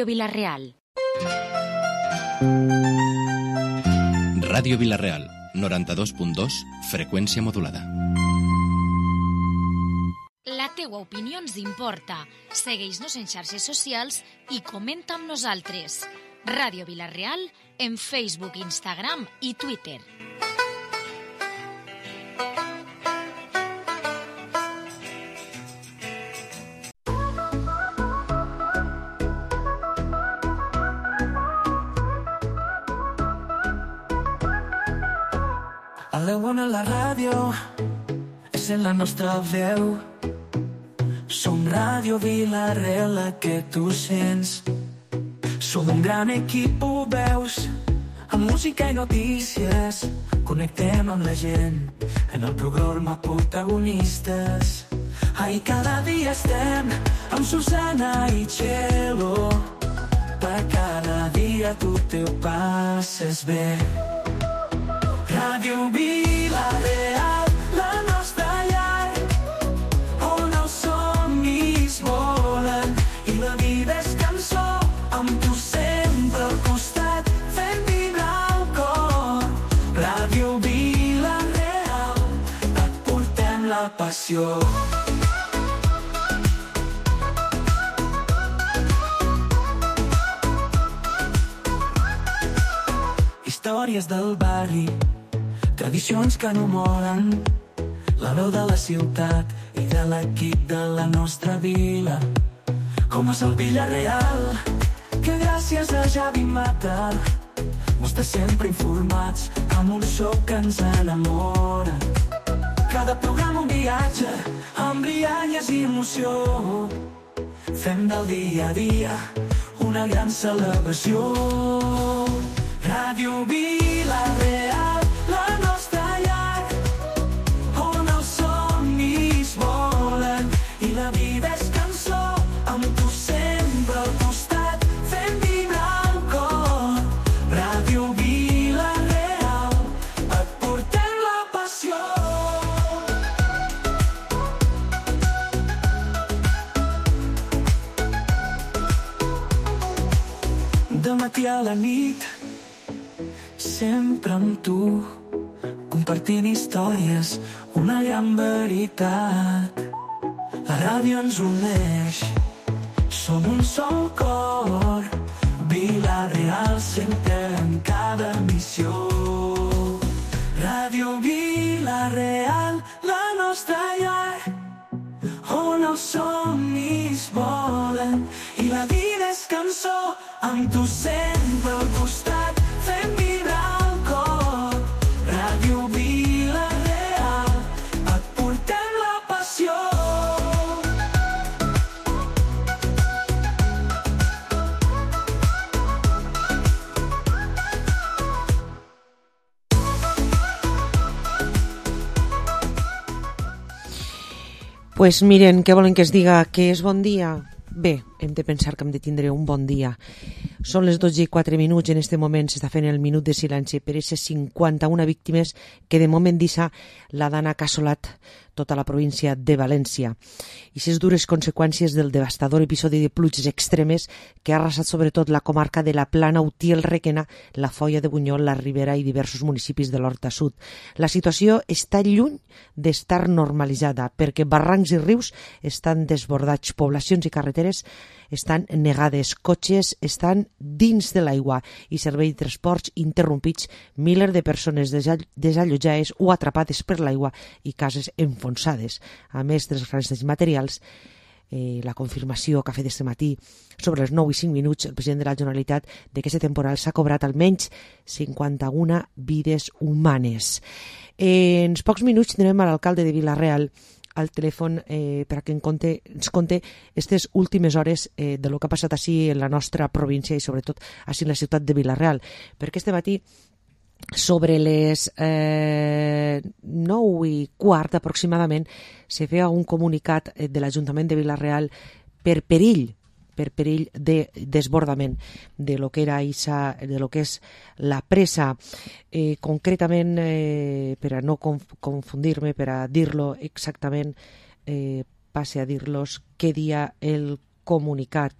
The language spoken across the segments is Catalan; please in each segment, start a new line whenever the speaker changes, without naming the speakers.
Vila-real.
Ràdio Vila-real, 92.2, freqüència modulada.
La teua opinió ens importa. Segueix-nos en xarxes socials i comenta amb nosaltres. Ràdio Vila-real en Facebook, Instagram i Twitter.
A la bona la ràdio és en la nostra veu. Som Ràdio Vila-real, la que tu sents. Som un gran equip, ho veus, amb música i notícies. Connectem amb la gent en el programa Protagonistes. Ai, cada dia estem amb Susana i Txelo. Per cada dia tu te ho passes bé. Ràdio Vila-real, la nostra llar, on els somnis volen i la vida és cançó, amb tu sempre al costat, fent vibrar el cor. Ràdio Vila-real, et portem la passió. Històries del barri, tradicions que no moren, la veu de la ciutat i de l'equip de la nostra vila. Com és el Vila-real, que gràcies a Javi Mata mos té sempre informats amb un so que ens enamora. Cada programa un viatge amb rialles i emoció. Fem del dia a dia una gran celebració. Ràdio Vila-real, la nostra llar, on els somnis volen i la vida és cançó, amb tu sempre al costat, fent vibrar el cor. Ràdio Vila-real, et portem la passió. De matí a la nit, sempre amb tu, compartint històries, una gran veritat. La ràdio ens uneix, som un sol cor. Vila-real sempre en cada missió. Ràdio Vila-real, la nostra llar, on els somnis volen i la vida és cançó, amb tu sempre al costat, fent vibrar el cor. Ràdio Vila-real, et portem la passió.
Pues miren, què volen que es diga? Que és bon dia? Bé, hem de pensar que hem de tindre un bon dia. Són les 12:04, en este moment s'està fent el minut de silenci per aquestes 51 víctimes que de moment deixa la Dana Cassolat tota la província de València. I les dures conseqüències del devastador episodi de pluges extremes que ha arrasat sobretot la comarca de la Plana, Utiel, Requena, la Foia de Bunyol, la Ribera i diversos municipis de l'Horta Sud. La situació està lluny d'estar normalitzada perquè barrancs i rius estan desbordats, poblacions i carreteres estan negades, cotxes estan dins de l'aigua i servei de transports interrompits, milers de persones desallotjades o atrapades per l'aigua i cases enfonsades. A més dels grans materials, la confirmació que ha fet este matí sobre les 9:05 el president de la Generalitat de que aquest temporal s'ha cobrat almenys 51 vides humanes. En pocs minuts tindrem a l'alcalde de Vila-real al telèfon perquè ens conte aquestes últimes hores de lo que ha passat així en la nostra província i sobretot així en la ciutat de Vila-real, perquè este matí sobre les 9:15 aproximadament se feia un comunicat de l'Ajuntament de Vila-real per perill de desbordament de lo que era de lo que és la presa. Concretament, per a no confundir-me, per a dir-lo exactament, passe a dir-los què dia el comunicat,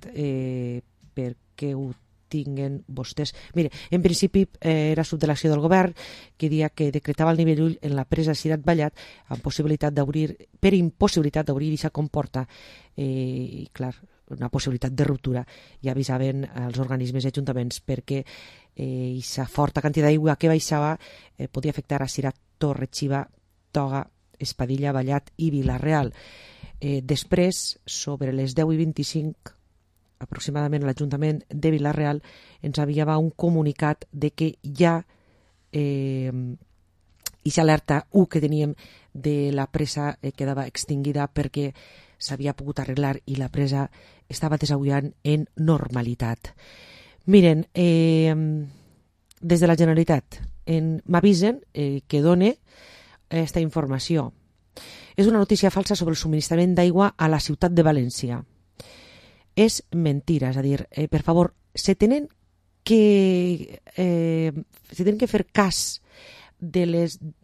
perquè que ho tinguen vostès. Mire, en principi era subdelegació del govern que dia que decretava el nivell 1 en la presa Cirat Vallat amb possibilitat d'obrir, per impossibilitat d'obrir aquesta comporta i clar, una possibilitat de ruptura, i avisaven els organismes i ajuntaments perquè aquesta forta quantitat d'aigua que baixava podia afectar a Cirat, Torre Xiva, Toga, Espadilla, Vallat i Vila-real. Després, sobre les 10:25, aproximadament l'Ajuntament de Vila-real ens enviava un comunicat de que ja aquesta alerta 1 que teníem de la presa quedava extinguida perquè s'havia pogut arreglar i la presa estava desaguant en normalitat. Miren, des de la Generalitat m'avisen que done aquesta informació. És una notícia falsa sobre el subministrament d'aigua a la ciutat de València. És mentira, és a dir, per favor, se tenen que fer cas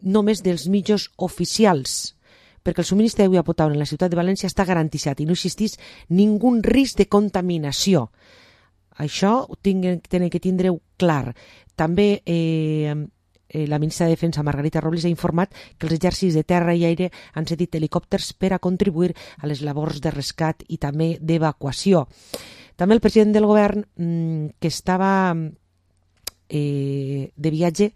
només dels mitjans oficials, perquè el subministre d'aigua potable en la ciutat de València està garantit i no existeix ningú risc de contaminació. Això ho tenen que tindre clar. També la ministra de Defensa, Margarita Robles, ha informat que els exèrcits de terra i aire han cedit helicòpters per a contribuir a les labors de rescat i també d'evacuació. També el president del govern, que estava de viatge,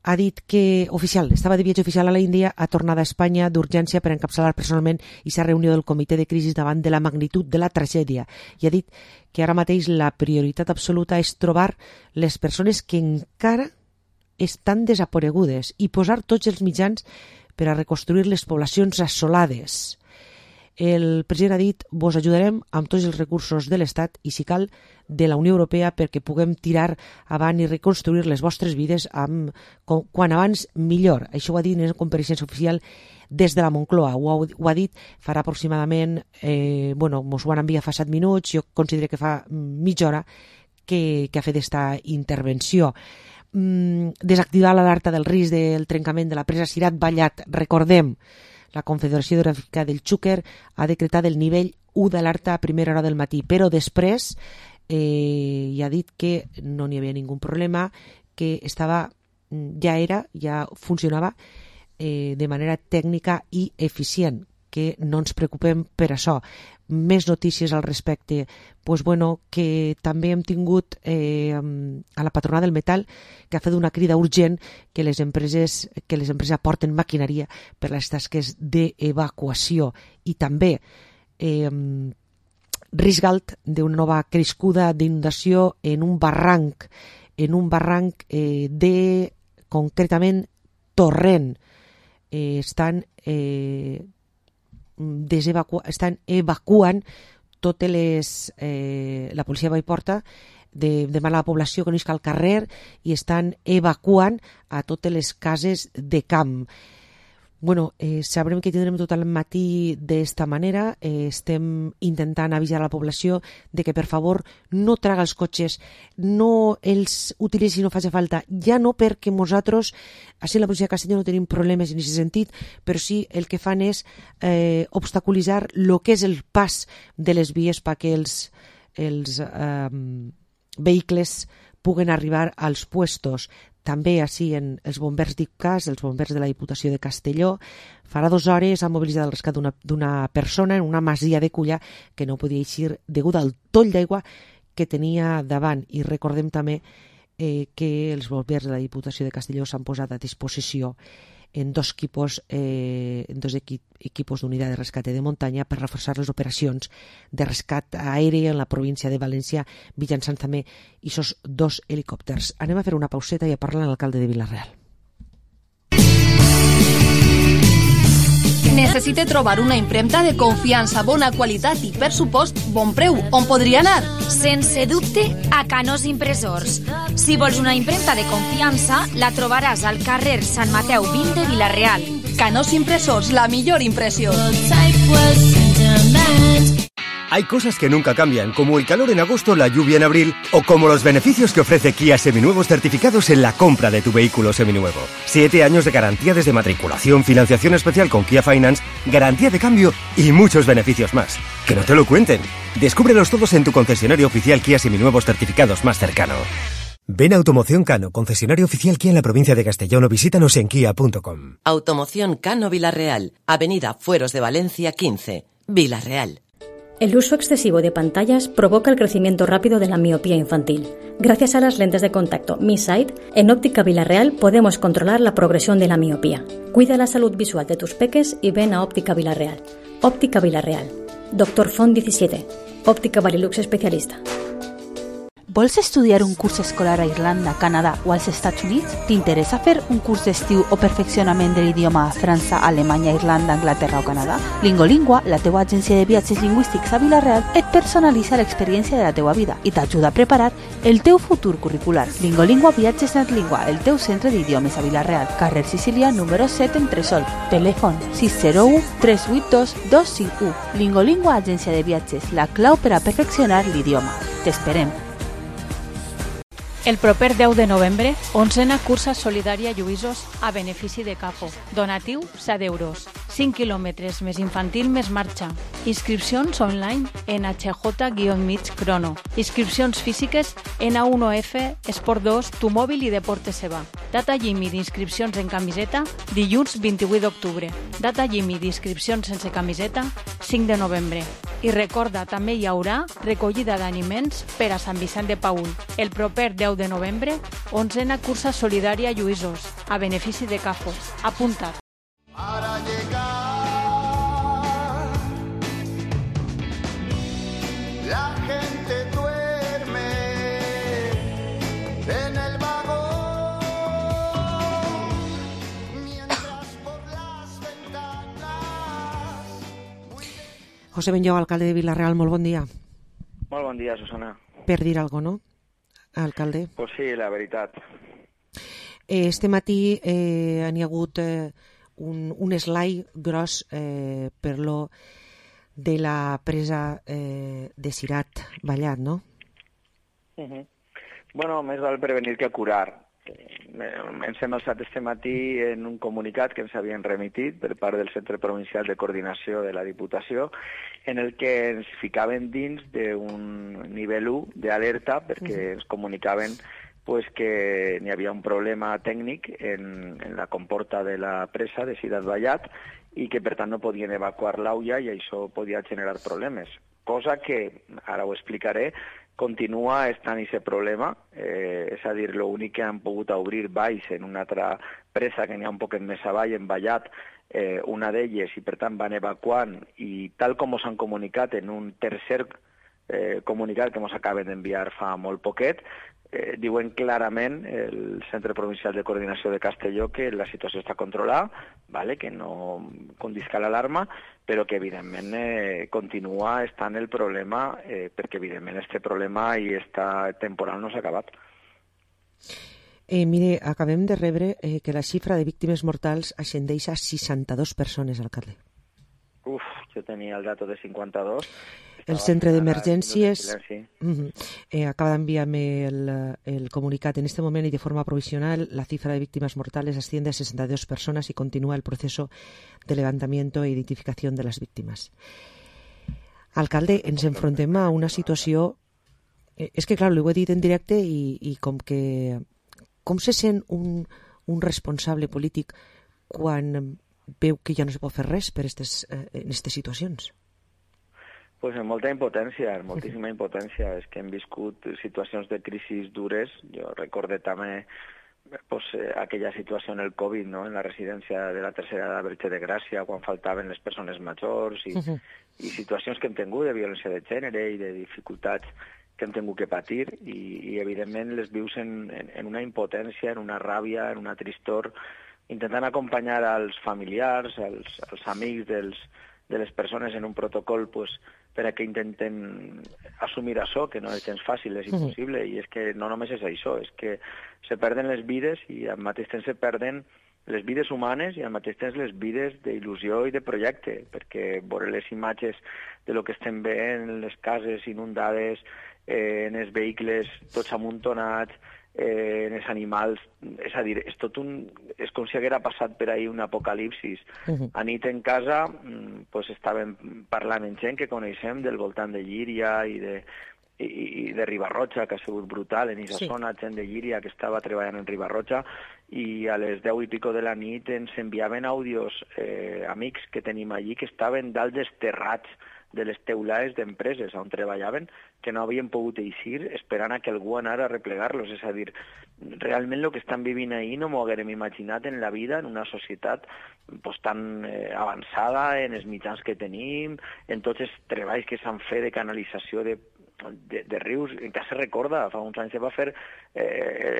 ha dit que estava de viatge oficial a l'Índia, ha tornat a Espanya d'urgència per encapçalar personalment aquesta reunió del comitè de crisi davant de la magnitud de la tragèdia, i ha dit que ara mateix la prioritat absoluta és trobar les persones que encara estan desaparegudes i posar tots els mitjans per a reconstruir les poblacions assolades. El president ha dit: vos ajudarem amb tots els recursos de l'Estat i, si cal, de la Unió Europea perquè puguem tirar avant i reconstruir les vostres vides quan abans millor. Això ho ha dit en una compareixença oficial des de la Moncloa. Ho ha dit farà aproximadament, mos ho van enviar fa 7 minuts, jo considero que fa mitja hora que ha fet aquesta intervenció. Desactivar l'alerta del risc del trencament de la presa Cirat Vallat. Recordem, la Confederació Hidrogràfica del Xúquer ha decretat el nivell 1 d'alerta a primera hora del matí, però després ja ha dit que no n'hi havia ningú problema, que ja funcionava de manera tècnica i eficient, que no ens preocupem per això. Més notícies al respecte. Que també hem tingut a la patronal del metall, que ha fet una crida urgent que les empreses aporten maquinària per les tasques d'evacuació, i també risc alt d'una nova crescuda d'inundació en un barranc de, concretament, Torrent. Estan evacuant totes la policia va i porta demana a la població que no isca al carrer i estan evacuant a totes les cases de camp. Sabrem que tindrem tot el matí d'esta manera. Estem intentant avisar a la població de que, per favor, no traga els cotxes, no els utilitzi si no faci falta, ja no perquè nosaltres, així en la policia de Castelló, no tenim problemes en aquest sentit, però sí el que fan és obstaculitzar el que és el pas de les vies perquè els vehicles puguen arribar als puestos. També així en els bombers d'IPCAS, els bombers de la Diputació de Castelló, farà 2 hores han mobilitzat el rescat d'una persona en una masia de Culla que no podia eixir degut al toll d'aigua que tenia davant. I recordem també que els bombers de la Diputació de Castelló s'han posat a disposició en 2 equipos d'unitat de rescat de muntanya per reforçar les operacions de rescat aeri en la província de València mitjançant també aquests 2 helicòpters. Anem a fer una pauseta i a parlar amb l'alcalde de Vila-real.
Necessita trobar una impremta de confiança, bona qualitat i, per supost, bon preu. On podria anar?
Sense dubte, a Canós Impressors. Si vols una impremta de confiança, la trobaràs al carrer Sant Mateu 20 de Vila-real.
Canós Impressors, la millor impressió.
Hay cosas que nunca cambian, como el calor en agosto, la lluvia en abril, o como los beneficios que ofrece Kia Seminuevos certificados en la compra de tu vehículo seminuevo. 7 años de garantía desde matriculación, financiación especial con Kia Finance, garantía de cambio y muchos beneficios más. ¡Que no te lo cuenten! Descúbrelos todos en tu concesionario oficial Kia Seminuevos certificados más cercano. Ven a Automoción Cano, concesionario oficial Kia en la provincia de Castellón, o visítanos en kia.com.
Automoción Cano Vilarreal, Avenida Fueros de Valencia 15, Vilarreal.
El uso excesivo de pantallas provoca el crecimiento rápido de la miopía infantil. Gracias a las lentes de contacto Mi Sight, en Óptica Vilarreal podemos controlar la progresión de la miopía. Cuida la salud visual de tus peques y ven a Óptica Vilarreal. Óptica Vilarreal. Dr. Font 17. Òptica Varilux especialista.
Vols estudiar un curs escolar a Irlanda, Canadà o als Estats Units? T'interessa fer un curs d'estiu o perfeccionament de l'idioma a França, Alemanya, Irlanda, Anglaterra o Canadà? Lingolingua, la teua agència de viatges lingüístics a Vilareal, et personalitza l'experiència de la teua vida i t'ajuda a preparar el teu futur curricular. Lingolingua Viatges NetLingua, el teu centre d'idiomes a Vilareal, carrer Sicília, número 7, Entresol. Telèfon 601 382 251. Lingolingua, agència de viatges, la clau per a perfeccionar l'idioma. T'esperem.
El proper 10 de novembre, 11a cursa solidària Lluïsos a benefici de CAFO. Donatiu 7 euros. 5 quilòmetres més infantil més marxa. Inscripcions online en HJ-mig Crono. Inscripcions físiques en A1F, Esport 2, Tu Mòbil i Deportes Seva. Data límit d'inscripcions en camiseta, dilluns 28 d'octubre. Data límit d'inscripcions sense camiseta, 5 de novembre. I recorda, també hi haurà recollida d'aliments per a Sant Vicent de Paül. El proper 10 de novembre, 11a cursa solidària Lluïsos, a benefici de CAFO. Apunta't.
Para llegar, la gente duerme en el vagón, mientras por las ventanas.
José Benlloc, alcalde de Vilarreal, molt bon dia.
Molt bon dia, Susana.
Per dir alguna cosa, no, alcalde?
Pues sí, la veritat.
Este matí n'hi ha hagut un esglai gros per lo de la presa de Cirat Vallat, no?
Bueno, més val prevenir que curar. Ens hem alçat este matí en un comunicat que ens havien remitit per part del Centre Provincial de Coordinació de la Diputació, en el que ens ficaven dins d'un nivell 1 d'alerta perquè ens comunicaven pues que n'hi havia un problema tècnic en la comporta de la presa de Cirat Vallat i que per tant no podien evacuar l'aulla i això podia generar problemes. Cosa que, ara ho explicaré, continua estant aquest problema, és a dir, l'únic que han pogut obrir valls en una altra presa que n'hi ha un poquet més avall, en Vallat, una d'elles, i per tant van evacuant, i tal com us han comunicat en un tercer comunicat que ens acaben d'enviar fa molt poquet, diuen clarament el Centre Provincial de Coordinació de Castelló que la situació està controlada, vale? Que no condisca l'alarma, però que evidentment continua estant el problema, perquè evidentment este problema i esta temporal no s'ha acabat.
Mire, acabem de rebre que la xifra de víctimes mortals ascendeix a 62 persones, alcalde.
Jo tenia el dato de 52.
El centre d'emergències acaba d'enviar-me el comunicat. En este moment y de forma provisional la cifra de víctimas mortales asciende a 62 personas y continúa el proceso de levantamiento e identificación de las víctimas. Alcalde, ens enfrontem a una situació... És que, clar, ho he dit en directe i com que... Com se sent un responsable polític quan veu que ja no se pot fer res en aquestes situacions?
Pues en molta impotència, en moltíssima impotència. És que hem viscut situacions de crisis dures. Jo recorde també aquella situació en el Covid, no? En la residència de la tercera edat Verge de Gràcia, quan faltaven les persones majors, i situacions que hem tingut de violència de gènere i de dificultats que hem tingut que patir, i evidentment les vius en una impotència, en una ràbia, en una tristor, intentant acompanyar als familiars, als amics de les persones en un protocol per a que intenten assumir això, que no és gens fàcil, és impossible, i és que no només és això, és que se perden les vides i al mateix temps se perden les vides humanes i al mateix temps les vides d'il·lusió i de projecte, perquè veure les imatges de lo que estem veient en les cases inundades, en els vehicles tots amuntonats, en els animals, és a dir, és tot és com si haguera passat per ahir un apocalipsis. A nit en casa pues, estàvem parlant amb gent que coneixem del voltant de Llíria i de Ribarroja, que ha sigut brutal en aquesta zona, gent de Llíria que estava treballant en Ribarroja, i a les 10 i pico de la nit ens enviaven àudios amics que tenim allí que estaven dalt dels terrats de les teulades d'empreses on treballaven, que no havien pogut eixir esperant a que algú anara a replegar-los. És a dir, realment el que estan vivint ahir no m'ho haguérem imaginat en la vida, en una societat pues, tan avançada, en els mitjans que tenim, en tots els treballs que s'han fet de canalització de rius. Encara se recorda, fa uns anys se va fer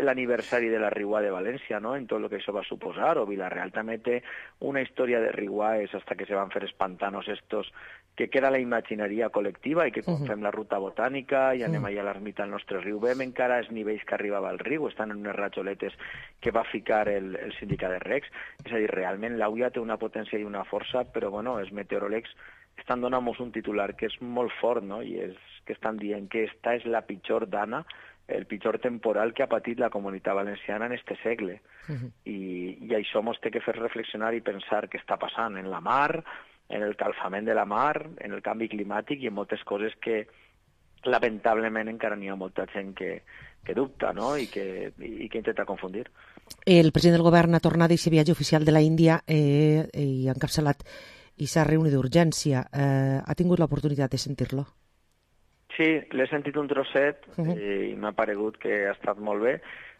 l'aniversari de la Riuà de València, no?, en tot el que això va suposar, o Vila-real també té una història de riuades hasta que se van fer els pantanos estos, que queda la imagineria col·lectiva i que quan fem la ruta botànica i anem allà a l'ermita del nostre riu, veiem encara els nivells que arribava al riu, estan en unes ratxoletes que va ficar el sindicat de recs. És a dir, realment l'AUIA té una potència i una força, però bueno, els meteoròlegs estan donant-nos un titular que és molt fort, no?, i és que estan dient que esta és la pitjor dana, el pitjor temporal que ha patit la comunitat valenciana en este segle. I això ens té que fer reflexionar i pensar què està passant en la mar, en el calfament de la mar, en el canvi climàtic i en moltes coses que lamentablement encara n'hi ha molta gent que dubta, no?, i que intenta confundir.
El president del govern ha tornat d'aquest viatge oficial de la Índia i ha encapçalat i s'ha reunit d'urgència. Ha tingut l'oportunitat de sentir-lo?
Sí, l'he sentit un trosset i m'ha paregut que ha estat molt bé.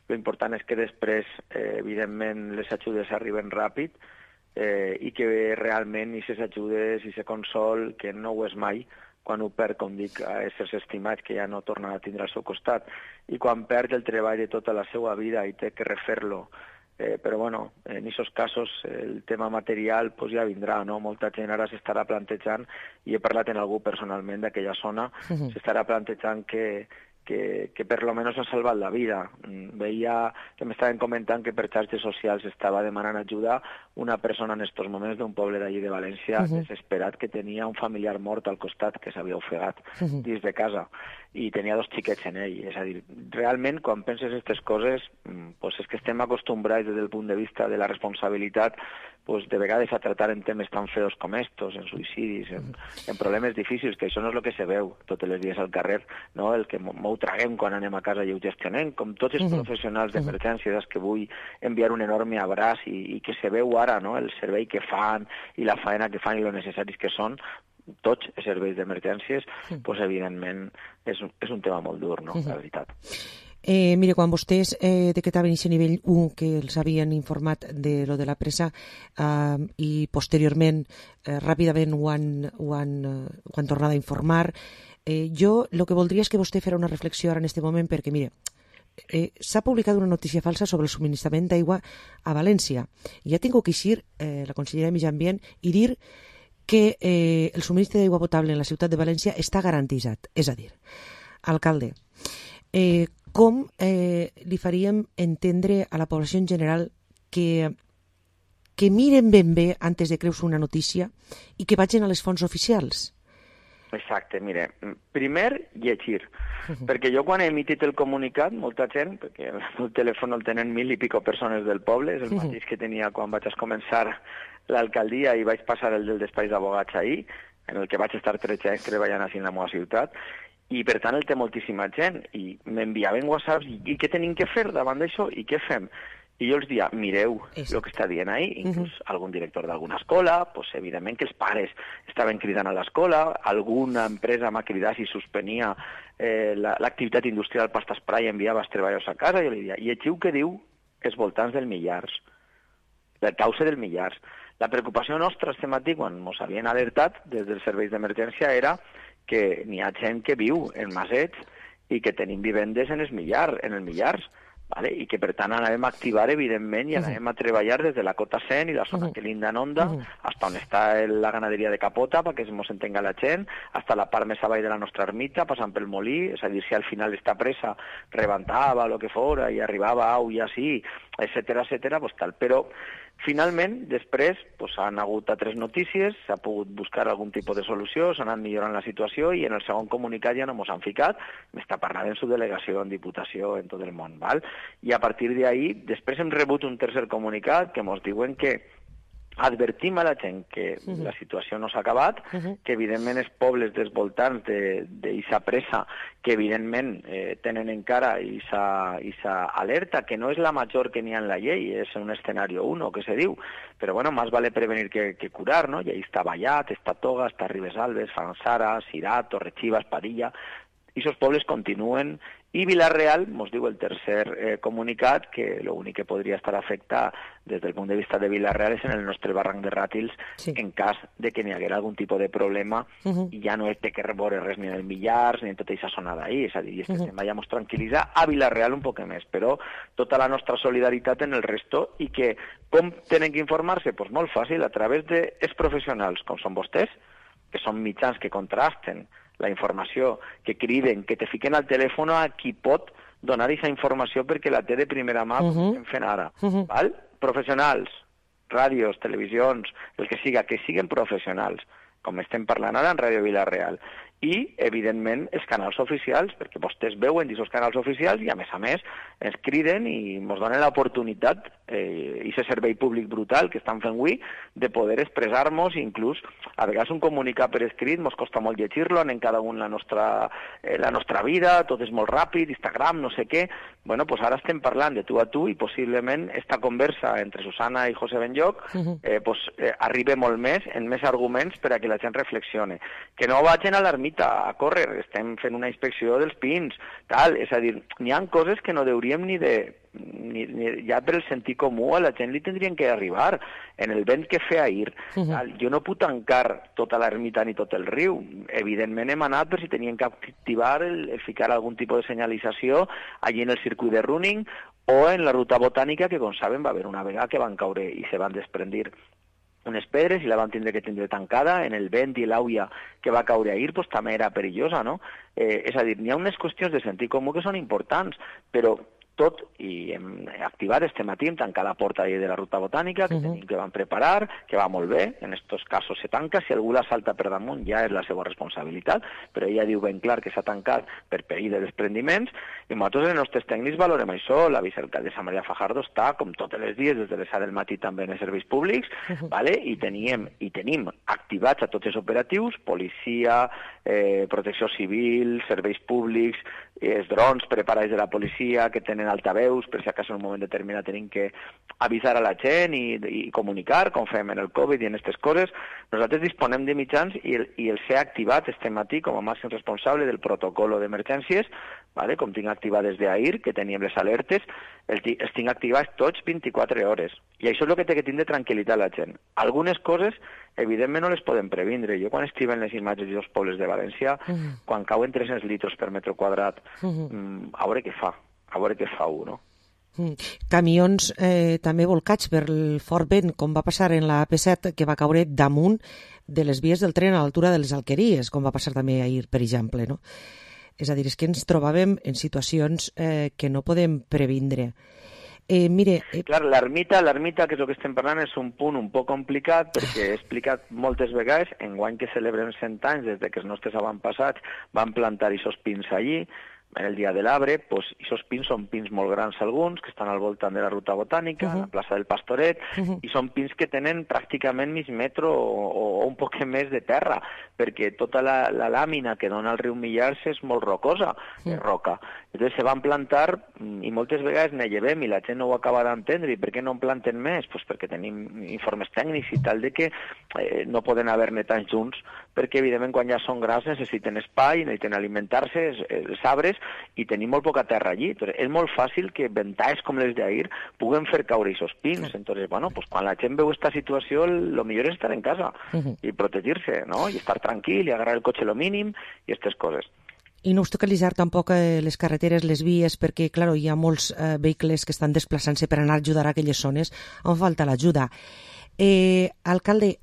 L'important és que després, evidentment, les ajudes arriben ràpid i que realment aquestes ajudes i aquest consol, que no ho és mai, quan ho perd, com dic, a éssers estimats que ja no tornen a tindre al seu costat, i quan perd el treball de tota la seva vida i té que refer-lo. Però bueno, en aquests casos el tema material pues, ja vindrà, no? Molta gent ara s'estarà plantejant, i he parlat amb algú personalment d'aquella zona, s'estarà plantejant que per lo menos ha salvat la vida. Veia que m'estaven comentant que per xarxes socials estava demanant ajuda una persona en estos moments d'un poble d'allí de València desesperat que tenia un familiar mort al costat que s'havia ofegat dins de casa i tenia 2 xiquets en ell. És a dir, realment quan penses aquestes coses pues és que estem acostumbrats des del punt de vista de la responsabilitat pues de vegades a tratar en temes tan feos com estos, en suïcidis, en problemes difícils, que això no és el que se veu tots els dies al carrer, no? El que m'ho traguem quan anem a casa i ho gestionem, com tots els professionals d'emergència, que vull enviar un enorme abraç i que se veu ara, no?, el servei que fan i la faena que fan i lo necessaris que són tots els serveis d'emergències, pues evidentment és un tema molt dur, no?, la veritat.
Mire, quan vostès decretaven aquest nivell 1 que els havien informat de lo de la pressa i posteriorment ràpidament ho han tornat a informar, jo el que voldria és que vostè fera una reflexió ara en aquest moment perquè, mire, s'ha publicat una notícia falsa sobre el subministrament d'aigua a València i ha tingut que eixir la consellera de Medi Ambient i dir que el subministre d'aigua potable en la ciutat de València està garantitzat. És a dir, alcalde, com li faríem entendre a la població en general que miren ben bé antes de creure una notícia i que vagin a les fonts oficials?
Exacte, mire, primer llegir, perquè jo quan he emitit el comunicat, molta gent, perquè el telèfon el tenen 1.000 i pico persones del poble, és el mateix que tenia quan vaig començar l'alcaldia i vaig passar el del despatx d'abogats ahir, en el que vaig estar 13 anys treballant així en la meva ciutat, i per tant el té moltíssima gent, i m'enviaven whatsapps, i què tenim que fer davant d'això, i què fem? I jo els dia, mireu el que està dient ahí, inclús algun director d'alguna escola, pues, evidentment que els pares estaven cridant a l'escola, alguna empresa m'ha cridat si suspenia l'activitat industrial pasta spray i enviava els treballadors a casa, i jo li dia, llegiu què diu els voltants del Millars, la causa del Millars. La preocupació nostra este matí, quan ens havien alertat des dels serveis d'emergència, era que n'hi ha gent que viu en masets i que tenim vivendes en el Millars, ¿vale? I que per tant anem a activar evidentment i anem a treballar des de la Cota 100 i la zona que linda en Onda hasta on està la ganaderia de Capota perquè ens entenga la gent, hasta la part més avall de la nostra ermita, passant pel molí, és a dir, si al final esta presa rebentava o el que fora i arribava au i així, etcètera, pues tal. Però Finalment, després, han hagut altres notícies, s'ha pogut buscar algun tipus de solució, s'ha anat millorant la situació i en el segon comunicat ja no mos han ficat, m'està parlant en subdelegació, en diputació, en tot el món, val? I a partir d'ahí, després hem rebut un tercer comunicat que mos diuen que advertim a la gent que la situació no s'ha acabat, que evidentment els pobles dels voltants d'eixa pressa, que evidentment tenen encara eixa alerta, que no és la major que n'hi ha en la llei, és un escenari 1, que se diu, però bueno, más vale prevenir que curar, no? I ahí està Vallat, està Toga, està Ribesalbes, Fanzara, Cirat, Torrechivas, Padilla, i aquests pobles continuen, i Vila-real mos diu el tercer comunicat que l'únic que podria estar afectat des del punt de vista de Vila-real és en el nostre barranc de Ràtils, en cas de que n'hi haguera algun tipus de problema, i ja no és de que rebore res ni en el Millars ni en tota aquesta zona d'ahir, és a dir, que se'n vayamos tranquil·litzar a Vila-real un poc més, però tota la nostra solidaritat en el resto, i que com tenen que informar-se? Doncs molt fàcil, a través dels professionals, com són vostès, que són mitjans que contrasten la informació, que criden, que te fiquen al telèfon a qui pot donar aquesta informació perquè la té de primera mà, com estem fent ara. Val? Professionals, ràdios, televisions, el que siga, que siguin professionals, com estem parlant ara en Ràdio Vila-real. I, evidentment, els canals oficials, perquè vostès veuen aquests canals oficials i, a més, ens criden i ens donen l'oportunitat, i aquest servei públic brutal que estan fent avui, de poder expressar-nos, inclús, a vegades un comunicat per escrit, ens costa molt llegir-lo, anem cada un la nostra vida, tot és molt ràpid, Instagram, no sé què. Bueno, doncs ara estem parlant de tu a tu i possiblement esta conversa entre Susana i José Benlloc arriba molt més, en més arguments per a que la gent reflexione. Que no vagin a l'ermita a córrer, estem fent una inspecció dels pins, tal, és a dir, n'hi ha coses que no hauríem ni ja per el sentit comú a la gent li tindrien que arribar en el vent que feia ahir. Jo no puc tancar tota l'ermita ni tot el riu, evidentment hem anat per si tenien que activar el ficar algun tipus de senyalització allí en el circuit de running o en la ruta botànica, que com saben va haver una vegada que van caure i se van desprendir unes pedres i la van tindre que tindre tancada, en el vent i l'àuia que va caure ahir pues, també era perillosa, no? És a dir, n'hi ha unes qüestions de sentit comú que són importants, però tot, i hem activat este matí, hem tancat la porta de la ruta botànica, que van preparar, que va molt bé, en aquests casos se tanca, si algú la salta per damunt ja és la seva responsabilitat, però ella diu ben clar que s'ha tancat per perill de desprendiments, i nosaltres els nostres tècnics valorem això, la vicealcaldessa Maria Fajardo està, com tots els dies, des de les 7 del matí també en els serveis públics, i tenim activats a tots els operatius, policia, protecció civil, serveis públics, els drons preparats de la policia, que tenen altaveus, per si acaso en un moment determinat tenim que avisar a la gent i comunicar, com fem en el Covid i en aquestes coses. Nosaltres disponem de mitjans i els he activat este matí com a màxim responsable del protocol d'emergències, com tinc activades d'ahir, que teníem les alertes, els tinc activats tots 24 hores. I això és el que té que tindre tranquil·litat la gent. Algunes coses, evidentment, no les podem previndre. Jo quan estic en les imatges dels pobles de València, quan cauen 300 litres per metre quadrat, a veure què fa. A veure què fa no?
Camions també volcats per el fort vent, com va passar en la AP7, que va caure damunt de les vies del tren a l'altura de les Alqueries, com va passar també ahir, per exemple, no? És a dir, és que ens trobàvem en situacions que no podem previndre.
Clar, l'ermita, que és el que estem parlant, és un punt un poc complicat, perquè he explicat moltes vegades, enguany que celebrem 100 anys, des que els nostres avantpassats van plantar aquests pins allí, en el dia de l'arbre, doncs, aquests pins són pins molt grans alguns, que estan al voltant de la ruta botànica, a la plaça del Pastoret, i són pins que tenen pràcticament mig metre o un poc més de terra, perquè tota la làmina que dona al riu Millars és molt rocosa, roca. Llavors se van plantar i moltes vegades ne llevem i la gent no ho acaba d'entendre. I per què no en planten més? Pues perquè tenim informes tècnics i tal de que no poden haver-ne tants junts, perquè evidentment quan ja són grans necessiten espai, necessiten alimentar-se, els arbres, i tenim molt poca terra allí. Entonces, és molt fàcil que ventades com les d'ahir puguen fer caure aquests pins. Entonces, bueno, pues quan la gent veu aquesta situació, lo millor és estar en casa i protegir-se, ¿no? I estar tranquil i agarrar el cotxe lo mínim i aquestes coses.
I no obstaculitzar tampoc les carreteres, les vies, perquè, clar, hi ha molts vehicles que estan desplaçant-se per anar a ajudar a aquelles zones on falta l'ajuda. Alcalde,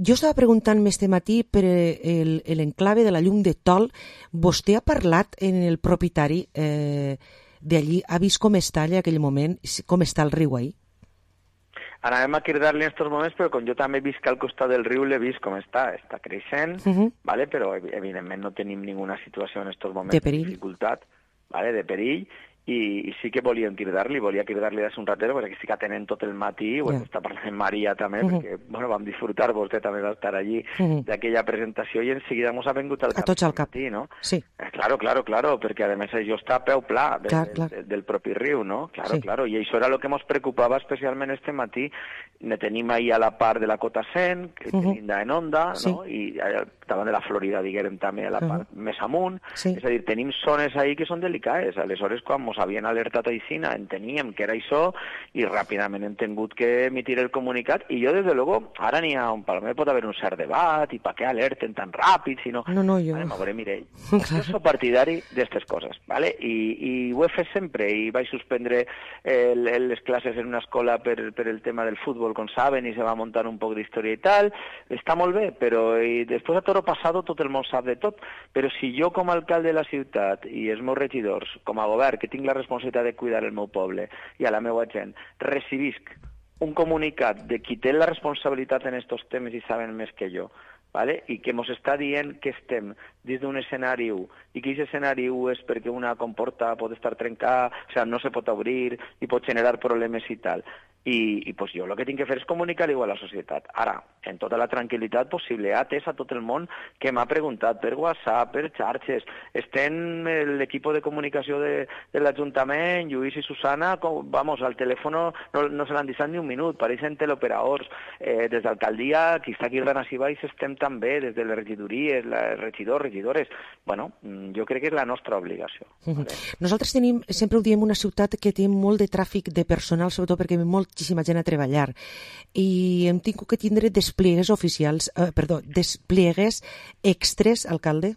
jo estava preguntant este matí per l'enclave de la Llum de Tol. Vostè ha parlat en el propietari d'allí? Ha vist com està allà aquell moment? Com està el riu ahí?
Anàvem a cridar-li en aquests moments, però com jo també visc al costat del riu, l'he vist com està creixent, vale? Però evidentment no tenim ninguna situació en aquests moments de dificultat, vale? De perill, i sí que volíem cridar-li des un ratet, perquè sí que tenen tot el matí, ho està parlant Maria també, perquè vam disfrutar, vostè també va estar allí, d'aquella presentació, i en seguida ens ha vingut al cap.
A tots al cap.
Matí, no?
Sí.
Claro, perquè a més això està a peu pla del propi riu, no? Claro, i això era el que ens preocupava especialment este matí. Ne tenim ahí a la part de la cota 100, que tenim en onda, no? I davant de la Florida, diguem, també a la part més amunt, és a dir, tenim zones ahí que són delicades. Aleshores, quan ens havien alertat a Isina, enteníem que era això, i ràpidament hem tingut que emitir el comunicat, i jo, des de luego, ara n'hi ha un palmer, pot haver un cert debat, i per què alerten tan ràpid, si no...
No, jo...
Vale, m'hauré Mireia. Jo soc partidari d'aquestes coses, vale? I ho he fet sempre, i vaig suspendre les classes en una escola per el tema del futbol, com saben, i se va muntar un poc d'història i tal. Està molt bé, però després a toro passado tot el món sap de tot, però si jo com a alcalde de la ciutat i els meus regidors, com a govern, que tinc la responsabilitat de cuidar el meu poble i a la meva gent, recibisc un comunicat de qui té la responsabilitat en aquests temes i saben més que jo, vale? I que ens està dient que estem dins d'un escenari 1 i que aquest escenari 1 és perquè una comporta pot estar trencada, o sigui, no se pot obrir i pot generar problemes i tal. I pues jo el que tinc que fer és comunicar-ho a la societat. Ara, en tota la tranquil·litat possible, atès a tot el món que m'ha preguntat per WhatsApp, per xarxes, estem l'equip de comunicació de l'Ajuntament, Lluís i Susana, vamos, al telèfon no se l'han deixat ni un minut, pareixen teleoperadors. Des d'alcaldia, qui està aquí al Danassi Baix, estem també, des de les regidories, regidors, regidores. Bueno, jo crec que és la nostra obligació. Vale?
Nosaltres tenim, sempre ho diem, una ciutat que té molt de tràfic de personal, sobretot perquè moltíssima gent a treballar, i hem tingut que tindre despliegues extres, alcalde?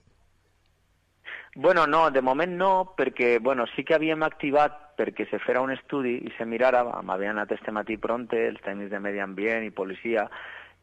Bueno, no, de moment no, perquè sí que havíem activat perquè se fera un estudi i se mirara, m'havien anat este matí pronte els tècnics de medi ambient i policia,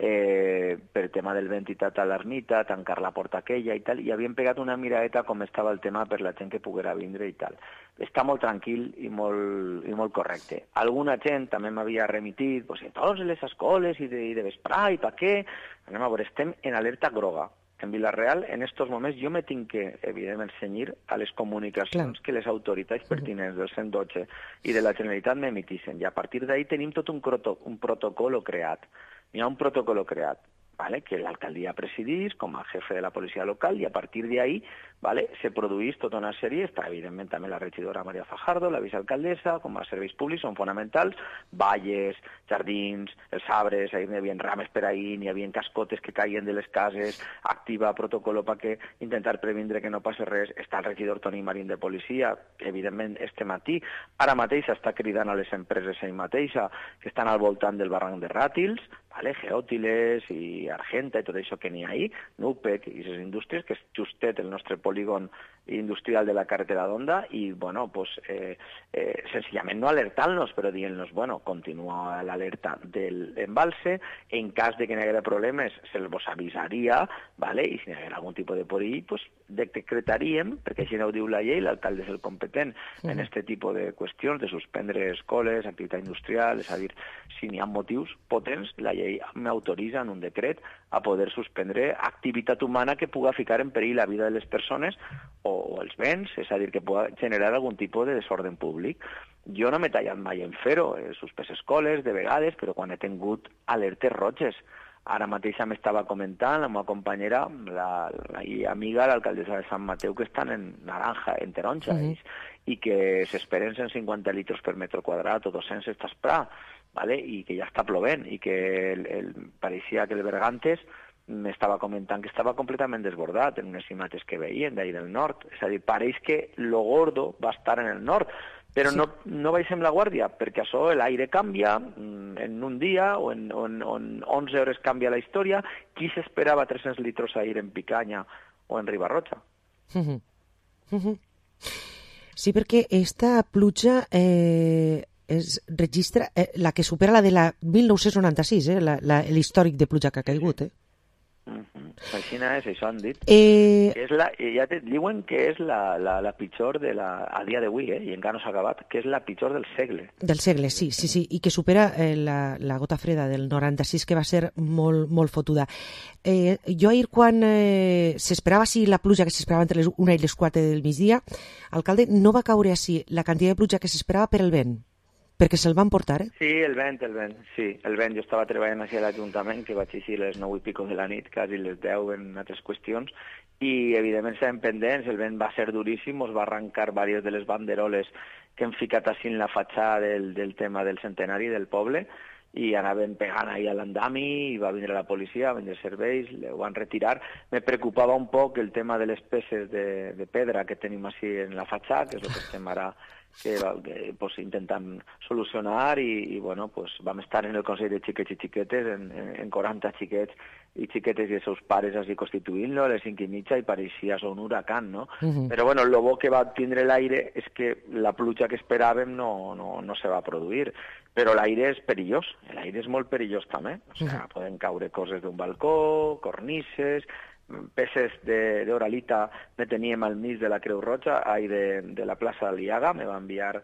per tema del vent i tal a l'ermita, tancar la porta aquella i tal, i havien pegat una miradeta com estava el tema per la gent que poguera vindre i tal. Està molt tranquil i molt correcte. Alguna gent també m'havia remitit, a tots les escoles i de vesprà i per què? Anem a veure, estem en alerta groga. En Vila-real, en estos moments, jo me tinc que, evidentment, cenyir a les comunicacions que les autoritats pertinents del 112 i de la Generalitat m'emitissin. I a partir d'ahí tenim tot un protocol creat. Hi ha un protocol creat, ¿vale? Que l'alcaldia presidís com a jefe de la policia local, i a partir d'ahí, ¿vale? Se produís tota una sèrie, està evidentment també la regidora Maria Fajardo, la vicealcaldessa, com a serveis públics són fonamentals, valles, jardins, els arbres, hi havia rames per ahí, hi havia cascotes que caien de les cases, activa protocol perquè intentar previndre que no passi res. Està el regidor Toni Marín de policia, evidentment este matí, ara mateix està cridant a les empreses ell mateixa que estan al voltant del barranc de Ràtils, ¿vale? Geòtiles i Argenta i tot això que n'hi ha ahí, Nupec i les indústries, que és justet el nostre polígon industrial de la carretera d'Onda, i, bueno, pues, senzillament no alertant-nos, però dient-nos, bueno, continua l'alerta del embalse, en cas de que n'hi haguera problemes, se'ls avisaria, ¿vale? I si n'hi haguera algun tipus de perill, pues, decretaríem, perquè així no ho diu la llei, l'alcalde és el competent en aquest tipus de qüestions, de suspendre escoles, activitat industrial, és a dir, si n'hi ha motius potents, la llei m'autoritza en un decret a poder suspendre activitat humana que puga ficar en perill la vida de les persones o els béns, és a dir, que puga generar algun tipus de desordre públic. Jo no m'he tallat mai en fer-ho, he suspès escoles de vegades, però quan he tingut alertes roges. Ara mateix m'estava comentant la meva companyera, la amiga, l'alcaldessa de Sant Mateu, que estan en naranja, en taronja, i que s'esperen 150 litres per metre quadrat o 200 estàs pra, ¿vale? I que ja està plovent, i que pareixia que el Bergantes m'estava comentant que estava completament desbordat en unes imatges que veien d'ahir del nord. És a dir, pareix que lo gordo va estar en el nord, però no baixem la guàrdia, perquè això, l'aire canvia en un dia o en 11 hores canvia la història. Qui s'esperava 300 litres d'aire en Picanya o en Ribarroja?
Sí, perquè esta pluja es registra la que supera la de la 1996, l'històric de pluja que ha caigut,
Així és, això han dit. Ja te diuen que és la pitjor a dia d'avui, i encara no s'ha acabat, que és la pitjor del segle.
Del segle, sí, i que supera la gota freda del 96, que va ser molt, molt fotuda. Jo ahir, quan s'esperava la pluja que s'esperava entre les 1 i les 4 del migdia, alcalde, no va caure així la quantitat de pluja que s'esperava per el vent, perquè se'l van portar,
Sí, el vent, sí, el vent. Jo estava treballant així a l'Ajuntament, que vaig així a les 9 i pico de la nit, quasi les 10 en altres qüestions, i evidentment estàvem pendents, el vent va ser duríssim, ens va arrencar diverses de les banderoles que hem ficat així en la fatxada del tema del centenari del poble, i anàvem pegant ahí a l'andami, i va vindre la policia, va vindre serveis, ho van retirar. Me preocupava un poc el tema de les peces de pedra que tenim així en la fatxada, que és el que estem ara pues, intentant solucionar, i bueno, pues, vam estar en el Consell de Xiquets i Xiquetes, en 40 xiquets i xiquetes i els seus pares així constituint-lo a les 5:30, i pareixia un huracan, no? Però bueno, el bo que va tindre l'aire és que la pluja que esperàvem no se va produir, però l'aire és perillós, l'aire és molt perillós també, o sigui, poden caure coses d'un balcó, cornises, peces d'oralita me teníem al mig de la Creu Roja, de la plaça d'Aliaga, me va enviar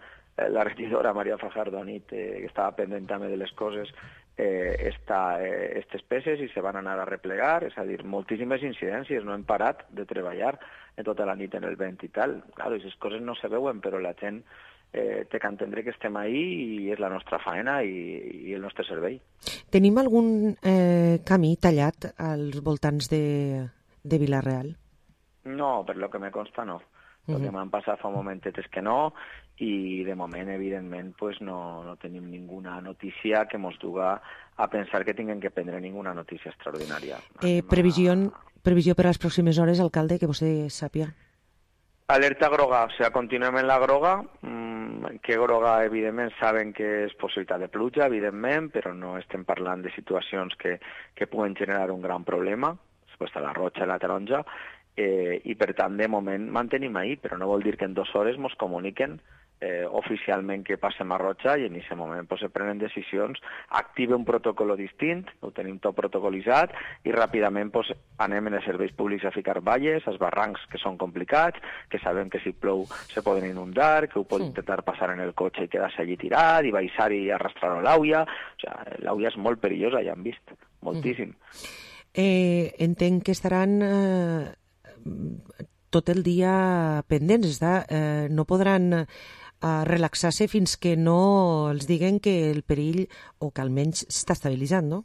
la regidora Maria Fajardo Nit, que estava pendent també de les coses, aquestes peces, i se van anar a replegar, és a dir, moltíssimes incidències, no hem parat de treballar tota la nit en el vent i tal. Claro, aquestes coses no se veuen, però la gent té que entendre que estem ahí, i és la nostra faena i el nostre servei.
Tenim algun camí tallat als voltants de Vila-real?
No, per lo que me consta no. El que m'han passat fa un momentet és que no, i de moment, evidentment, pues no tenim ninguna notícia que ens duga a pensar que tinguem que prendre ninguna notícia extraordinària.
Previsió per a les pròximes hores, alcalde, que vostè sàpia?
Alerta groga, o sigui, continuem en la groga, que groga, evidentment, saben que és possibilitat de pluja, evidentment, però no estem parlant de situacions que puguen generar un gran problema, després a la roja i la taronja, i per tant, de moment, mantenim ahí, però no vol dir que en 2 hores ens comuniquen oficialment que passem a roja, i en aquest moment pues, se prenen decisions, activa un protocol distint, ho tenim tot protocolitzat, i ràpidament pues, anem en els serveis públics a ficar valles, als barrancs que són complicats, que sabem que si plou se poden inundar, que ho pot intentar passar en el cotxe i quedar-se allí tirat, i baixar i arrastrar l'auia. O sigui, l'auia és molt perillosa, ja hem vist, moltíssim.
Entenc que estaran tot el dia pendents, no podran relaxar-se fins que no els diguen que el perill, o que almenys s'està estabilitzant, no?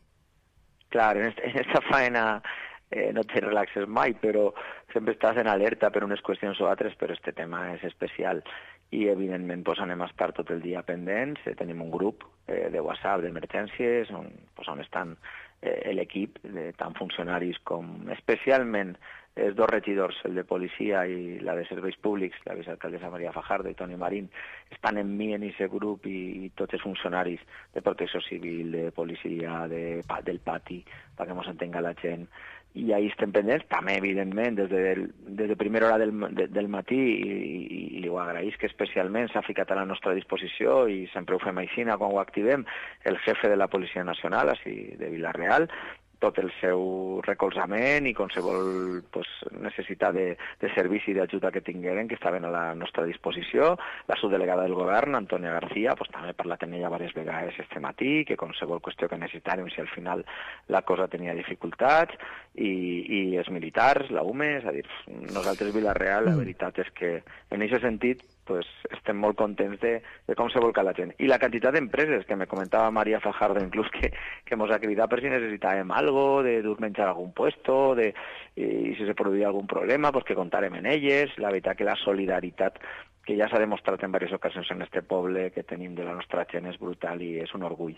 Clar, en aquesta faena no te relaxes mai, però sempre estàs en alerta per unes qüestions o altres, però aquest tema és especial, i evidentment pues, anem a estar tot el dia pendents. Tenim un grup de WhatsApp d'emergències on estan l'equip, tant funcionaris com especialment els 2 regidors, el de policia i la de serveis públics, la vicealcaldessa Maria Fajardo i Toni Marín, estan en mi en aquest grup, i tots els funcionaris de protecció civil, de policia, del pati, perquè ens entenga la gent. I ahí estem pendents, també, evidentment, des de primera hora del matí, i li ho agraïs que especialment s'ha ficat a la nostra disposició, i sempre ho fem així quan ho activem, el jefe de la Policia Nacional, així de Vila-real, tot el seu recolzament i qualsevol necessitat de servici i d'ajuda que tingueren, que estaven a la nostra disposició. La subdelegada del govern, Antònia García, també he parlat amb ella diverses vegades este matí, que qualsevol qüestió que necessitàrem, si al final la cosa tenia dificultats, i els militars, la UME, és a dir, nosaltres Vila-real, la veritat és que en aquest sentit estem molt contents de com se volca la gent. I la quantitat d'empreses, que me comentava Maria Fajardo, inclús que ens ha cridat per si necessitàvem algo, de dur menjar a algun puesto, i si se produïa algun problema, que comptarem en elles. La veritat que la solidaritat que ja s'ha demostrat en diverses ocasions en este poble que tenim de la nostra gent és brutal i és un orgull.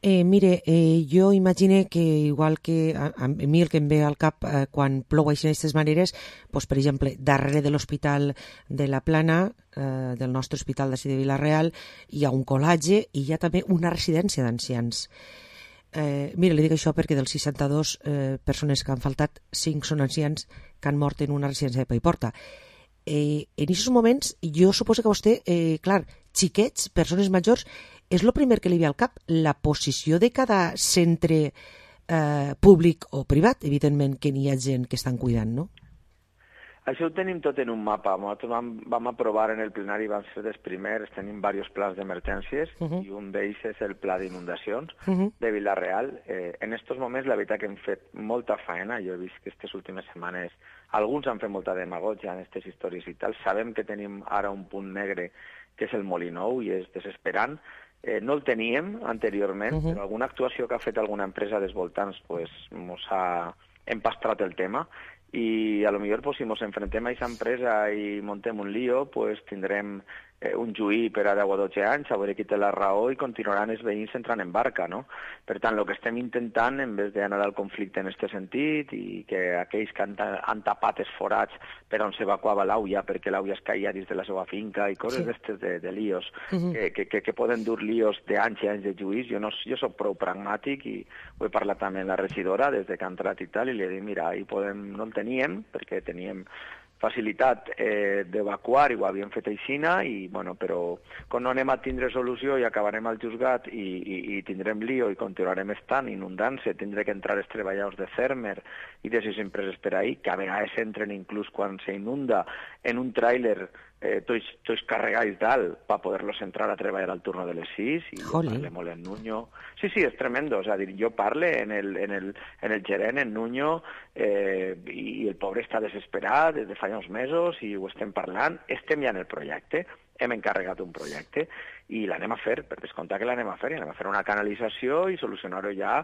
Mire, jo imagine que igual que a mi el que em ve al cap quan plou així d'aquestes maneres, per exemple, darrere de l'Hospital de la Plana, del nostre hospital d'ací de Vila-real, hi ha un col·latge i hi ha també una residència d'ancians. Mire, li dic això perquè dels 62 persones que han faltat, 5 són ancians que han mort en una residència de Paiporta. En aquests moments, jo suposo que vostè, clar, xiquets, persones majors, és el primer que li ve al cap, la posició de cada centre públic o privat, evidentment que n'hi ha gent que estan cuidant, no?
Això ho tenim tot en un mapa. Nosaltres vam aprovar en el plenari, vam ser dels primers, tenim diversos plans d'emergències i un d'ells és el pla d'inundacions de Vila-real. En aquests moments, la veritat que hem fet molta feina. Jo he vist que aquestes últimes setmanes alguns han fet molta demagògia en aquestes històries i tal. Sabem que tenim ara un punt negre que és el Molinou i és desesperant. No el teníem anteriorment, però alguna actuació que ha fet alguna empresa dels voltants pues, mos ha empastrat el tema. Y a lo mejor pues, si nos enfrentem a esa empresa y montem un lío, pues tindrem un juí per a 10 o 12 anys, a veure qui té la raó i continuaran els veïns entrant en barca, no? Per tant, el que estem intentant, en vez d'anar al conflicte en aquest sentit i que aquells que han tapat els forats per on s'evacuava l'auia perquè l'auia es caia dins de la seva finca i coses d'estes de líos, que poden dur líos d'anys i anys de juís. Jo soc prou pragmàtic i ho he parlat també amb la regidora des de que ha entrat i tal, i li he dit, mira, no el teníem perquè teníem facilitat d'evacuar i ho havíem fet aixina, i, bueno, però com no anem a tindre solució i acabarem al juzgat i tindrem lío i continuarem estant inundant-se, tindré que entrar els treballadors de Fermer i de les empreses per ahí, que a vegades entren inclús quan s'inunda en un tràiler tots carregats dalt per poder-los entrar a treballar al turno de les 6 i jo parle molt en Nuño. Sí, és tremendo, és a dir, jo parle en el gerent, en Nuño, i el pobre està desesperat des de fa uns mesos i ho estem parlant, estem ja en el projecte, hem encarregat un projecte i l'anem a fer, per descomptar que l'anem a fer, i anem a fer una canalització i solucionar-ho ja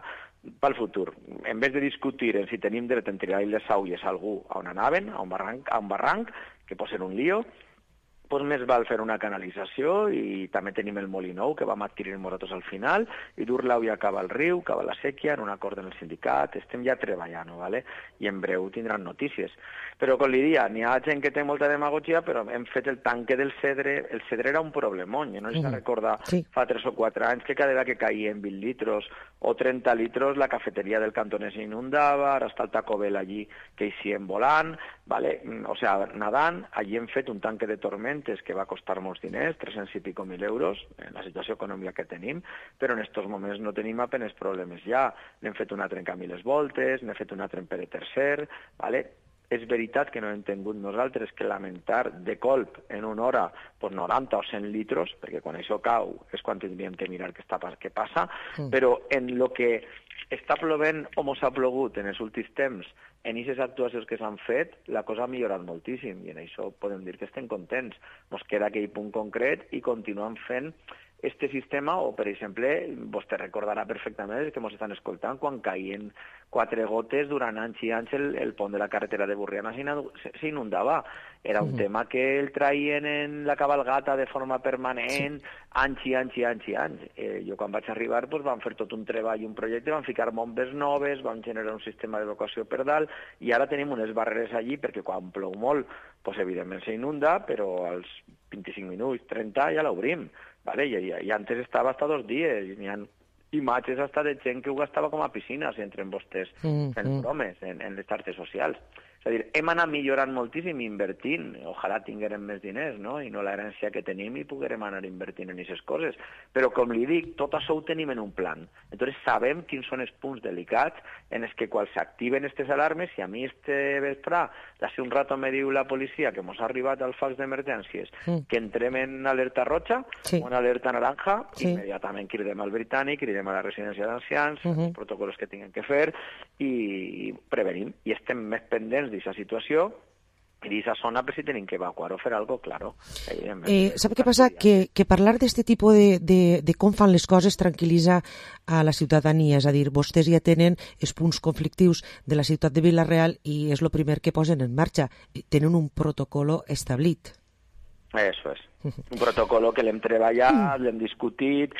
pel futur. En vez de discutir en si tenim dret a tirar les aulles a algú on anaven, a un barranc, que pot ser un lío, doncs més val fer una canalització, i també tenim el Molinou, que vam adquirir nosaltres al final, i dur l'auia cap al riu, cap a la sèquia, en un acord en el sindicat, estem ja treballant, ¿vale? I en breu tindran notícies. Però, com li dia, n'hi ha gent que té molta demagogia, però hem fet el tanque del Cedre. El Cedre era un problemón, jo no sé si recorda fa 3 o 4 anys que cada vegada que caien 20 litros o 30 litros la cafeteria del Cantoner s'inundava, ara està el Taco Bell allí que hi volant, ¿vale? O sea, nadant, allí hem fet un tanque de tormentes que va costar molts diners, 300 i pico mil euros, en la situació econòmica que tenim, però en estos moments no tenim apenas problemes ja. N'hem fet una altra en Camí les Voltes, n'hem fet una altra en Pere III, ¿vale? És veritat que no hem tingut nosaltres que lamentar de colp en una hora pues 90 o 100 litros, perquè quan això cau és quan tindríem que mirar què passa, però en el que està plovent o mos ha plogut en els últims temps, en aquestes actuacions que s'han fet, la cosa ha millorat moltíssim, i en això podem dir que estem contents. Ens queda aquell punt concret i continuem fent este sistema, o per exemple, vostè recordarà perfectament que ens estan escoltant quan caien 4 gotes durant anys i anys el pont de la carretera de Burriana s'inundava. Era un tema que el traien en la cabalgata de forma permanent, anys i anys i anys i anys. Jo quan vaig arribar vam fer tot un treball i un projecte, vam ficar bombes noves, vam generar un sistema d'evacuació per dalt, i ara tenim unes barreres allí perquè quan plou molt, evidentment s'inunda, però als 25 minuts, 30 ja l'obrim. Vale, i antes estava hasta 2 dies, i n'hi ha imatges hasta de gent que ho gastava com a piscina, si entren vostès fent bromes en les xarxes socials. És a dir, hem anat millorant moltíssim invertint, ojalà tinguérem més diners, no? I no l'herència que tenim i poguérem anar invertint en aquestes coses. Però, com li dic, tot això ho tenim en un plan. Entonces sabem quins són els punts delicats en els que quan s'activen aquestes alarmes, si a mi este vespre, d'ací un rato me diu la policia que mos ha arribat al fax d'emergències, que entrem en alerta roja o en alerta naranja, immediatament cridem al britànic, cridem a la residència d'ancians, els protocols que tinguem que fer, i prevenim. I estem més pendents d'aquesta situació i d'aquesta zona per si tenim que evacuar o fer algo, claro.
¿Sabe qué pasa? Que parlar d'este tipus de com fan les coses tranquil·litza a la ciutadania, és a dir, vostès ja tenen els punts conflictius de la ciutat de Vila-real i és el primer que posen en marxa. Tenen un protocolo establit.
Eso es. Un protocolo que l'hem treballat, l'hem discutit,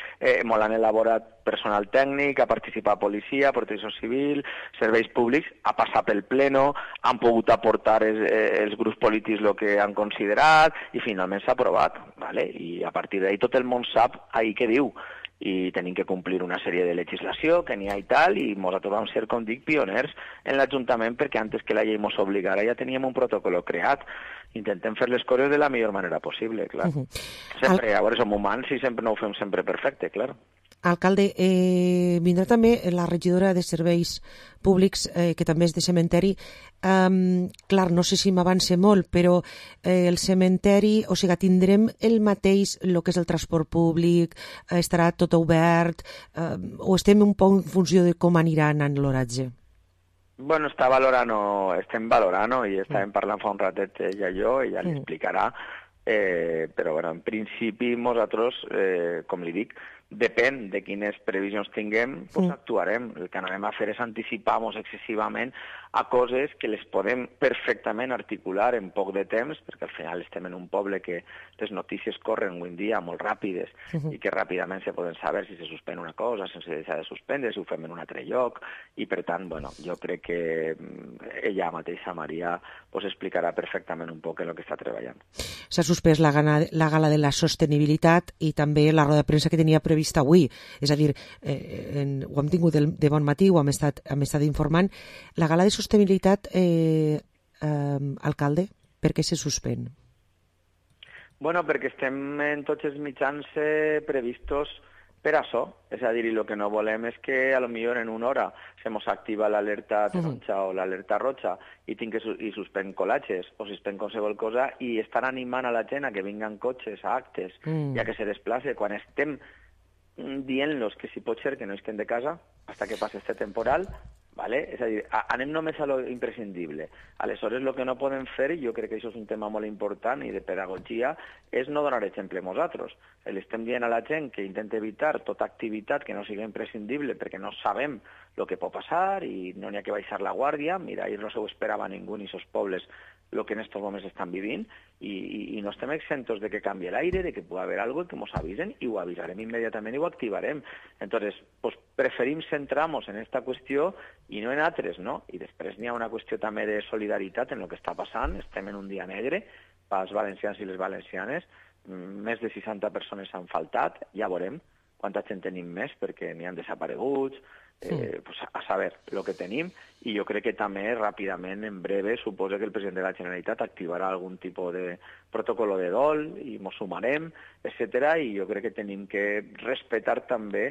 molt han elaborat personal tècnic, ha participat policia, protecció civil, serveis públics, ha passat pel pleno, han pogut aportar els grups polítics el que han considerat i finalment s'ha aprovat. ¿Vale? I a partir d'ahí tot el món sap ahí què diu. I tenim que complir una sèrie de legislació que n'hi ha i tal, i nosaltres vam ser, com dic, pioners en l'Ajuntament perquè antes que la llei ens obligara ja teníem un protocol creat. Intentem fer les coses de la millor manera possible, clar. Sempre, a veure, som humans i sempre no ho fem sempre perfecte, clar.
Alcalde, vindrà també la regidora de Serveis Públics, que també és de cementeri. Clar, no sé si m'avance molt, però el cementeri, o sigui, tindrem el mateix, el que és el transport públic, estarà tot obert, o estem un poc en funció de com anirà anant l'horatge?
Bueno, estem valorant i estàvem parlant fa un ratet ella i jo, ella li explicarà, però bueno, en principi nosaltres, com li dic, depèn de quines previsions tinguem, doncs actuarem. El que anem a fer és anticipar-nos excessivament a coses que les podem perfectament articular en poc de temps, perquè al final estem en un poble que les notícies corren avui en dia molt ràpides i que ràpidament se poden saber si se suspèn una cosa, si se deixa de suspendre, si ho fem en un altre lloc, i per tant, bueno, jo crec que ella mateixa, Maria, pues explicarà perfectament un poc en el que està treballant.
S'ha suspès la gala de la sostenibilitat i també la roda de premsa que tenia prevista avui. És a dir, ho hem tingut de bon matí, ho hem estat informant. La gala de sostenibilitat, alcalde, per què se suspèn?
Bueno, perquè estem en tots els mitjans previstos per això. És a dir, el que no volem és que a lo millor en una hora se mos activa l'alerta taronja o l'alerta roja i suspèn col·latges o suspèn qualsevol cosa i estan animant a la gent a que vinguen cotxes a actes i a que se desplace quan estem dient-los que si pot ser que no estén de casa hasta que passe este temporal, ¿vale? És a dir, anem només a lo imprescindible. Aleshores, el que no podem fer, i jo crec que això és un tema molt important i de pedagogia, és no donar exemple a nosaltres. Estem dient a la gent que intenta evitar tota activitat que no sigui imprescindible perquè no sabem el que pot passar i no n'hi ha que baixar la guàrdia. Mira, ahir no se ho esperava ningú ni sos pobles el que en estos moments estan vivint i no estem exentos de que canvi l'aire, de que pugui haver algo que ens avisen i ho avisarem immediatament i ho activarem. Entonces, pues preferim centrar-nos en esta qüestió i no en altres, no? I després n'hi ha una qüestió també de solidaritat en el que està passant. Estem en un dia negre pels valencians i les valencianes. Més de 60 persones han faltat. Ja veurem quanta gent tenim més perquè n'hi han desapareguts. Pues a saber el que tenim, i jo crec que també ràpidament, en breve, suposa que el president de la Generalitat activarà algun tipus de protocol de dol i ens sumarem, etc. I jo crec que tenim que respectar també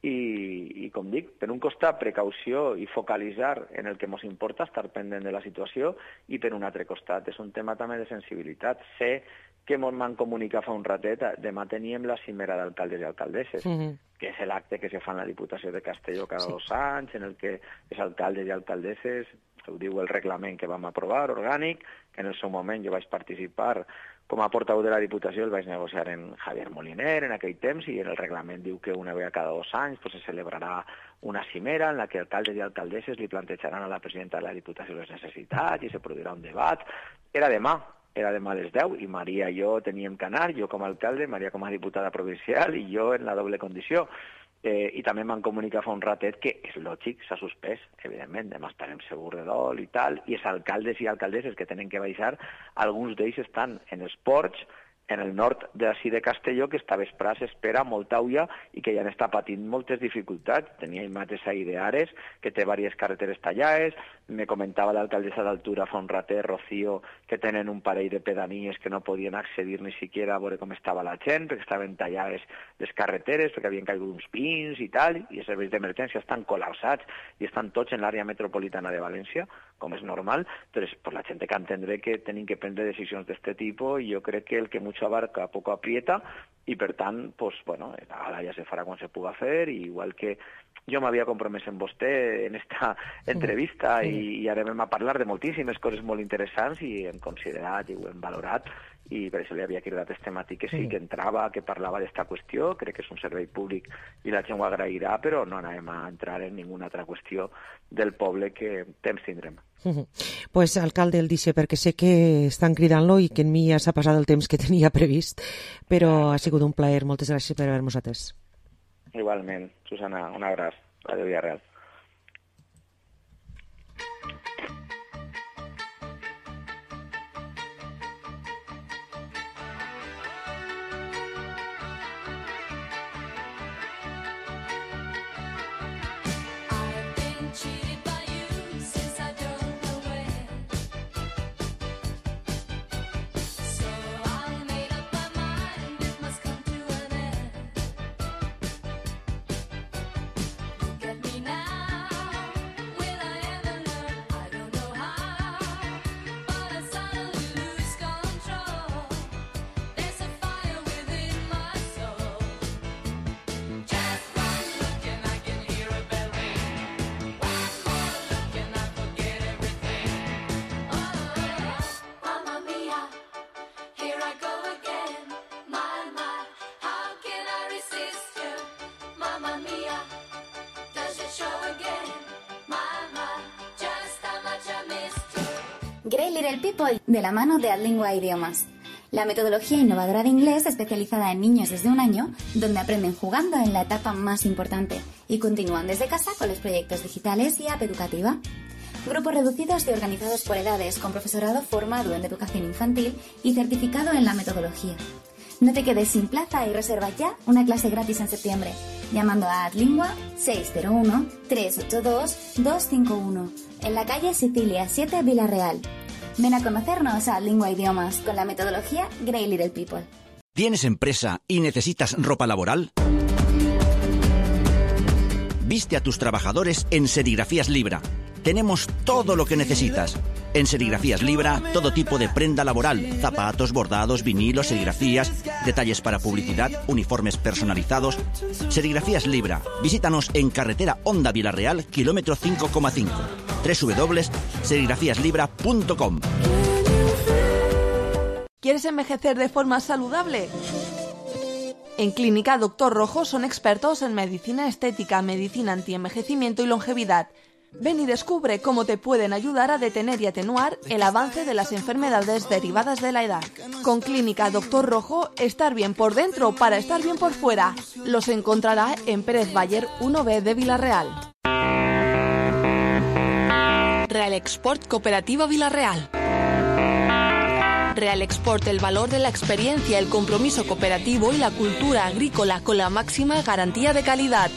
i com dic, per un costat precaució i focalitzar en el que ens importa, estar pendent de la situació, i per un altre costat és un tema també de sensibilitat. Sé que ens van comunicar fa un ratet, demà teníem la cimera d'alcaldes i alcaldesses, que és l'acte que se fa en la Diputació de Castelló cada 2 anys, en el que els alcaldes i alcaldesses, ho diu el reglament que vam aprovar, orgànic, que en el seu moment jo vaig participar com a portaveu de la Diputació, el vaig negociar en Javier Moliner en aquell temps, i en el reglament diu que una vegada cada 2 anys pues, se celebrarà una cimera en la que alcaldes i alcaldesses li plantejaran a la presidenta de la Diputació les necessitats i se produirà un debat. Era demà a les 10 i Maria i jo teníem que anar, jo com a alcalde, Maria com a diputada provincial i jo en la doble condició. I també m'han comunicat fa un ratet que és lògic, s'ha suspès, evidentment, demà estarem segurs de dol i tal, i els alcaldes i alcaldesses que tenen que baixar, alguns d'ells estan en els ports, en el nord d'ací de Castelló, que esta vesprà s'espera molta ulla i que ja n'està patint moltes dificultats. Tenia imatges ahir d'Ares, que té diverses carreteres tallades. Me comentava l'alcaldessa d'Altura fa un ratet, Rocío, que tenen un parell de pedanies que no podien accedir ni siquiera a veure com estava la gent, perquè estaven tallades les carreteres, perquè havien caigut uns pins i tal, i els serveis d'emergència estan col·lapsats i estan tots en l'àrea metropolitana de València, com és normal. Entonces, pues la gent té que entendre que tenim que prendre decisions d'este tipus, i jo crec que el que mucho abarca poco aprieta, i per tant, pues, bueno, la gala ja se farà quan se puga fer, i igual que jo m'havia compromès amb vostè en esta entrevista i ara vam a parlar de moltíssimes coses molt interessants i hem considerat i ho hem valorat, i per això li havia cridat este matí que sí, que entrava, que parlava d'esta qüestió. Crec que és un servei públic i la gent ho agrairà, però no anem a entrar en ninguna altra qüestió del poble que temps tindrem.
Pues, alcalde, el dice perquè sé que estan cridant-lo i que en mi ja s'ha passat el temps que tenia previst, però ha sigut un plaer. Moltes gràcies per haver-nos atès.
Igualment, Susana, un abraç. Ràdio Villarreal.
Great Little People, de la mano de Adlingua Idiomas. La metodología innovadora de inglés especializada en niños desde 1 año, donde aprenden jugando en la etapa más importante y continúan desde casa con los proyectos digitales y app educativa. Grupos reducidos y organizados por edades, con profesorado formado en educación infantil y certificado en la metodología. No te quedes sin plaza y reserva ya una clase gratis en septiembre, llamando a Adlingua 601-382-251, en la calle Sicilia 7, Villarreal. Ven a conocernos a Adlingua Idiomas con la metodología Great Little People.
¿Tienes empresa y necesitas ropa laboral? Viste a tus trabajadores en Serigrafías Libra. Tenemos todo lo que necesitas. En Serigrafías Libra, todo tipo de prenda laboral, zapatos, bordados, vinilos, serigrafías, detalles para publicidad, uniformes personalizados. Serigrafías Libra. Visítanos en carretera Honda Villarreal, kilómetro 5,5. www.serigrafiaslibra.com.
¿Quieres envejecer de forma saludable? En Clínica Doctor Rojo son expertos en medicina estética, medicina antienvejecimiento y longevidad. Ven y descubre cómo te pueden ayudar a detener y atenuar el avance de las enfermedades derivadas de la edad. Con Clínica Doctor Rojo, estar bien por dentro para estar bien por fuera. Los encontrará en Pérez Bayer 1B de Villarreal. Real Export Cooperativa Villarreal. Real Export, el valor de la experiencia, el compromiso cooperativo y la cultura agrícola con la máxima garantía de calidad.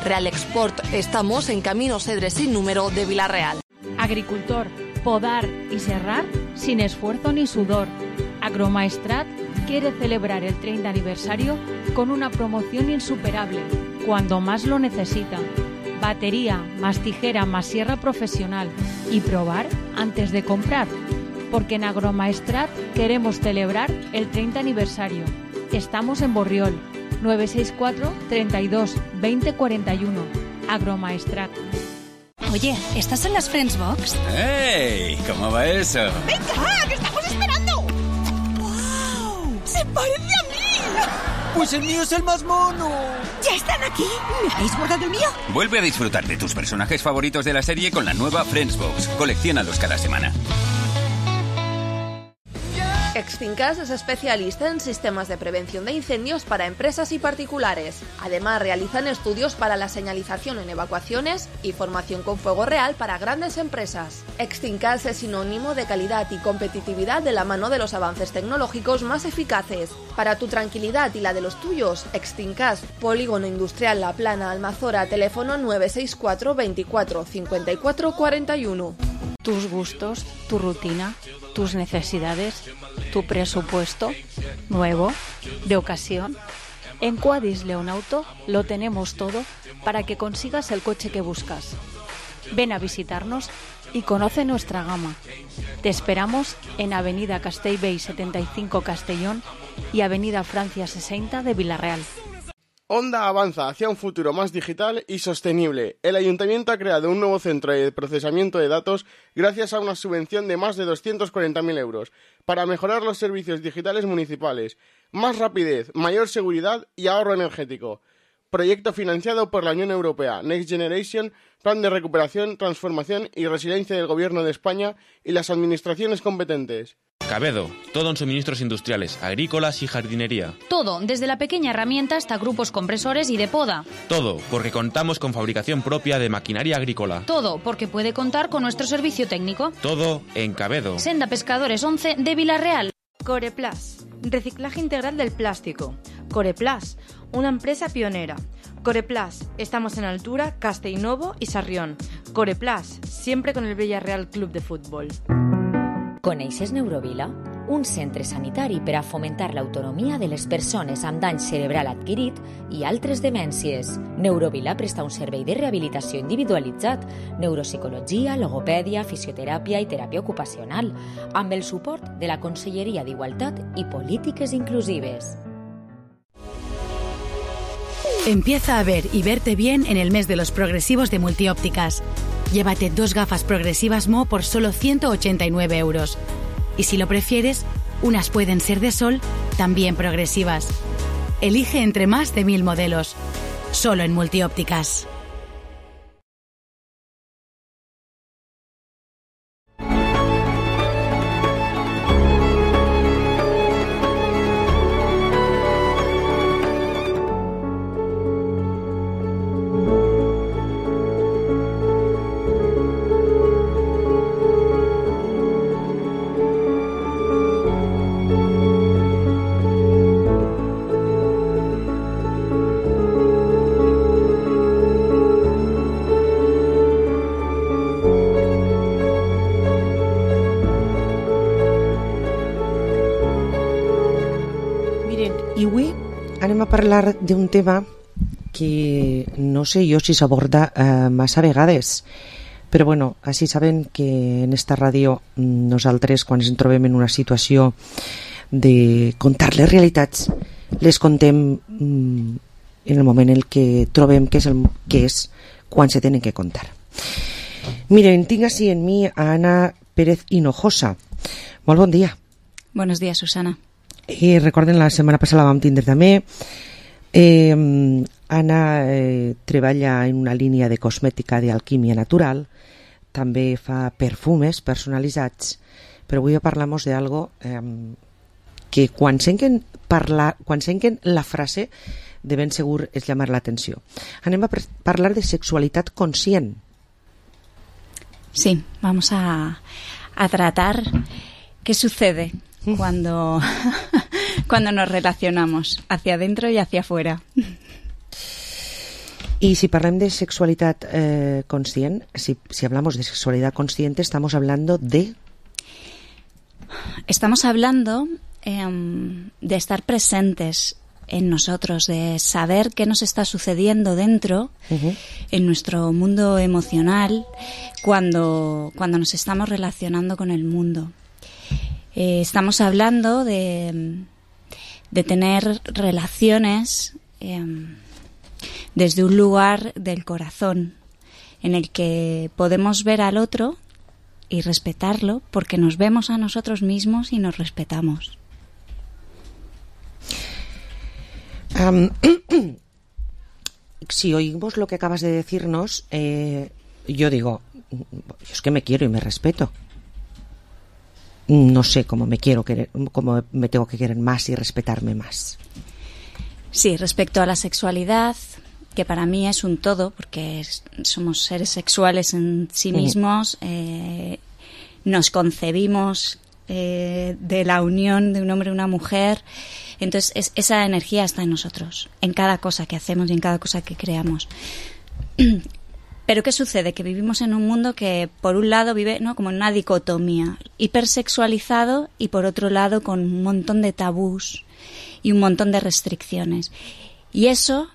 Real Export, estamos en Camino Cedres sin número de Villarreal.
Agricultor, podar y serrar sin esfuerzo ni sudor. Agromaestrat quiere celebrar el 30 aniversario con una promoción insuperable, cuando más lo necesita. Batería, más tijera, más sierra profesional y probar antes de comprar. Porque en Agromaestrat queremos celebrar el 30 aniversario. Estamos en Borriol, 964 32 20 41. Agromaestrat.
Oye, ¿estás en las Friends Box?
¡Ey! ¿Cómo va eso?
¡Venga, que estamos esperando! ¡Wow! ¡Se parece a mí!
¡Pues el mío es el más mono!
¿Ya están aquí? ¿Me habéis guardado el mío?
Vuelve a disfrutar de tus personajes favoritos de la serie con la nueva Friends Box. Colecciónalos cada semana.
Extincas es especialista en sistemas de prevención de incendios para empresas y particulares. Además, realizan estudios para la señalización en evacuaciones y formación con fuego real para grandes empresas. Extincas es sinónimo de calidad y competitividad de la mano de los avances tecnológicos más eficaces. Para tu tranquilidad y la de los tuyos, Extincas, Polígono Industrial La Plana, Almazora, teléfono 964 24 54 41.
Tus gustos, tu rutina, tus necesidades, tu presupuesto, nuevo, de ocasión. En Quadis León Auto lo tenemos todo para que consigas el coche que buscas. Ven a visitarnos y conoce nuestra gama. Te esperamos en Avenida Castellbell 75 Castellón y Avenida Francia 60 de Villarreal.
Honda avanza hacia un futuro más digital y sostenible. El Ayuntamiento ha creado un nuevo centro de procesamiento de datos gracias a una subvención de más de 240.000 euros para mejorar los servicios digitales municipales, más rapidez, mayor seguridad y ahorro energético. Proyecto financiado por la Unión Europea, Next Generation, Plan de Recuperación, Transformación y Resiliencia del Gobierno de España y las administraciones competentes.
Cabedo, todo en suministros industriales, agrícolas y jardinería.
Todo, desde la pequeña herramienta hasta grupos compresores y de poda.
Todo, porque contamos con fabricación propia de maquinaria agrícola.
Todo, porque puede contar con nuestro servicio técnico.
Todo en Cabedo.
Senda Pescadores 11 de Villarreal.
Coreplas, reciclaje integral del plástico. Coreplas, una empresa pionera. Coreplas, estamos en Altura, Castellnovo y Sarrión. Coreplas, siempre con el Villarreal Club de Fútbol.
Coneixes Neurovila? Un centre sanitari per a fomentar l'autonomia de les persones amb dany cerebral adquirit i altres demències. Neurovila presta un servei de rehabilitació individualitzat, neuropsicologia, logopèdia, fisioteràpia i teràpia ocupacional, amb el suport de la Conselleria d'Igualtat i Polítiques Inclusives.
Empieza a ver y verte bien en el mes de los progresivos de Multiópticas. Llévate 2 gafas progresivas Mo por solo 189 euros. Y si lo prefieres, unas pueden ser de sol, también progresivas. Elige entre más de 1000 modelos. Solo en Multiópticas.
anem a parlar d'un tema que no sé jo si s'aborda massa vegades, però bueno, així saben que en esta ràdio nosaltres quan ens trobem en una situació de contar les realitats les contem en el moment en què trobem que és quan se tenen que contar. Miren, tinc així en mi a Ana Pérez Hinojosa. Molt bon dia.
Buenos días, Susana.
Recorden, la setmana passada la vam tindre també. Ana treballa en una línia de cosmètica d'alquímia natural, també fa perfumes personalitzats, però avui parlem d'algo que quan senten la frase de ben segur és llamar l'atenció. Anem a parlar de sexualitat conscient.
Sí, vamos a tratar qué sucede cuando nos relacionamos hacia adentro y hacia afuera.
Y si parlem de sexualidad consciente, si hablamos de sexualidad consciente, estamos hablando de...
Estamos hablando de estar presentes en nosotros, de saber qué nos está sucediendo dentro, en nuestro mundo emocional, cuando nos estamos relacionando con el mundo. Estamos hablando de tener relaciones desde un lugar del corazón, en el que podemos ver al otro y respetarlo, porque nos vemos a nosotros mismos y nos respetamos.
Si oímos lo que acabas de decirnos, yo digo, yo es que me quiero y me respeto. No sé cómo me quiero querer, cómo me tengo que querer más y respetarme más.
Sí, respecto a la sexualidad, que para mí es un todo, porque somos seres sexuales en sí mismos, nos concebimos de la unión de un hombre y una mujer, entonces esa energía está en nosotros, en cada cosa que hacemos y en cada cosa que creamos. Pero ¿qué sucede? Que vivimos en un mundo que por un lado vive, ¿no?, como en una dicotomía, hipersexualizado, y por otro lado con un montón de tabús y un montón de restricciones. Y eso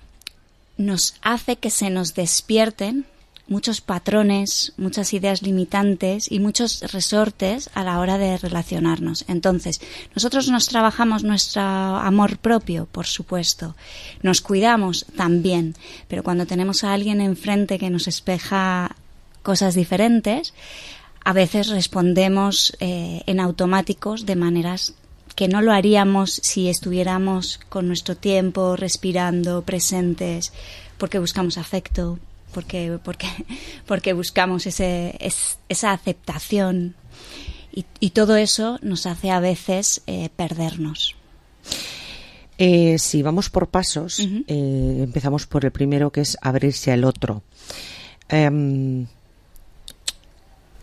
nos hace que se nos despierten muchos patrones, muchas ideas limitantes y muchos resortes a la hora de relacionarnos. Entonces, nosotros nos trabajamos nuestro amor propio, por supuesto. Nos cuidamos también, pero cuando tenemos a alguien enfrente que nos espeja cosas diferentes, a veces respondemos en automáticos de maneras que no lo haríamos si estuviéramos con nuestro tiempo, respirando, presentes, porque buscamos afecto, porque buscamos esa aceptación, y todo eso nos hace a veces perdernos.
Si vamos por pasos, empezamos por el primero, que es abrirse al otro.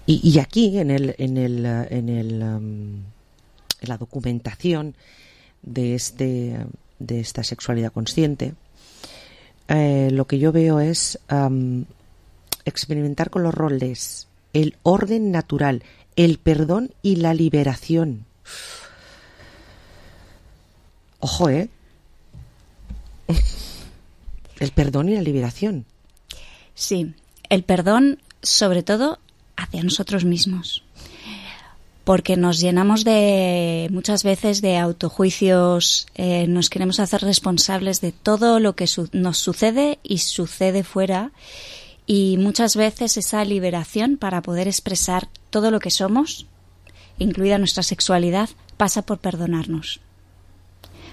Y aquí en la documentación de esta sexualidad consciente, lo que yo veo es experimentar con los roles, el orden natural, el perdón y la liberación. Ojo, el perdón y la liberación.
Sí, el perdón sobre todo hacia nosotros mismos, porque nos llenamos muchas veces de autojuicios, nos queremos hacer responsables de todo lo que nos sucede y sucede fuera, y muchas veces esa liberación para poder expresar todo lo que somos, incluida nuestra sexualidad, pasa por perdonarnos,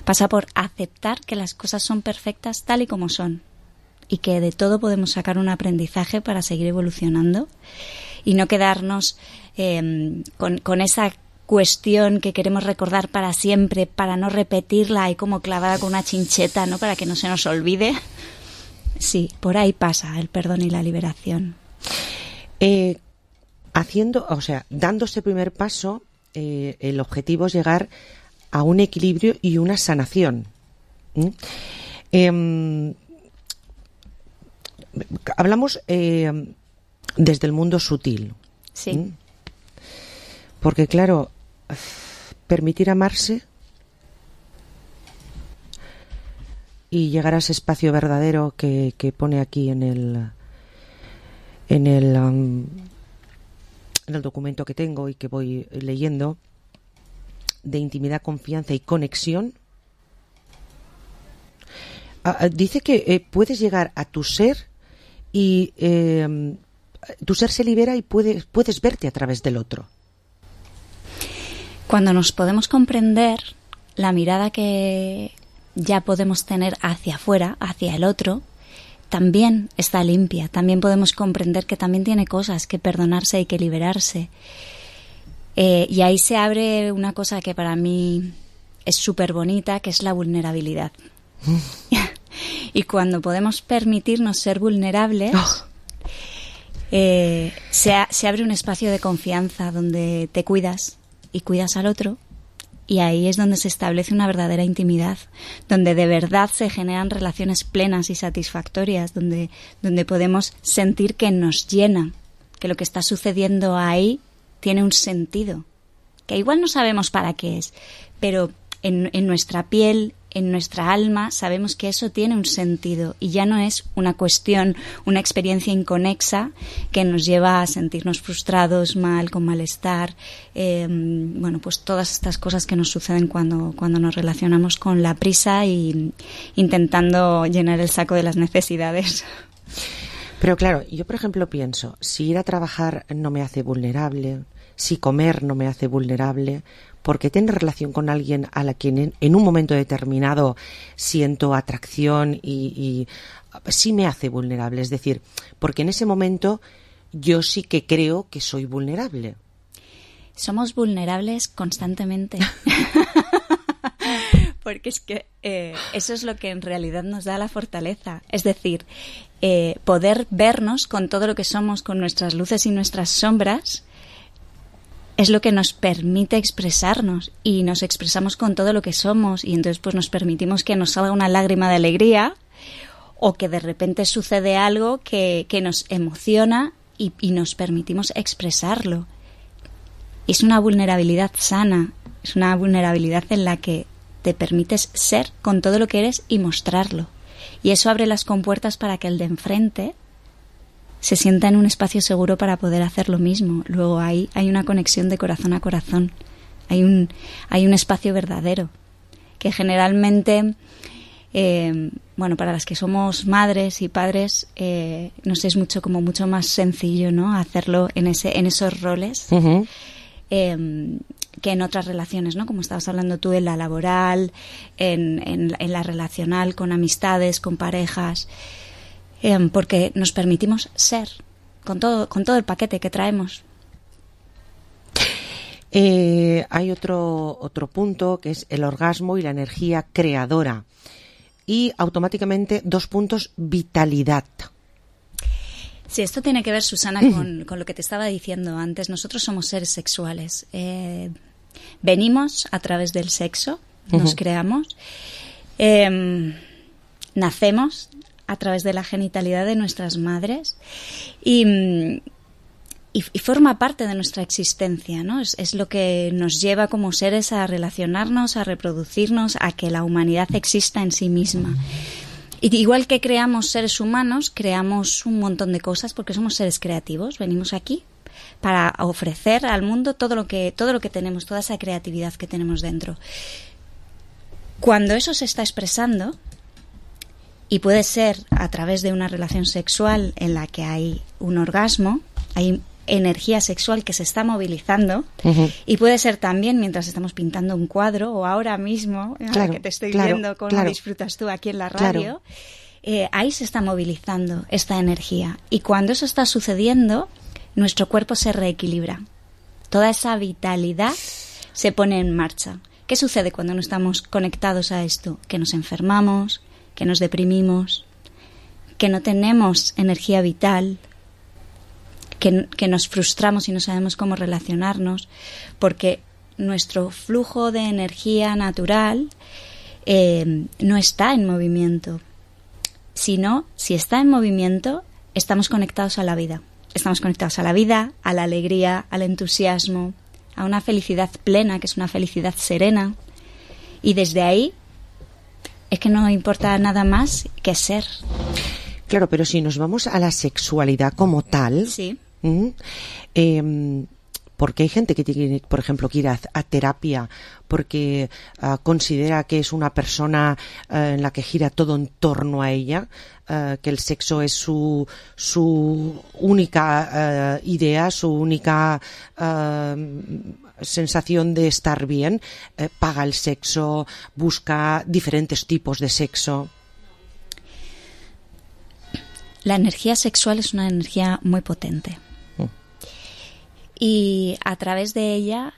pasa por aceptar que las cosas son perfectas tal y como son, y que de todo podemos sacar un aprendizaje para seguir evolucionando y no quedarnos con esa cuestión que queremos recordar para siempre, para no repetirla y como clavada con una chincheta, ¿no?, para que no se nos olvide. Sí, por ahí pasa el perdón y la liberación.
Dando ese primer paso, el objetivo es llegar a un equilibrio y una sanación. Hablamos desde el mundo sutil.
Sí.
Porque, claro, permitir amarse y llegar a ese espacio verdadero que pone aquí en el documento que tengo y que voy leyendo, de intimidad, confianza y conexión. Dice que puedes llegar a tu ser y tu ser se libera y puedes verte a través del otro.
Cuando nos podemos comprender, la mirada que ya podemos tener hacia afuera, hacia el otro, también está limpia. También podemos comprender que también tiene cosas que perdonarse y que liberarse. Y ahí se abre una cosa que para mí es súper bonita, que es la vulnerabilidad. Y cuando podemos permitirnos ser vulnerables, se abre un espacio de confianza donde te cuidas y cuidas al otro, y ahí es donde se establece una verdadera intimidad, donde de verdad se generan relaciones plenas y satisfactorias, donde podemos sentir que nos llena, que lo que está sucediendo ahí tiene un sentido, que igual no sabemos para qué es, pero en nuestra piel, en nuestra alma, sabemos que eso tiene un sentido y ya no es una cuestión, una experiencia inconexa que nos lleva a sentirnos frustrados, mal, con malestar, pues todas estas cosas que nos suceden cuando nos relacionamos con la prisa y intentando llenar el saco de las necesidades.
Pero claro, yo por ejemplo pienso, si ir a trabajar no me hace vulnerable, si comer no me hace vulnerable, porque tener relación con alguien a la que en un momento determinado siento atracción y sí me hace vulnerable. Es decir, porque en ese momento yo sí que creo que soy vulnerable.
Somos vulnerables constantemente. Porque es que eso es lo que en realidad nos da la fortaleza. Es decir, poder vernos con todo lo que somos, con nuestras luces y nuestras sombras, es lo que nos permite expresarnos, y nos expresamos con todo lo que somos, y entonces pues nos permitimos que nos salga una lágrima de alegría o que de repente sucede algo que nos emociona y nos permitimos expresarlo. Es una vulnerabilidad sana, es una vulnerabilidad en la que te permites ser con todo lo que eres y mostrarlo. Y eso abre las compuertas para que el de enfrente se sienta en un espacio seguro para poder hacer lo mismo. Luego hay una conexión de corazón a corazón. Hay un espacio verdadero que generalmente, para las que somos madres y padres, nos es mucho más sencillo, ¿no? Hacerlo en esos roles. Uh-huh. Que en otras relaciones, ¿no? Como estabas hablando tú, en la laboral, en la relacional, con amistades, con parejas. Porque nos permitimos ser con todo el paquete que traemos.
Hay otro punto que es el orgasmo y la energía creadora, y automáticamente 2 puntos, vitalidad.
Sí, esto tiene que ver, Susana, con lo que te estaba diciendo antes. Nosotros somos seres sexuales. Venimos a través del sexo, nos creamos, nacemos a través de la genitalidad de nuestras madres y forma parte de nuestra existencia, ¿no? Es lo que nos lleva como seres a relacionarnos, a reproducirnos, a que la humanidad exista en sí misma. Y igual que creamos seres humanos, creamos un montón de cosas porque somos seres creativos. Venimos aquí para ofrecer al mundo todo lo que tenemos, toda esa creatividad que tenemos dentro. Cuando eso se está expresando, y puede ser a través de una relación sexual en la que hay un orgasmo, hay energía sexual que se está movilizando, uh-huh. Y puede ser también mientras estamos pintando un cuadro o ahora mismo, claro, que te estoy viendo cómo disfrutas tú aquí en la radio, ahí se está movilizando esta energía. Y cuando eso está sucediendo, nuestro cuerpo se reequilibra. Toda esa vitalidad se pone en marcha. ¿Qué sucede cuando no estamos conectados a esto? Que nos enfermamos, que nos deprimimos, que no tenemos energía vital, que nos frustramos y no sabemos cómo relacionarnos, porque nuestro flujo de energía natural no está en movimiento. Si está en movimiento, estamos conectados a la vida. Estamos conectados a la vida, a la alegría, al entusiasmo, a una felicidad plena, que es una felicidad serena. Y desde ahí es que no importa nada más que ser.
Claro, pero si nos vamos a la sexualidad como tal,
sí.
Porque hay gente que tiene, por ejemplo, que ir a terapia porque considera que es una persona en la que gira todo en torno a ella, que el sexo es su única idea, su única sensación de estar bien, paga el sexo, busca diferentes tipos de sexo.
La energía sexual es una energía muy potente. Y a través de ella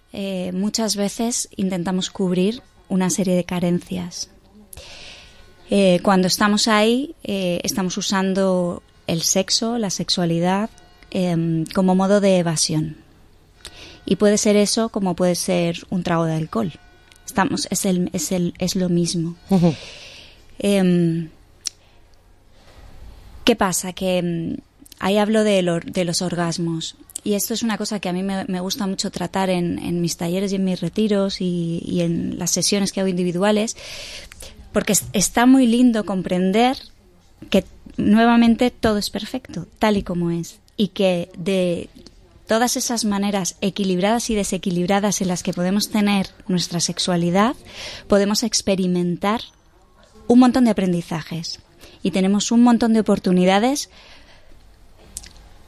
muchas veces intentamos cubrir una serie de carencias. Cuando estamos ahí estamos usando el sexo, la sexualidad como modo de evasión. Y puede ser eso como puede ser un trago de alcohol. Es lo mismo.
Uh-huh.
¿Qué pasa? Que ahí hablo de los orgasmos. Y esto es una cosa que a mí me gusta mucho tratar en mis talleres y en mis retiros y en las sesiones que hago individuales, porque está muy lindo comprender que nuevamente todo es perfecto, tal y como es, y que de todas esas maneras equilibradas y desequilibradas en las que podemos tener nuestra sexualidad, podemos experimentar un montón de aprendizajes y tenemos un montón de oportunidades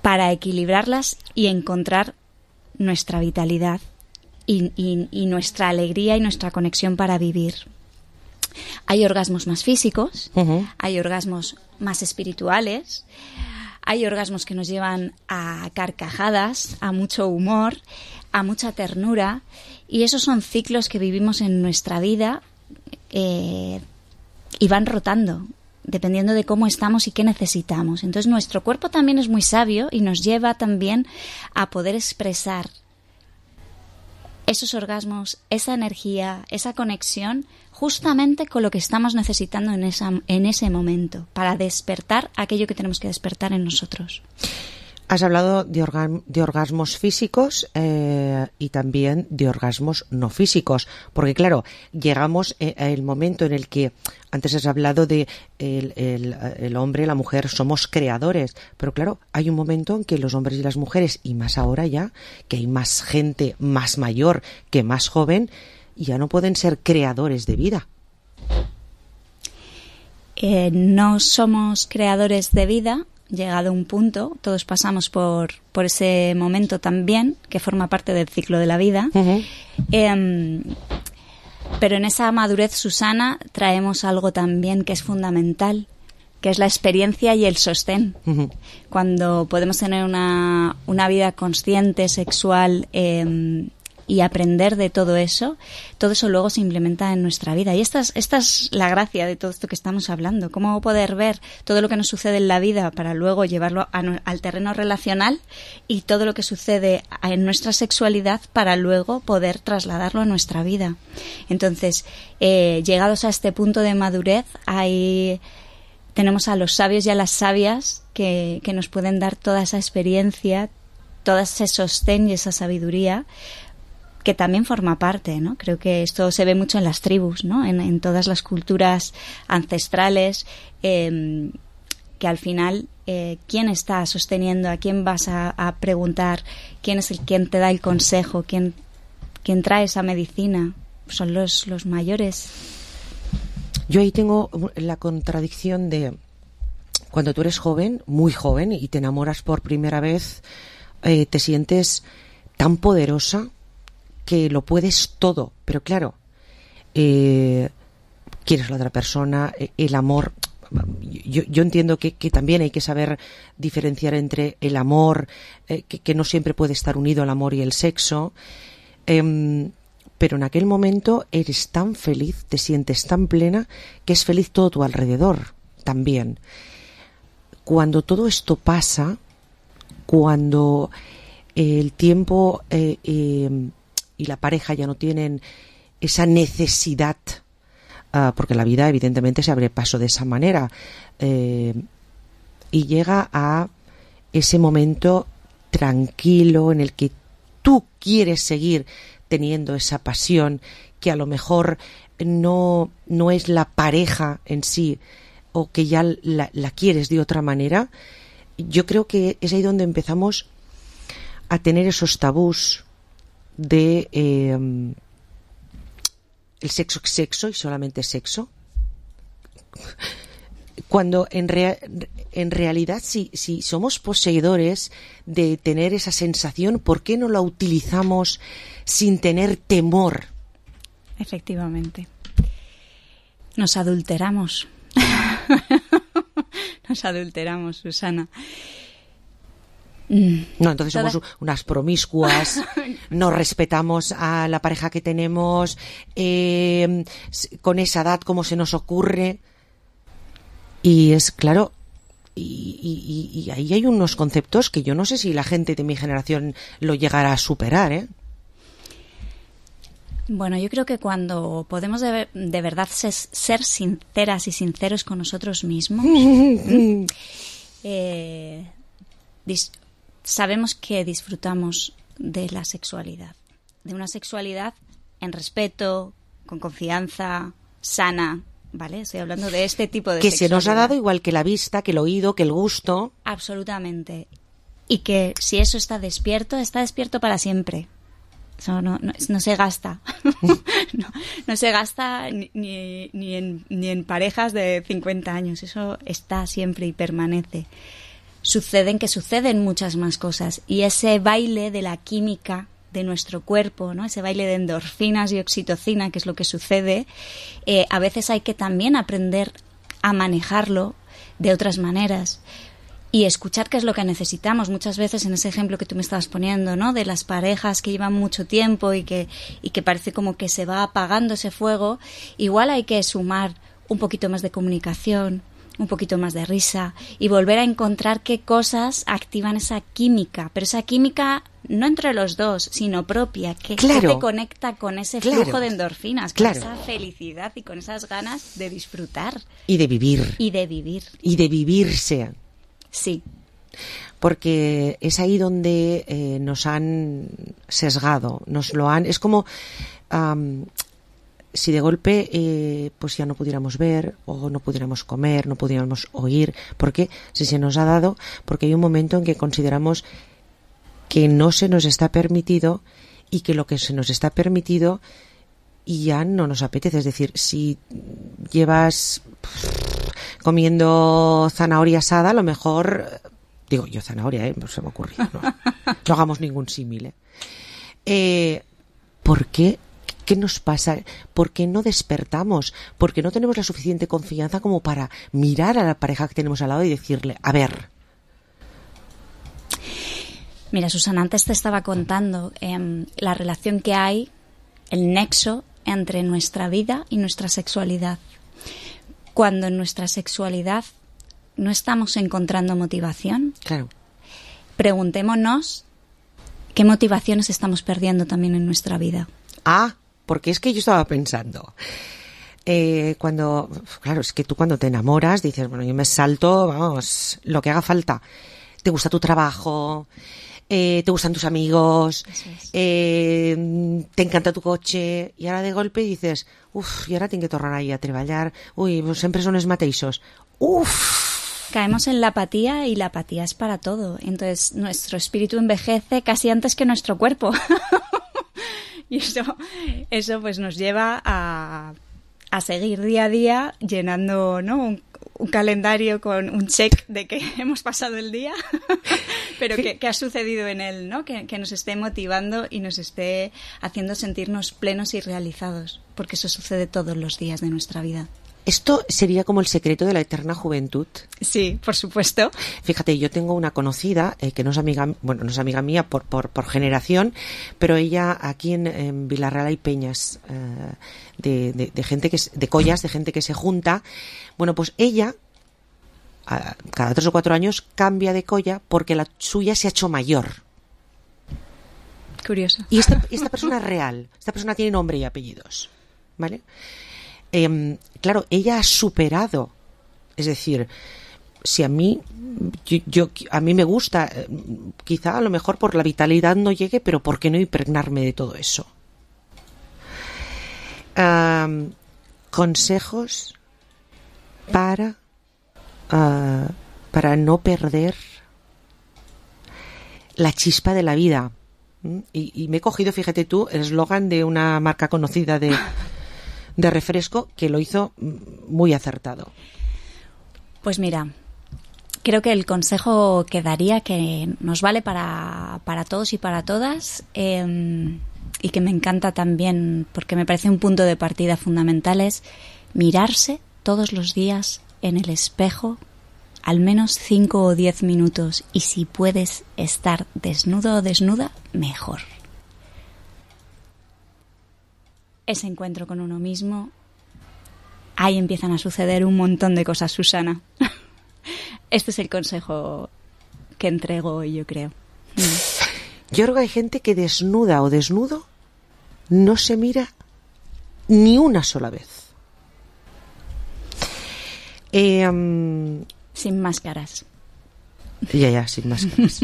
para equilibrarlas y encontrar nuestra vitalidad y nuestra alegría y nuestra conexión para vivir. Hay orgasmos más físicos, uh-huh. Hay orgasmos más espirituales, hay orgasmos que nos llevan a carcajadas, a mucho humor, a mucha ternura, y esos son ciclos que vivimos en nuestra vida y van rotando dependiendo de cómo estamos y qué necesitamos. Entonces nuestro cuerpo también es muy sabio y nos lleva también a poder expresar esos orgasmos, esa energía, esa conexión, justamente con lo que estamos necesitando en ese momento, para despertar aquello que tenemos que despertar en nosotros.
Has hablado de orgasmos físicos y también de orgasmos no físicos, porque claro, llegamos al momento en el que antes has hablado de el hombre y la mujer somos creadores, pero claro, hay un momento en que los hombres y las mujeres, y más ahora ya, que hay más gente más mayor que más joven, ya no pueden ser creadores de vida.
No somos creadores de vida. Llegado a un punto, todos pasamos por ese momento también, que forma parte del ciclo de la vida. Uh-huh. Pero en esa madurez, Susana, traemos algo también que es fundamental, que es la experiencia y el sostén. Uh-huh. Cuando podemos tener una vida consciente, sexual, y aprender de todo eso luego se implementa en nuestra vida. Y esta es la gracia de todo esto que estamos hablando. Cómo poder ver todo lo que nos sucede en la vida para luego llevarlo al terreno relacional, y todo lo que sucede en nuestra sexualidad para luego poder trasladarlo a nuestra vida. Entonces, llegados a este punto de madurez, tenemos a los sabios y a las sabias que nos pueden dar toda esa experiencia, todo ese sostén y esa sabiduría, que también forma parte, ¿no? Creo que esto se ve mucho en las tribus, ¿no? En todas las culturas ancestrales, que al final, ¿quién está sosteniendo? ¿A quién vas a preguntar? ¿Quién es quien te da el consejo? ¿Quién trae esa medicina? Son los mayores.
Yo ahí tengo la contradicción de cuando tú eres joven, muy joven, y te enamoras por primera vez, te sientes tan poderosa que lo puedes todo, pero claro, quieres a la otra persona, el amor. Yo entiendo que también hay que saber diferenciar entre el amor, que no siempre puede estar unido al amor y el sexo, pero en aquel momento eres tan feliz, te sientes tan plena, que es feliz todo tu alrededor también. Cuando todo esto pasa, cuando el tiempo y la pareja ya no tienen esa necesidad, porque la vida evidentemente se abre paso de esa manera, y llega a ese momento tranquilo en el que tú quieres seguir teniendo esa pasión, que a lo mejor no es la pareja en sí, o que ya la quieres de otra manera, yo creo que es ahí donde empezamos a tener esos tabús de el sexo es sexo y solamente sexo, cuando en realidad si somos poseedores de tener esa sensación, ¿por qué no la utilizamos sin tener temor?
Efectivamente. Nos adulteramos. Nos adulteramos, Susana.
No, entonces somos unas promiscuas, no respetamos a la pareja que tenemos, con esa edad como se nos ocurre. Y es claro, y ahí hay unos conceptos que yo no sé si la gente de mi generación lo llegará a superar, ¿eh?
Bueno, yo creo que cuando podemos de verdad ser sinceras y sinceros con nosotros mismos, sabemos que disfrutamos de la sexualidad, de una sexualidad en respeto, con confianza, sana, ¿vale? Estoy hablando de este tipo de sexualidad.
Que se nos ha dado igual que la vista, que el oído, que el gusto.
Absolutamente. Y que si eso está despierto para siempre. Eso no se gasta. no se gasta ni en parejas de 50 años. Eso está siempre y permanece. Suceden muchas más cosas. Y ese baile de la química de nuestro cuerpo, ¿no? Ese baile de endorfinas y oxitocina, que es lo que sucede, a veces hay que también aprender a manejarlo de otras maneras y escuchar qué es lo que necesitamos. Muchas veces en ese ejemplo que tú me estabas poniendo, ¿no? De las parejas que llevan mucho tiempo y que parece como que se va apagando ese fuego, igual hay que sumar un poquito más de comunicación, un poquito más de risa y volver a encontrar qué cosas activan esa química, pero esa química no entre los dos, sino propia, que te conecta con ese flujo de endorfinas, con esa felicidad y con esas ganas de disfrutar.
Y de vivir.
Y de vivir.
Y de vivirse.
Sí.
Porque es ahí donde nos han sesgado, nos lo han... Es como... si de golpe pues ya no pudiéramos ver o no pudiéramos comer, no pudiéramos oír, ¿por qué? Si se nos ha dado, porque hay un momento en que consideramos que no se nos está permitido y que lo que se nos está permitido ya no nos apetece. Es decir, si llevas comiendo zanahoria asada, a lo mejor, digo yo zanahoria, no se me ocurrió, no hagamos ningún símil. ¿Por qué? ¿Qué nos pasa? ¿Por qué no despertamos? ¿Por qué no tenemos la suficiente confianza como para mirar a la pareja que tenemos al lado y decirle, a ver?
Mira, Susana, antes te estaba contando la relación que hay, el nexo entre nuestra vida y nuestra sexualidad. Cuando en nuestra sexualidad no estamos encontrando motivación,
claro,
preguntémonos qué motivaciones estamos perdiendo también en nuestra vida.
Porque es que yo estaba pensando, claro, es que tú cuando te enamoras dices, bueno, yo me salto, vamos, lo que haga falta. Te gusta tu trabajo, te gustan tus amigos, te encanta tu coche, y ahora de golpe dices, y ahora tengo que tornar ahí a treballar, pues siempre son los mateixos.
Caemos en la apatía y la apatía es para todo. Entonces nuestro espíritu envejece casi antes que nuestro cuerpo. Y eso pues nos lleva a seguir día a día llenando, ¿no? un calendario con un check de que hemos pasado el día, pero que ha sucedido en él, ¿no? Que nos esté motivando y nos esté haciendo sentirnos plenos y realizados, porque eso sucede todos los días de nuestra vida.
¿Esto sería como el secreto de la eterna juventud?
Sí, por supuesto.
Fíjate, yo tengo una conocida que no es amiga mía por generación, pero ella aquí en Vilarreal hay peñas de gente de collas, de gente que se junta. Bueno, pues ella cada 3 o 4 años cambia de colla porque la suya se ha hecho mayor.
Curioso.
Y esta persona es real. Esta persona tiene nombre y apellidos, ¿vale? Claro, ella ha superado, es decir, si a mí a mí me gusta, quizá a lo mejor por la vitalidad no llegue, pero ¿por qué no impregnarme de todo eso? consejos para no perder la chispa de la vida. Y me he cogido, fíjate tú, el eslogan de una marca conocida de refresco que lo hizo muy acertado.
Pues mira, creo que el consejo que daría, que nos vale para todos y para todas, y que me encanta también porque me parece un punto de partida fundamental, es mirarse todos los días en el espejo al menos 5 o 10 minutos, y si puedes estar desnudo o desnuda, mejor. Ese encuentro con uno mismo, ahí empiezan a suceder un montón de cosas, Susana. Este es el consejo que entrego hoy, yo creo.
Yo creo que hay gente que desnuda o desnudo no se mira ni una sola vez.
Sin máscaras.
Ya, sin máscaras.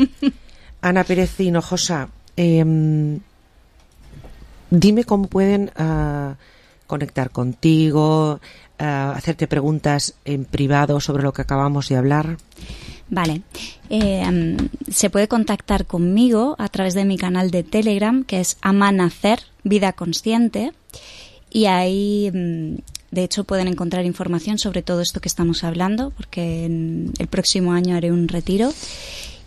Ana Pérez Hinojosa, dime cómo pueden conectar contigo, hacerte preguntas en privado sobre lo que acabamos de hablar.
Vale. Se puede contactar conmigo a través de mi canal de Telegram, que es Amanacer Vida Consciente, y ahí de hecho pueden encontrar información sobre todo esto que estamos hablando, porque el próximo año haré un retiro.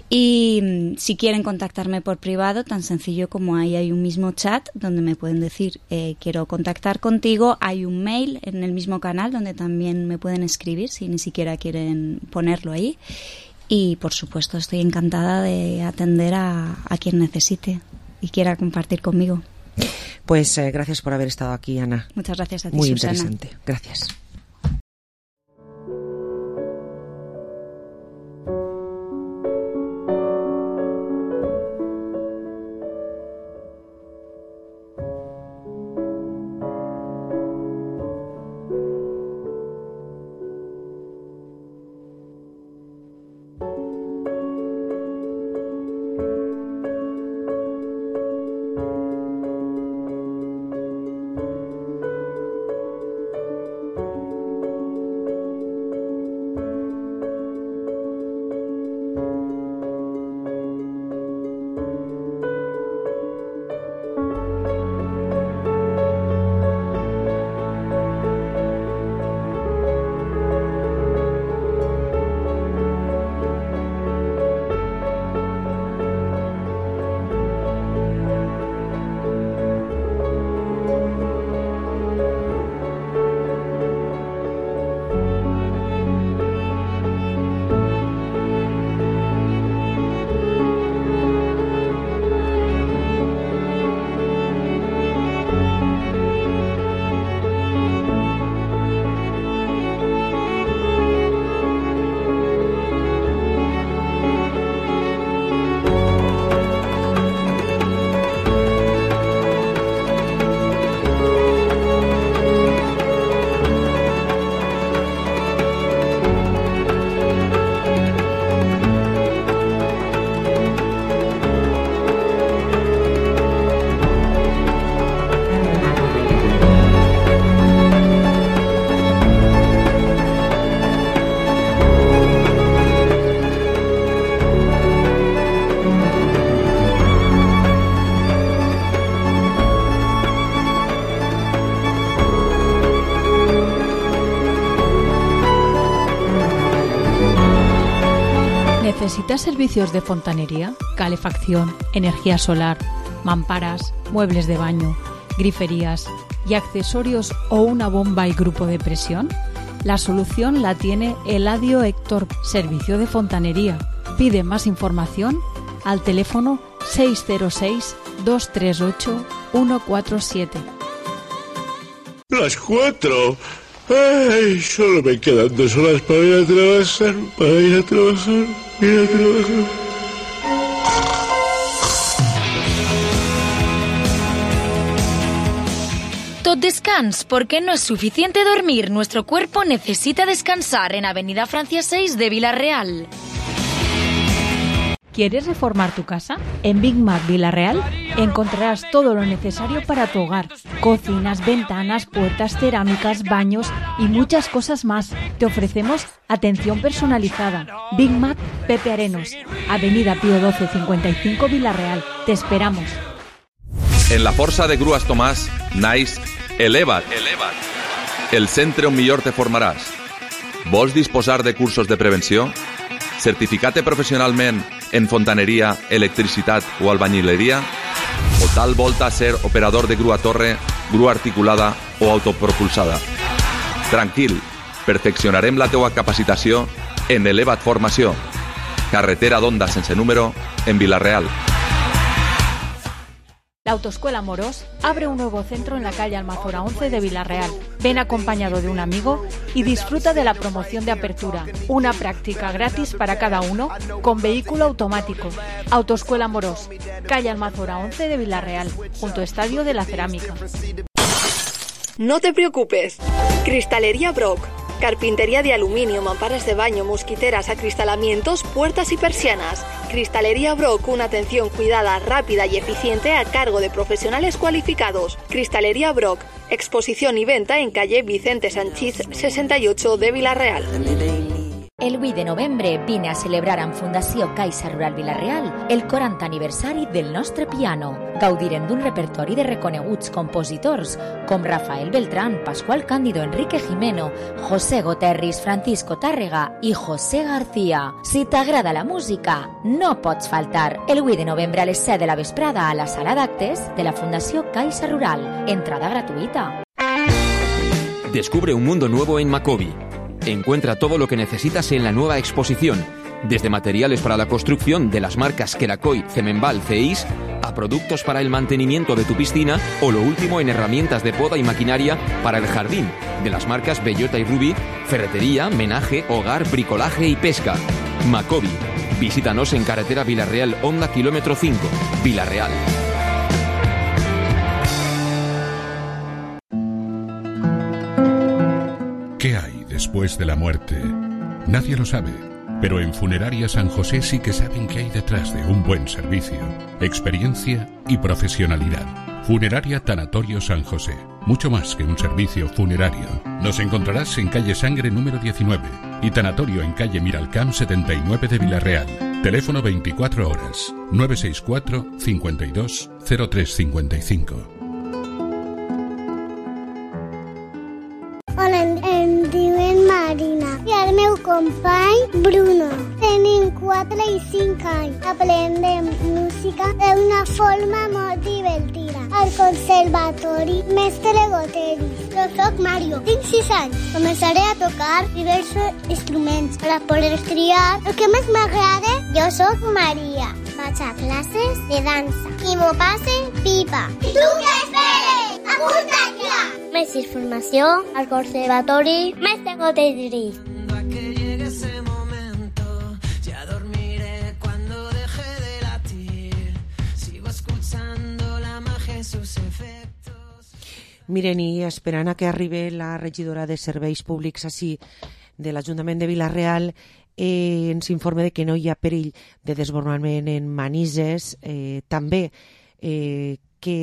Y si quieren contactarme por privado, tan sencillo como ahí hay un mismo chat donde me pueden decir quiero contactar contigo. Hay un mail en el mismo canal donde también me pueden escribir si ni siquiera quieren ponerlo ahí. Y por supuesto estoy encantada de atender a quien necesite y quiera compartir conmigo.
Pues gracias por haber estado aquí, Ana.
Muchas gracias a ti,
Muy
Susana.
interesante. Gracias.
¿Necesitas servicios de fontanería, calefacción, energía solar, mamparas, muebles de baño, griferías y accesorios o una bomba y grupo de presión? La solución la tiene Eladio Héctor, servicio de fontanería. Pide más información al teléfono 606-238-147.
Las 4. Ay, solo me quedan 2 horas para ir a trabajar,
Tot descans, porque no es suficiente dormir. Nuestro cuerpo necesita descansar en Avenida Francia 6 de Vila Real.
¿Quieres reformar tu casa? En Big Mac Villarreal encontrarás todo lo necesario para tu hogar. Cocinas, ventanas, puertas, cerámicas, baños y muchas cosas más. Te ofrecemos atención personalizada. Big Mac Pepe Arenos, Avenida Pío 12 55 Villarreal. Te esperamos.
En la Força de Grues Tomàs naix Eleva't, el centre on millor te formaràs. Vols disposar de cursos de prevenció? Certificar-te professionalment en fontaneria, electricitat o albañileria? O tal volta ser operador de grua torre, grua articulada o autopropulsada? Tranquil, perfeccionarem la teua capacitació en Eleva't Formació. Carretera d'Onda sense número en Vila-real.
La Autoescuela Morós abre un nuevo centro en la calle Almazora 11 de Vila-real. Ven acompañado de un amigo y disfruta de la promoción de apertura. Una práctica gratis para cada uno con vehículo automático. Autoescuela Morós, calle Almazora 11 de Vila-real, junto Estadio de la Cerámica.
No te preocupes. Cristalería Brock. Carpintería de aluminio, mamparas de baño, mosquiteras, acristalamientos, puertas y persianas. Cristalería Brock, una atención cuidada, rápida y eficiente a cargo de profesionales cualificados. Cristalería Brock, exposición y venta en calle Vicente Sanchís 68 de Vila-real.
El 8 de novembre vine a celebrar amb Fundació Caixa Rural Vila-real el 40 aniversari del nostre piano. Gaudirem d'un repertori de reconeguts compositors com Rafael Beltrán, Pascual Cándido, Enrique Jimeno, José Goterris, Francisco Tàrrega i José García. Si t'agrada la música, no pots faltar. El 8 de novembre a les 7 de la vesprada a la sala d'actes de la Fundació Caixa Rural. Entrada gratuïta.
Descubre un mundo nuevo en Macobi. Encuentra todo lo que necesitas en la nueva exposición, desde materiales para la construcción de las marcas Kerakoy, Cemenbal, Ceis, a productos para el mantenimiento de tu piscina o lo último en herramientas de poda y maquinaria para el jardín, de las marcas Bellota y Ruby, ferretería, menaje, hogar, bricolaje y pesca. Macobi. Visítanos en carretera Vila-real, Honda kilómetro 5, Vila-real.
¿Qué hay después de la muerte? Nadie lo sabe, pero en Funeraria San José sí que saben qué hay detrás de un buen servicio, experiencia y profesionalidad. Funeraria Tanatorio San José, mucho más que un servicio funerario. Nos encontrarás en calle Sangre número 19 y Tanatorio en calle Miralcamp 79 de Vila-real. Teléfono 24 horas, 964 52 0355.
Hola, em diuen Marina i el meu company Bruno. Tenim 4 i 5 anys. Aprendem música d'una forma molt divertida. Al Conservatori Mestre Goteris. Jo soc Mario, tinc 6 anys. Començaré a tocar diversos instruments per a poder triar el que més m'agrada. Jo soc Maria. Vaig a classes de dansa i m'ho passe pipa. I tu què esperes? Apunta't ja! Més informació al Conservatori Mestre Goteris.
Miren, i esperant a que arribi la regidora de Serveis Públics així de l'Ajuntament de Vila-real, ens informa de que no hi ha perill de desbordament en Manises. També que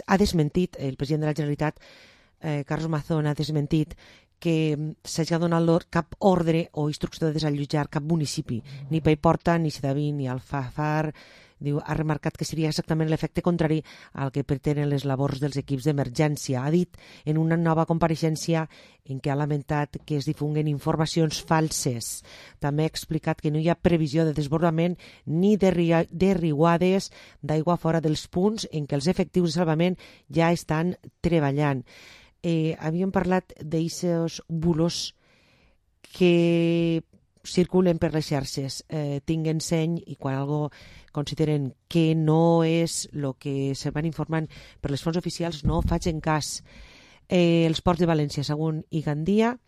ha desmentit el president de la Generalitat, Carlos Mazón, ha desmentit que s'hagi donat cap ordre o instrucció de desallotjar cap municipi, ni Paiporta, ni Sedaví, ni Alfafar. Diu, ha remarcat que seria exactament l'efecte contrari al que pretenen les labors dels equips d'emergència. Ha dit en una nova compareixença en què ha lamentat que es difunguen informacions falses. També ha explicat que no hi ha previsió de desbordament ni de riuades d'aigua fora dels punts en què els efectius de salvament ja estan treballant. Havíem parlat d'aixos bulos que circulen per les xarxes. Tinguen seny i quan algo consideren que no és el que se van informant per les fonts oficials, no facin cas. Els ports de València, Sagunt i Gandia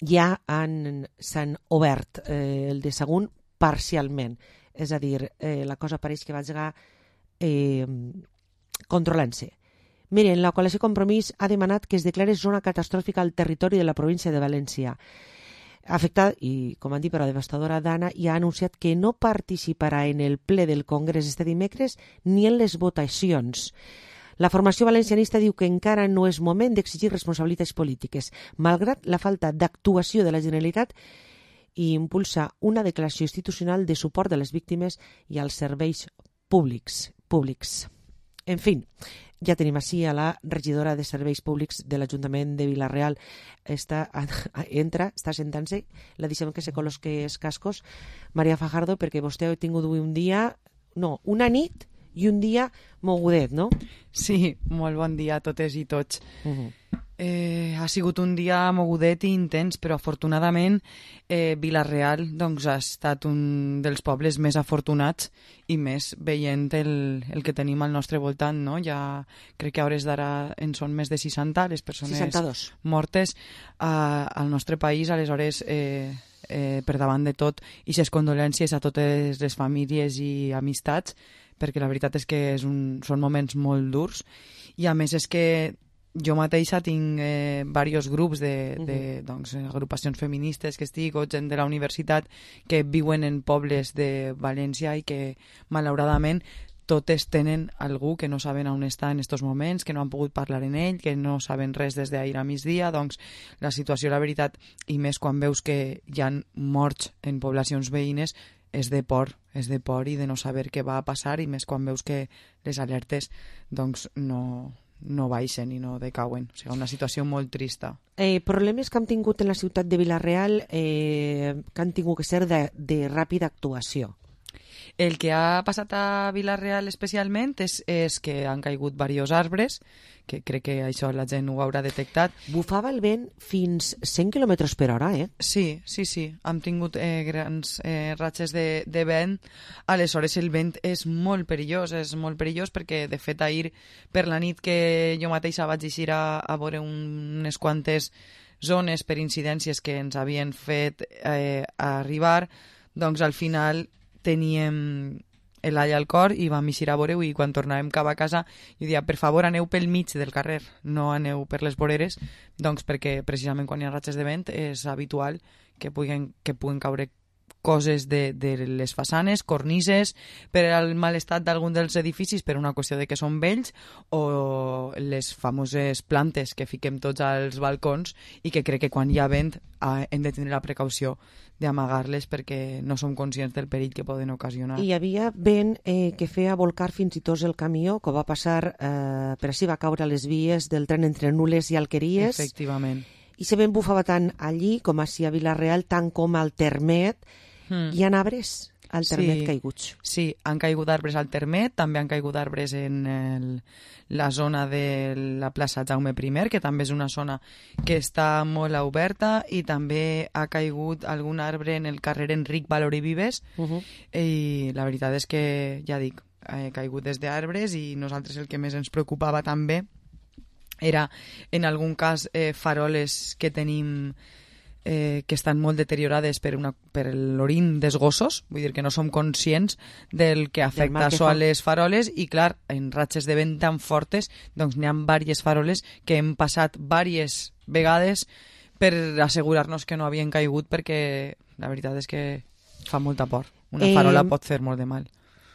ja s'han obert. El de Sagunt parcialment, és a dir, la cosa pareix que va llegar controlant-se. Miren, la coalició Compromís ha demanat que es declare zona catastròfica al territori de la província de València. afectada i, com han dit, per la devastadora Dana, i ha anunciat que no participarà en el ple del Congrés este dimecres ni en les votacions. La formació valencianista diu que encara no és moment d'exigir responsabilitats polítiques, malgrat la falta d'actuació de la Generalitat, i impulsa una declaració institucional de suport a les víctimes i als serveis públics. En fi, ja tenim així a la regidora de Serveis Públics de l'Ajuntament de Vila-real. Està sentant-se, la deixem que se col·loque els cascos, Maria Fajardo, perquè vostè ha tingut una nit i un dia mogudet, no?
Sí, molt bon dia a totes i tots. Ha sigut un dia mogudet i intens, però afortunadament Vila-real ha estat un dels pobles més afortunats i més veient el que tenim al nostre voltant, no? Ja crec que a hores d'ara en són més de 60 les persones
62
mortes al nostre país. Aleshores, per davant de tot, i les condolències a totes les famílies i amistats, perquè la veritat és que són moments molt durs, i a més és que jo mateixa tinc diversos grups agrupacions feministes que estic, o gent de la universitat que viuen en pobles de València i que malauradament totes tenen algú que no saben on està en aquests moments, que no han pogut parlar en ell, que no saben res des d'ahir a migdia. Doncs la situació, la veritat, i més quan veus que hi ha morts en poblacions veïnes, és de por i de no saber què va a passar, i més quan veus que les alertes doncs no baixen i no decauen. O sigui, una situació molt trista.
Problemes que hem tingut en la ciutat de Vila-real que han tingut que ser de ràpida actuació.
El que ha passat a Vila-real especialment és que han caigut diversos arbres, que crec que això la gent ho haurà detectat.
Bufava el vent fins 100 km per hora, eh?
Sí. Hem tingut grans ratxes de vent. Aleshores el vent és molt perillós perquè, de fet, ahir per la nit que jo mateixa vaig eixir a veure unes quantes zones per incidències que ens havien fet arribar, doncs al final teníem l'all al cor i vam eixir a veure-ho, i quan tornàvem cap a casa jo deia, per favor, aneu pel mig del carrer, no aneu per les voreres, doncs perquè precisament quan hi ha ratxes de vent és habitual que puguen caure coses de les façanes, cornises, per al mal estat d'algun dels edificis, per una qüestió de que són vells, o les famoses plantes que fiquem tots als balcons i que crec que quan hi ha vent hem de tenir la precaució d'amagar-les perquè no som conscients del perill que poden ocasionar.
Hi havia vent que feia volcar fins i tot el camió, que va passar per així, va caure a les vies del tren entre Nules i Alqueries.
Efectivament.
I se vent bufava tant allí com així a Vila-real, tant com al Termet. Hi ha arbres al Termet caiguts.
Sí, han caigut arbres al Termet, també han caigut arbres en la zona de la plaça Jaume I, que també és una zona que està molt oberta, i també ha caigut algun arbre en el carrer Enric Valori Vives, i la veritat és que, ja dic, ha caigut des d'arbres, i nosaltres el que més ens preocupava també era, en algun cas, faroles que tenim que estan molt deteriorades per l'orin dels gossos, vull dir que no som conscients del que afecta això a les faroles, i clar, en ratxes de vent tan fortes doncs n'hi ha diverses faroles que hem passat diverses vegades per assegurar-nos que no havien caigut, perquè la veritat és que fa molta por. Una farola pot fer molt de mal.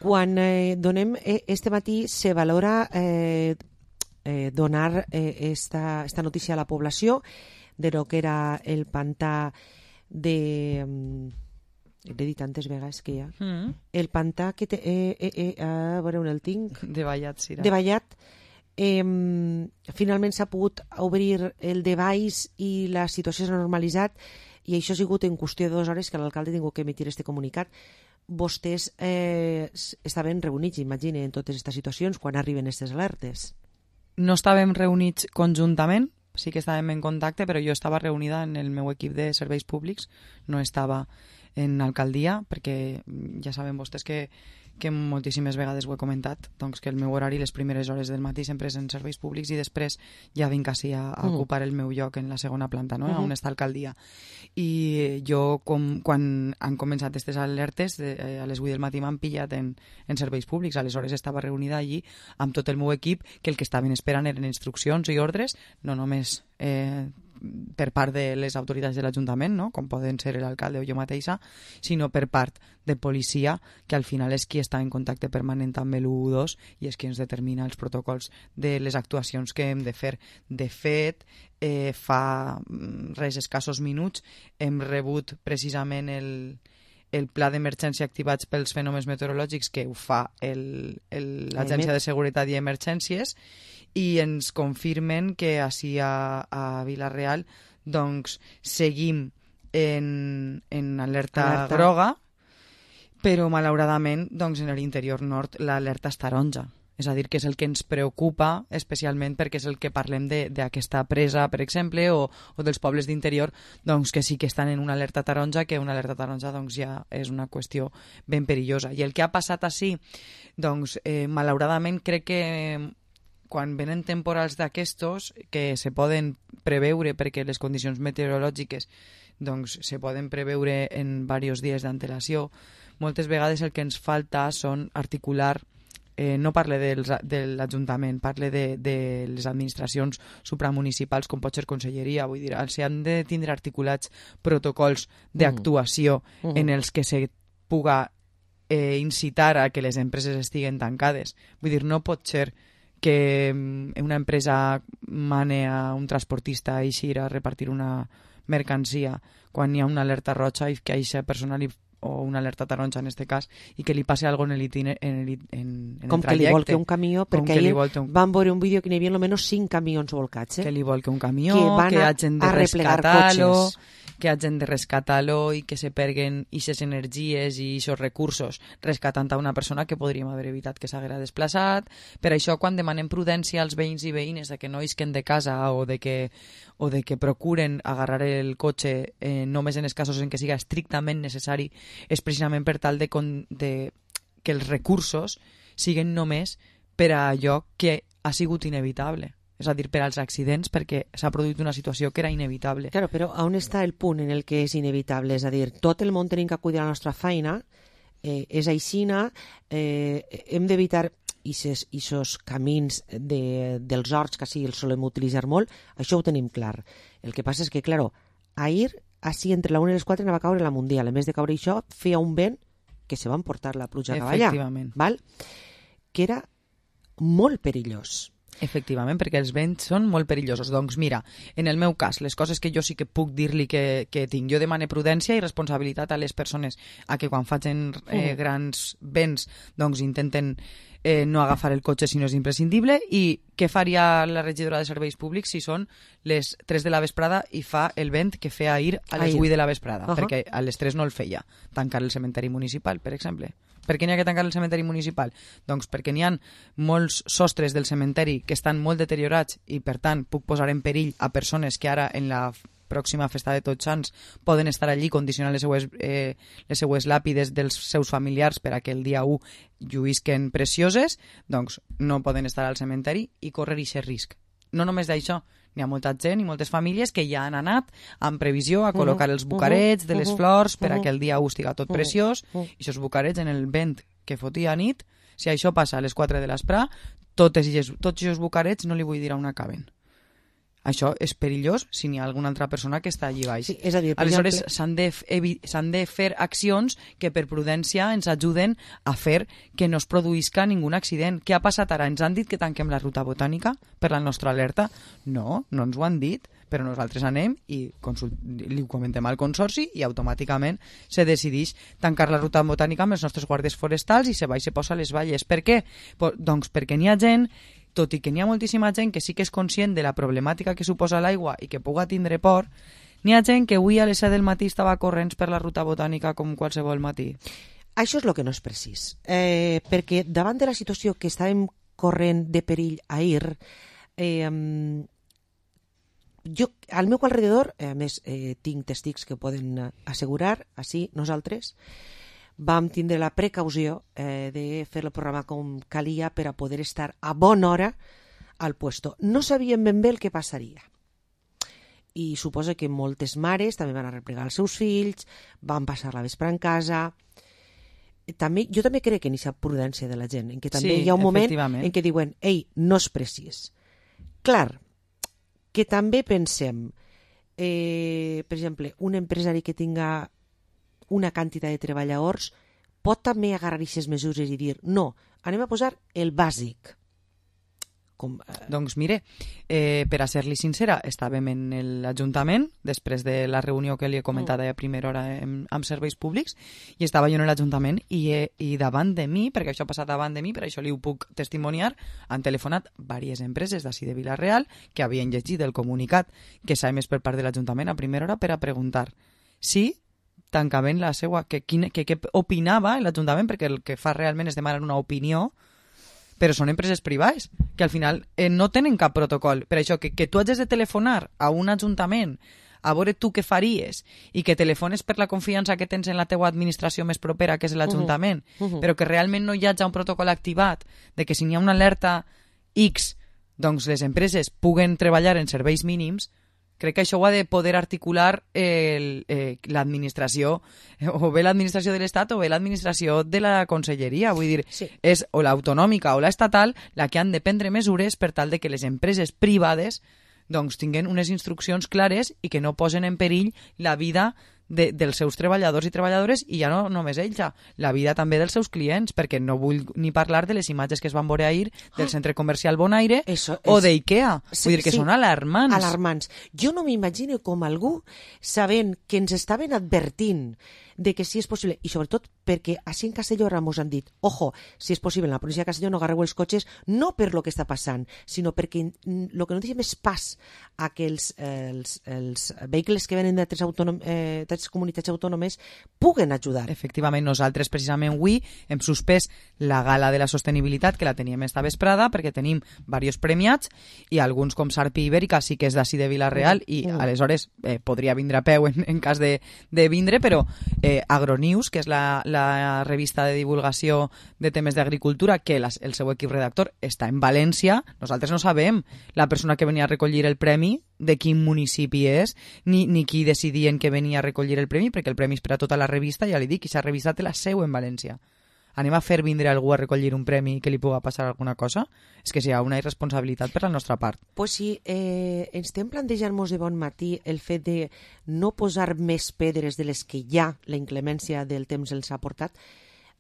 Quan donem este matí se valora donar esta notícia a la població de lo que era el pantà de... l'he dit tantes vegades que hi ha. El pantà que té... a veure on el tinc.
De Vallat, Sira.
De Vallat. Finalment s'ha pogut obrir el de baix i la situació s'ha normalitzat, i això ha sigut en qüestió de 2 hores que l'alcalde ha tingut que emitir este comunicat. Vostès estaven reunits, imagine, en totes aquestes situacions quan arriben aquestes alertes.
No estàvem reunits conjuntament, sí que estàvem en contacte, però jo estava reunida en el meu equip de serveis públics, no estava en alcaldia, perquè ja saben vostès que moltíssimes vegades ho he comentat, doncs que el meu horari, les primeres hores del matí sempre és en serveis públics, i després ja vinc així a ocupar el meu lloc en la segona planta, no? On està alcaldia. I jo, quan han començat aquestes alertes, a les 8 del matí m'han pillat en serveis públics. Aleshores estava reunida allí amb tot el meu equip, que el que estaven esperant eren instruccions i ordres, no només per part de les autoritats de l'Ajuntament, no? Com poden ser l'alcalde o jo mateixa, sinó per part de policia, que al final és qui està en contacte permanent amb l'112 i és qui ens determina els protocols de les actuacions que hem de fer. De fet, fa res escassos minuts hem rebut precisament el pla d'emergència activats pels fenòmens meteorològics que ho fa l'Agència de Seguretat i Emergències, i ens confirmen que així a Vila-real doncs seguim en alerta groga, però malauradament doncs, en l'interior nord l'alerta és taronja. És a dir, que és el que ens preocupa especialment perquè és el que parlem d'aquesta presa, per exemple, o dels pobles d'interior, doncs que sí que estan en una alerta taronja, que una alerta taronja doncs, ja és una qüestió ben perillosa. I el que ha passat així, doncs, malauradament crec que quan venen temporals d'aquestos, que se poden preveure perquè les condicions meteorològiques doncs, se poden preveure en diversos dies d'antelació, moltes vegades el que ens falta són articular. No parle de l'Ajuntament, parle de les administracions supramunicipals, com pot ser Conselleria. Vull dir, s'han de tindre articulats protocols d'actuació en els que se puga incitar a que les empreses estiguen tancades. Vull dir, no pot ser que una empresa mane a un transportista a eixir a repartir una mercancia quan hi ha una alerta roja i que a aquesta persona o una alerta taronja en este cas, i que li passi alguna cosa en el trajecte.
Com que li volca un camió, perquè ahir van veure un vídeo que n'hi havia almenys 5 camions volcats.
Que li volca un camió, que hagin de rescatar-lo, que hagin de rescatar-lo i que se perguen aquestes energies i aquests recursos rescatant a una persona que podríem haver evitat que s'haguera desplaçat. Per això, quan demanem prudència als veïns i veïnes de que no isquen de casa o de que procuren agarrar el cotxe només en els casos en què siga estrictament necessari, és precisament per tal de que els recursos siguin només per a allò que ha sigut inevitable. És a dir, per als accidents, perquè s'ha produït una situació que era inevitable.
Claro, però on està el punt en el que és inevitable? És a dir, tot el món tenim que acudir a la nostra feina, és aixina, hem d'evitar aquests camins dels horts, que sí els solem utilitzar molt, això ho tenim clar. El que passa és que, claro, ahir, així entre la 1 i les 4 anava a caure la Mundial. A més de caure això, feia un vent que se va emportar la pluja cap allà.
Efectivament.
Val? Que era molt perillós.
Efectivament, perquè els vents són molt perillosos. Doncs mira, en el meu cas, les coses que jo sí que puc dir-li que tinc, jo demane prudència i responsabilitat a les persones a que quan facin grans vents doncs intenten no agafar el cotxe si no és imprescindible. I què faria la regidora de Serveis Públics si són les 3 de la vesprada i fa el vent que feia ahir a les 8 de la vesprada? Perquè a les 3 no el feia. Tancar el cementeri municipal, per exemple. Per què n'hi ha que tancar el cementeri municipal? Doncs perquè n'hi ha molts sostres del cementeri que estan molt deteriorats i, per tant, puc posar en perill a persones que ara, en la pròxima festa de Tots Sants, poden estar allí condicionant les seues làpides dels seus familiars per a que el dia 1 lluïsquen precioses, doncs no poden estar al cementeri i correr aquest risc. No només d'això, n'hi ha molta gent i moltes famílies que ja han anat amb previsió a col·locar els bucarets de les flors per a que el dia 1 estiga tot preciós, i aquests bucarets en el vent que fotia a nit, si això passa a les 4 de l'espre, tots aquests bucarets no li vull dir on acaben. Això és perillós si n'hi ha alguna altra persona que està allí baix.
Sí, és a dir,
aleshores, s'han de fer accions que per prudència ens ajuden a fer que no es produïsca ningú accident. Què ha passat ara? Ens han dit que tanquem la ruta botànica per la nostra alerta? No, no ens ho han dit, però nosaltres anem i li ho comentem al Consorci i automàticament se decideix tancar la ruta botànica amb els nostres guàrdies forestals i se va i se posa a les valles. Per què? Doncs perquè n'hi ha gent, tot i que n'hi ha moltíssima gent que sí que és conscient de la problemàtica que suposa l'aigua i que puga tindre por, n'hi ha gent que avui a les 7 del matí estava corrents per la ruta botànica com qualsevol matí.
Això és el que no és precís, perquè davant de la situació que estàvem corrent de perill ahir, jo al meu alrededor, a més tinc testics que poden assegurar, així nosaltres vam tindre la precaució de fer el programa com calia per a poder estar a bona hora al puesto. No sabíem ben bé el que passaria. I suposo que moltes mares també van arreplegar els seus fills, van passar la vespre en casa. Jo també crec en aquesta prudència de la gent, en què també hi ha un moment en què diuen, ei, no és precís. Clar, que també pensem, per exemple, un empresari que tinga una quantitat de treballadors pot també agarrar aquestes mesures i dir no, anem a posar el bàsic.
Doncs mire, per a ser-li sincera, estàvem en l'Ajuntament, després de la reunió que li he comentat a primera hora amb serveis públics, i estava jo en l'Ajuntament i davant de mi, perquè això ha passat davant de mi, per això li ho puc testimoniar, han telefonat diverses empreses d'ací de Vila-real que havien llegit el comunicat que s'ha emès per part de l'Ajuntament a primera hora per a preguntar si tancaven la seva... Què opinava l'Ajuntament, perquè el que fa realment és demanar una opinió, però són empreses privades, que al final no tenen cap protocol. Per això, que tu hagis de telefonar a un ajuntament a veure tu què faries i que telefones per la confiança que tens en la teua administració més propera, que és l'Ajuntament, però que realment no hi hagi un protocol activat de que si n'hi ha una alerta X, doncs les empreses puguen treballar en serveis mínims, crec que això ho ha de poder articular l'administració, o bé l'administració de l'Estat o bé l'administració de la Conselleria. Vull dir, és o l'autonòmica o l'estatal la que han de prendre mesures per tal de que les empreses privades doncs tinguin unes instruccions clares i que no posen en perill la vida dels seus treballadors i treballadores, i ja no només ells, la vida també dels seus clients, perquè no vull ni parlar de les imatges que es van veure ahir del centre comercial Bonaire o d'IKEA. Vull dir que són alarmants.
Alarmants. Jo no m'imagino com algú, sabent que ens estaven advertint de que si és possible, i sobretot perquè així en Castelló mos han dit, ojo, si és possible, en la província de Castelló no agarreu els cotxes, no per lo que està passant, sinó perquè el que no deixem és pas a que els vehicles que venen d'altres comunitats autònomes puguen ajudar.
Efectivament, nosaltres precisament avui hem suspès la gala de la sostenibilitat, que la teníem esta vesprada, perquè tenim diversos premiats, i alguns com Sarpi Ibèrica sí que és d'ací de Vila-real, i aleshores podria vindre a peu en cas de vindre, però Agronews, que és la revista de divulgació de temes d'agricultura, que el seu equip redactor està en València, nosaltres no sabem la persona que venia a recollir el premi de quin municipi és, ni qui decidien que venia a recollir el premi, perquè el premi és per a tota la revista, ja li dic, i s'ha revista té la seu en València. Anem a fer vindre algú a recollir un premi que li puga passar alguna cosa? És que si hi ha una irresponsabilitat per la nostra part.
Pues sí, ens estem plantejant-nos de bon matí el fet de no posar més pedres de les que ja la inclemència del temps els ha portat.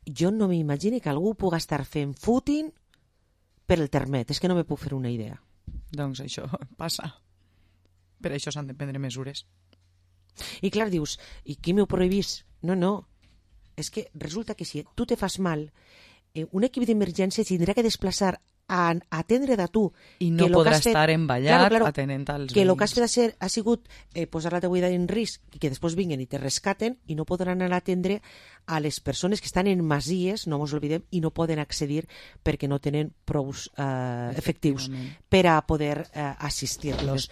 Jo no m'imagino que algú puga estar fent footing per el termet. És que no me puc fer una idea.
Doncs això passa. Per això s'han de prendre mesures.
I clar, dius, i qui m'ho prohibís? No. És que resulta que si tu te fas mal, un equip d'emergència tindrà que desplaçar a atendre de tu.
I no podrà estar emballat atenent als veïns.
Que el que has fet ha sigut posar la teva vida en risc i que després vinguen i te rescaten, i no podran anar a atendre a les persones que estan en masies, no ens oblidem, i no poden accedir perquè no tenen prous efectius per a poder assistir-los.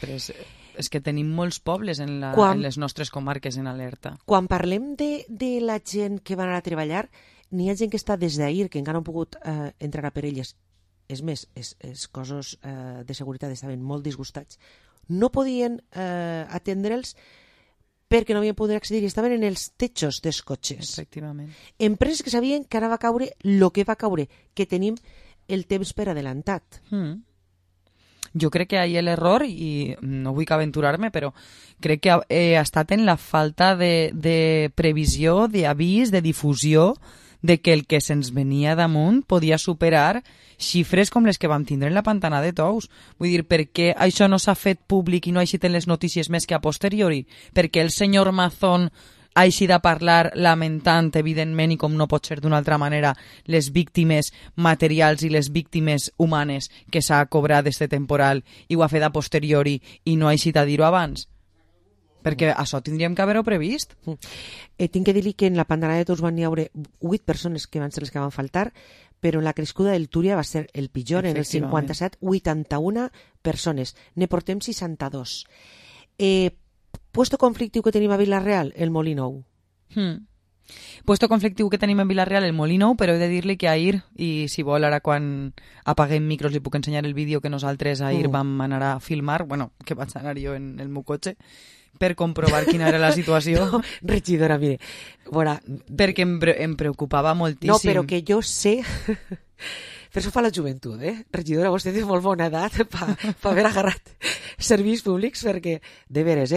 És que tenim molts pobles en les nostres comarques en alerta.
Quan parlem de la gent que va anar a treballar, n'hi ha gent que està des d'ahir, que encara no han pogut entrar a per elles. És més, els cossos de seguretat estaven molt disgustats. No podien atendre'ls perquè no havien pogut accedir i estaven en els techos dels cotxes.
Efectivament.
Empreses que sabien que ara va caure el que va caure, que tenim el temps per adelantat.
Jo crec que ahir l'error, i no vull aventurar-me, però crec que ha estat en la falta de previsió, d'avís, de difusió, de que el que se'ns venia damunt podia superar xifres com les que vam tindre en la Pantana de Tous. Vull dir, per què això no s'ha fet públic i no ha eixit en les notícies més que a posteriori? Perquè el senyor Mazón ha eixit a parlar lamentant, evidentment, i com no pot ser d'una altra manera, les víctimes materials i les víctimes humanes que s'ha cobrat d'este temporal, i ho ha fet a posteriori i no ha eixit a dir-ho abans? Perquè això tindríem que haver-ho previst.
Tinc que dir-li que en la Pantana de Tous van hi haure 8 persones que van ser les que van faltar, però en la crescuda del Túria va ser el pitjor, en el 57, 81 persones. Ne portem 62. Puesto conflictiu que tenim a Vila-real, el Molí Nou.
Puesto conflictiu que tenim en Vila-real, el Molí Nou, però he de dir-li que ahir, i si vol ara quan apaguem micros li puc ensenyar el vídeo que nosaltres ahir vam anar a filmar, bueno, que vaig anar jo en el meu cotxe, per comprovar quina era la situació.
No, regidora, mire, bueno,
perquè em preocupava moltíssim.
No, però que jo sé... Per això fa la joventut, Regidora, vostè té molt bona edat per haver agarrat serveis públics, perquè, de veres,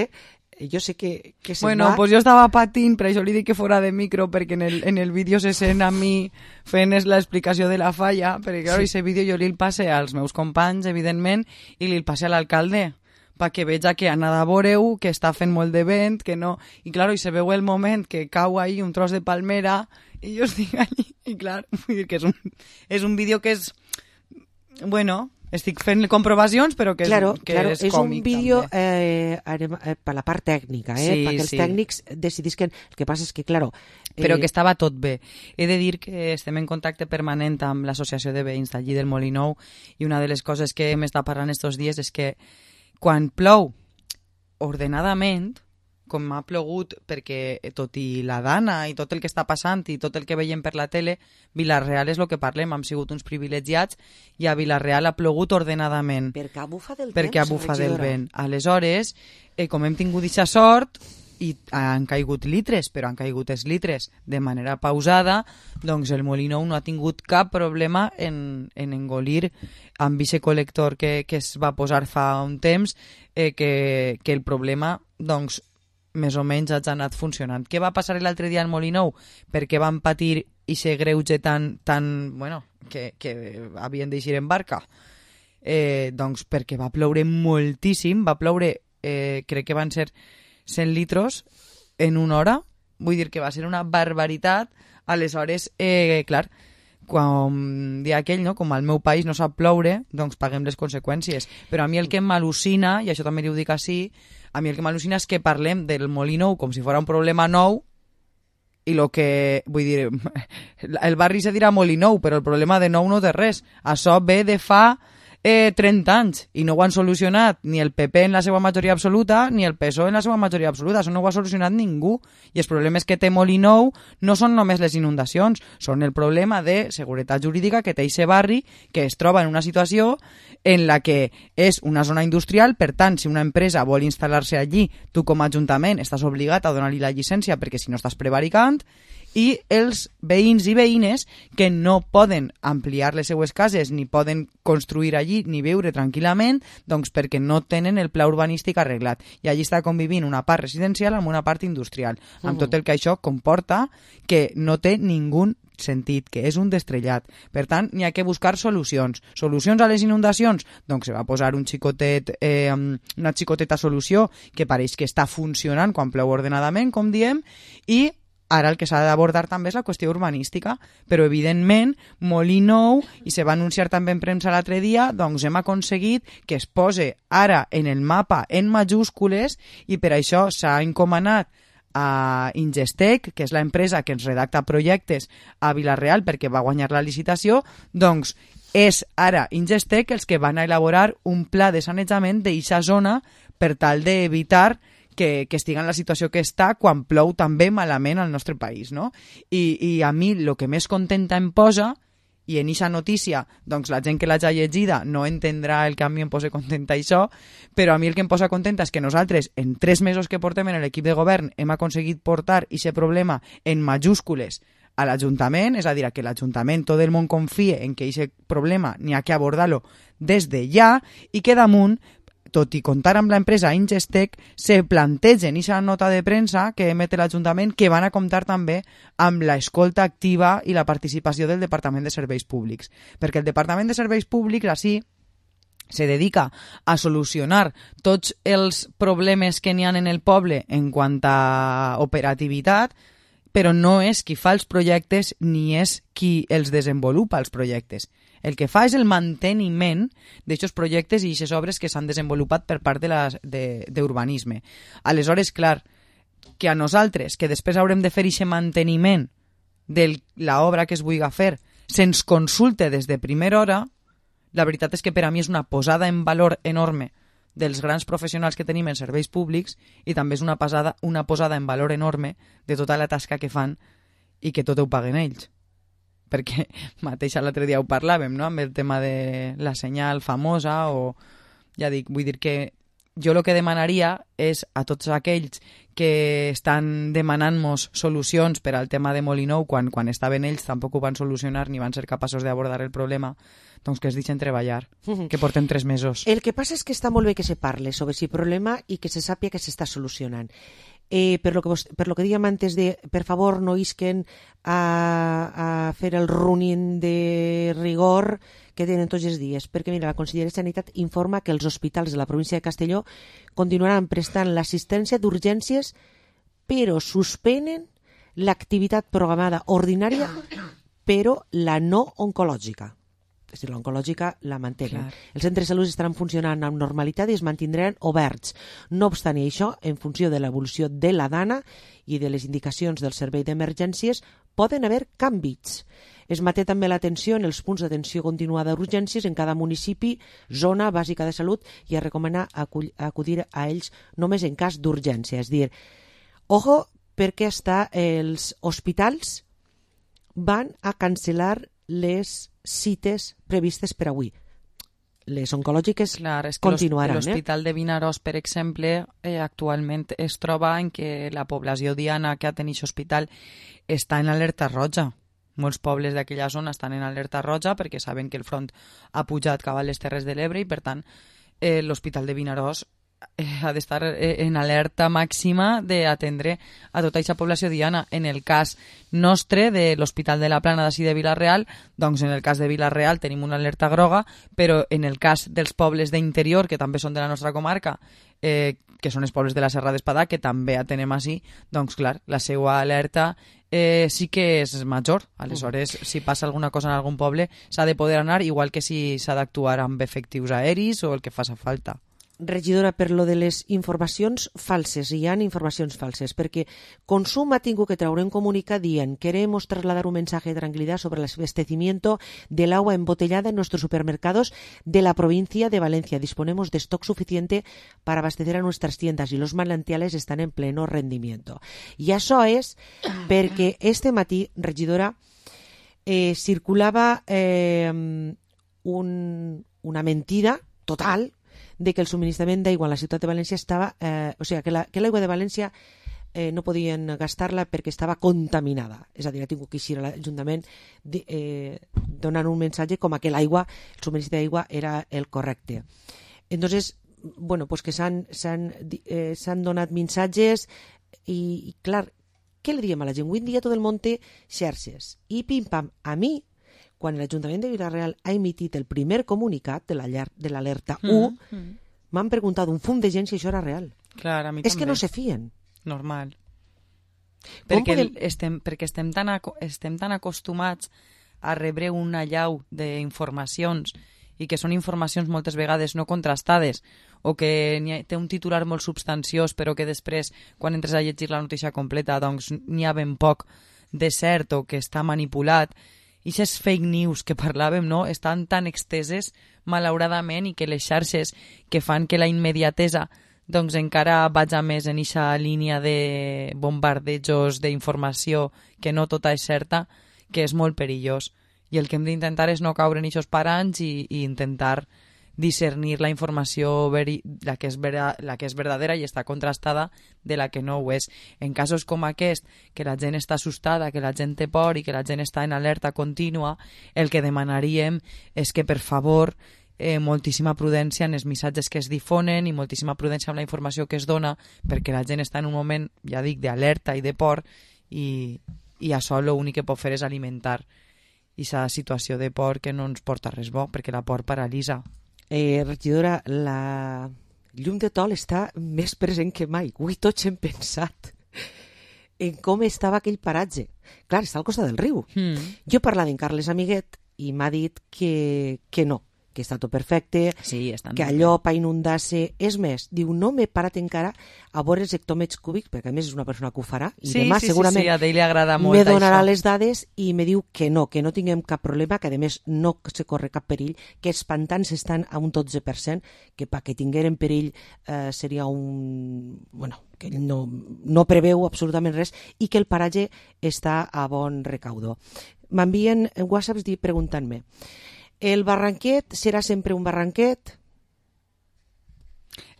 jo sé que se
bueno,
va...
pues jo estava patint, per això li dic que fora de micro, perquè en el vídeo se sent a mi fent l'explicació de la falla, perquè clar, aquest vídeo jo li el passe als meus companys, evidentment, i li el passe a l'alcalde, perquè veja que ha anat a veure-ho, que està fent molt de vent, que no... I clar, i se veu el moment que cau ahí un tros de palmera, i jo estic allí, i clar, vull dir que és un vídeo que és... Bueno... Estic fent comprovacions, però que és,
claro,
és
és
còmic.
Un vídeo per la part tècnica, perquè els tècnics decidisquen... El que passa és que, claro...
Però que estava tot bé. He de dir que estem en contacte permanent amb l'associació de veïns d'allí del Molinou i una de les coses que m'està parlant estos dies és que quan plou ordenadament, com ha plogut, perquè tot i la dana i tot el que està passant i tot el que veiem per la tele, Vila-real és el que parlem, hem sigut uns privilegiats i a Vila-real ha plogut ordenadament.
Perquè ha bufat del
perquè ha bufat del vent. Aleshores, com hem tingut aquesta sort i han caigut litres, però han caigut els litres de manera pausada, doncs el Molinou no ha tingut cap problema en engolir amb aquest col·lector que es va posar fa un temps, que el problema, doncs, més o menys ha anat funcionant. Què va passar l'altre dia al Molinou? Per què van patir i ser greuge tan bueno, que havien d'eixir en barca? Doncs perquè va ploure moltíssim, va ploure, crec que van ser 100 litros en una hora, vull dir que va ser una barbaritat. Aleshores, clar, quan dia aquell, no? Com al meu país no sap ploure, doncs paguem les conseqüències. Però a mi el que m'al·lucina, i això també li ho dic així, a mi el que m'al·lucina és que parlem del Molinou com si fos un problema nou i el que, vull dir, el barri se dirà Molinou, però el problema de nou no té res. Això ve de fa 30 anys i no ho han solucionat ni el PP en la seva majoria absoluta ni el PSOE en la seva majoria absoluta. Això no ho ha solucionat ningú. I els problemes que té Molinou no són només les inundacions, són el problema de seguretat jurídica que té aquest barri, que es troba en una situació en la que és una zona industrial, per tant, si una empresa vol instal·lar-se allí, tu com a ajuntament estàs obligat a donar-li la llicència perquè si no estàs prevaricant, i els veïns i veïnes que no poden ampliar les seues cases ni poden construir allí ni viure tranquil·lament, doncs perquè no tenen el pla urbanístic arreglat. I allí està convivint una part residencial amb una part industrial, amb tot el que això comporta, que no té ningú sentit, que és un destrellat. Per tant, n'hi ha que buscar solucions. Solucions a les inundacions? Doncs se va posar una xicoteta solució que pareix que està funcionant quan plou ordenadament, com diem, i ara el que s'ha d'abordar també és la qüestió urbanística, però evidentment Molinou, i se va anunciar també en premsa l'altre dia, doncs hem aconseguit que es pose ara en el mapa en majúscules i per això s'ha encomanat a Ingestec, que és l'empresa que ens redacta projectes a Vila-real perquè va guanyar la licitació, doncs és ara Ingestec els que van a elaborar un pla de sanejament d'eixa zona per tal d'evitar que estigui en la situació que està quan plou també malament al nostre país, no? I a mi el que més contenta em posa, i en eixa notícia, doncs la gent que l'hagi llegida no entendrà el que a mi em posa contenta això, però a mi el que em posa contenta és que nosaltres, en 3 mesos que portem en l'equip de govern, hem aconseguit portar aquest problema en majúscules a l'Ajuntament, és a dir, que l'Ajuntament, tot el món confie en que aquest problema n'hi ha que abordar-lo des de ja, i que damunt, tot i comptar amb l'empresa Ingestec, se plantegen aquesta nota de premsa que emet l'Ajuntament que van a comptar també amb l'escolta activa i la participació del Departament de Serveis Públics. Perquè el Departament de Serveis Públics, així, se dedica a solucionar tots els problemes que n'hi ha en el poble en quant a operativitat, però no és qui fa els projectes ni és qui els desenvolupa els projectes. El que fa és el manteniment d'aquests projectes i aquestes obres que s'han desenvolupat per part d'urbanisme. Aleshores, clar, que a nosaltres, que després haurem de fer aquest manteniment de l'obra que es vulgui fer, se'ns consulte des de primera hora, la veritat és que per a mi és una posada en valor enorme dels grans professionals que tenim en serveis públics i també és una posada en valor enorme de tota la tasca que fan i que tot ho paguen ells. Perquè mateix l'altre dia ho parlàvem, no?, amb el tema de la senyal famosa, o ja dic, vull dir que jo el que demanaria és a tots aquells que estan demanant-nos solucions per al tema de Molinou, quan estaven ells tampoc ho van solucionar ni van ser capaços d'abordar el problema, doncs que es deixen treballar, que portem 3 mesos.
El que passa és que està molt bé que se parle sobre aquest problema i que se sàpia que s'està solucionant. Per lo que dèiem antes de, per favor, no isquen a fer el running de rigor que tenen tots els dies, perquè mira, la Conselleria de Sanitat informa que els hospitals de la província de Castelló continuaran prestant l'assistència d'urgències, però suspenen l'activitat programada ordinària, però la no oncològica. És a dir, l'oncològica la mantenen. Els centres de salut estaran funcionant amb normalitat i es mantindran oberts. No obstant això, en funció de l'evolució de la dana i de les indicacions del servei d'emergències, poden haver canvis. Es manté també l'atenció en els punts d'atenció continuada d'urgències en cada municipi, zona bàsica de salut, i es recomana acudir a ells només en cas d'urgència. És a dir, ojo, perquè els hospitals van a cancel·lar les cites previstes per avui. Les oncològiques continuaran.
L'Hospital de Vinaròs, per exemple, actualment es troba en que la població diana que atén aquest hospital està en alerta roja. Molts pobles d'aquella zona estan en alerta roja perquè saben que el front ha pujat cap a les Terres de l'Ebre i, per tant, l'Hospital de Vinaròs ha d'estar en alerta màxima d'atendre a tota aquesta població diana. En el cas nostre de l'Hospital de la Plana d'ací de Vila-real, doncs en el cas de Vila-real tenim una alerta groga, però en el cas dels pobles d'interior, que també són de la nostra comarca, que són els pobles de la Serra d'Espadà, que també atenem així, doncs clar, la seva alerta sí que és major. Aleshores, si passa alguna cosa en algun poble, s'ha de poder anar, igual que si s'ha d'actuar amb efectius aeris o el que faci falta.
Regidora, per lo de les informacions falses, hi ha informacions falses, perquè Consum ha tingut que treure un comunicat dient: queremos trasladar un mensaje de tranquilidad sobre el abastecimiento del agua embotellada en nuestros supermercados de la provincia de Valencia. Disponemos de stock suficiente para abastecer a nuestras tiendas y los manantiales están en pleno rendimiento. I això és perquè este matí, regidora, circulava una mentida total de que el subministrament d'aigua en la ciutat de València estava... o sigui, que l'aigua de València no podien gastar-la perquè estava contaminada. És a dir, ha tingut que eixir a l'Ajuntament donant un missatge com que l'aigua, el subministre d'aigua era el correcte. Entonces, bueno, pues que s'han donat missatges i clar, què li diem a la gent? Avui en dia tot el món té xarxes. I pim-pam, a mi, quan l'Ajuntament de Vila-real ha emitit el primer comunicat de l'alerta 1, m'han preguntat un fum de gent si això era real.
Clar, a mi
és
també.
Que no se fien.
Normal. Perquè estem tan acostumats a rebre una llau d'informacions i que són informacions moltes vegades no contrastades o que té un titular molt substanciós però que després, quan entres a llegir la notícia completa, doncs n'hi ha ben poc de cert o que està manipulat. I aquestes fake news que parlàvem, no?, estan tan exteses, malauradament, i que les xarxes que fan que la immediatesa doncs encara vaja més en aquesta línia de bombardejos d'informació que no tota és certa, que és molt perillós. I el que hem d'intentar és no caure en aquests paranys i intentar discernir la informació, la que és verdadera i està contrastada de la que no ho és. En casos com aquest, que la gent està assustada, que la gent té por i que la gent està en alerta contínua, el que demanaríem és que, per favor, moltíssima prudència en els missatges que es difonen i moltíssima prudència amb la informació que es dona, perquè la gent està en un moment, ja dic, d'alerta i de por i això l'únic que pot fer és alimentar aquesta situació de por que no ens porta res bo, perquè la por paralitza.
Regidora, la llum de Tol està més present que mai. Avui tots hem pensat en com estava aquell paratge. Clar, està al costat del riu. Jo parlava amb Carles Amiguet i m'ha dit que no, que està tot perfecte,
sí,
que allò per inundar-se... És més, diu, no m'he parat encara a veure els hectòmetres cúbics, perquè a més és una persona que ho farà, i demà segurament
a ell li agrada molt
me donarà
això.
Les dades i me diu que no tinguem cap problema, que a més no se corre cap perill, que els pantans estan a un 12%, que perquè tingueren perill seria un... Bueno, que ell no preveu absolutament res i que el paratge està a bon recaudo. M'envien whatsapps preguntant-me: ¿el barranquet serà sempre un barranquet?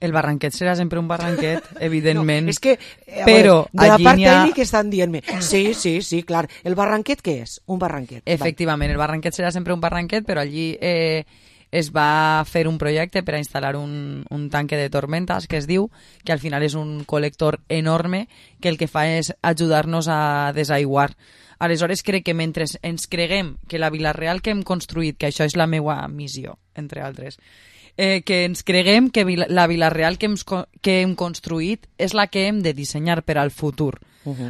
El barranquet serà sempre un barranquet, evidentment.
No, és que,
però
de la part
ha...
tècnica estan dient-me, sí, clar, el barranquet què és? Un barranquet.
Efectivament, el barranquet serà sempre un barranquet, però allí es va fer un projecte per a instal·lar un tanque de tormentas, que es diu, que al final és un col·lector enorme, que el que fa és ajudar-nos a desaiguar. Aleshores, crec que mentre ens creguem que la Vila-real que hem construït, que això és la meva missió, entre altres, que ens creguem que la Vila-real que hem construït és la que hem de dissenyar per al futur.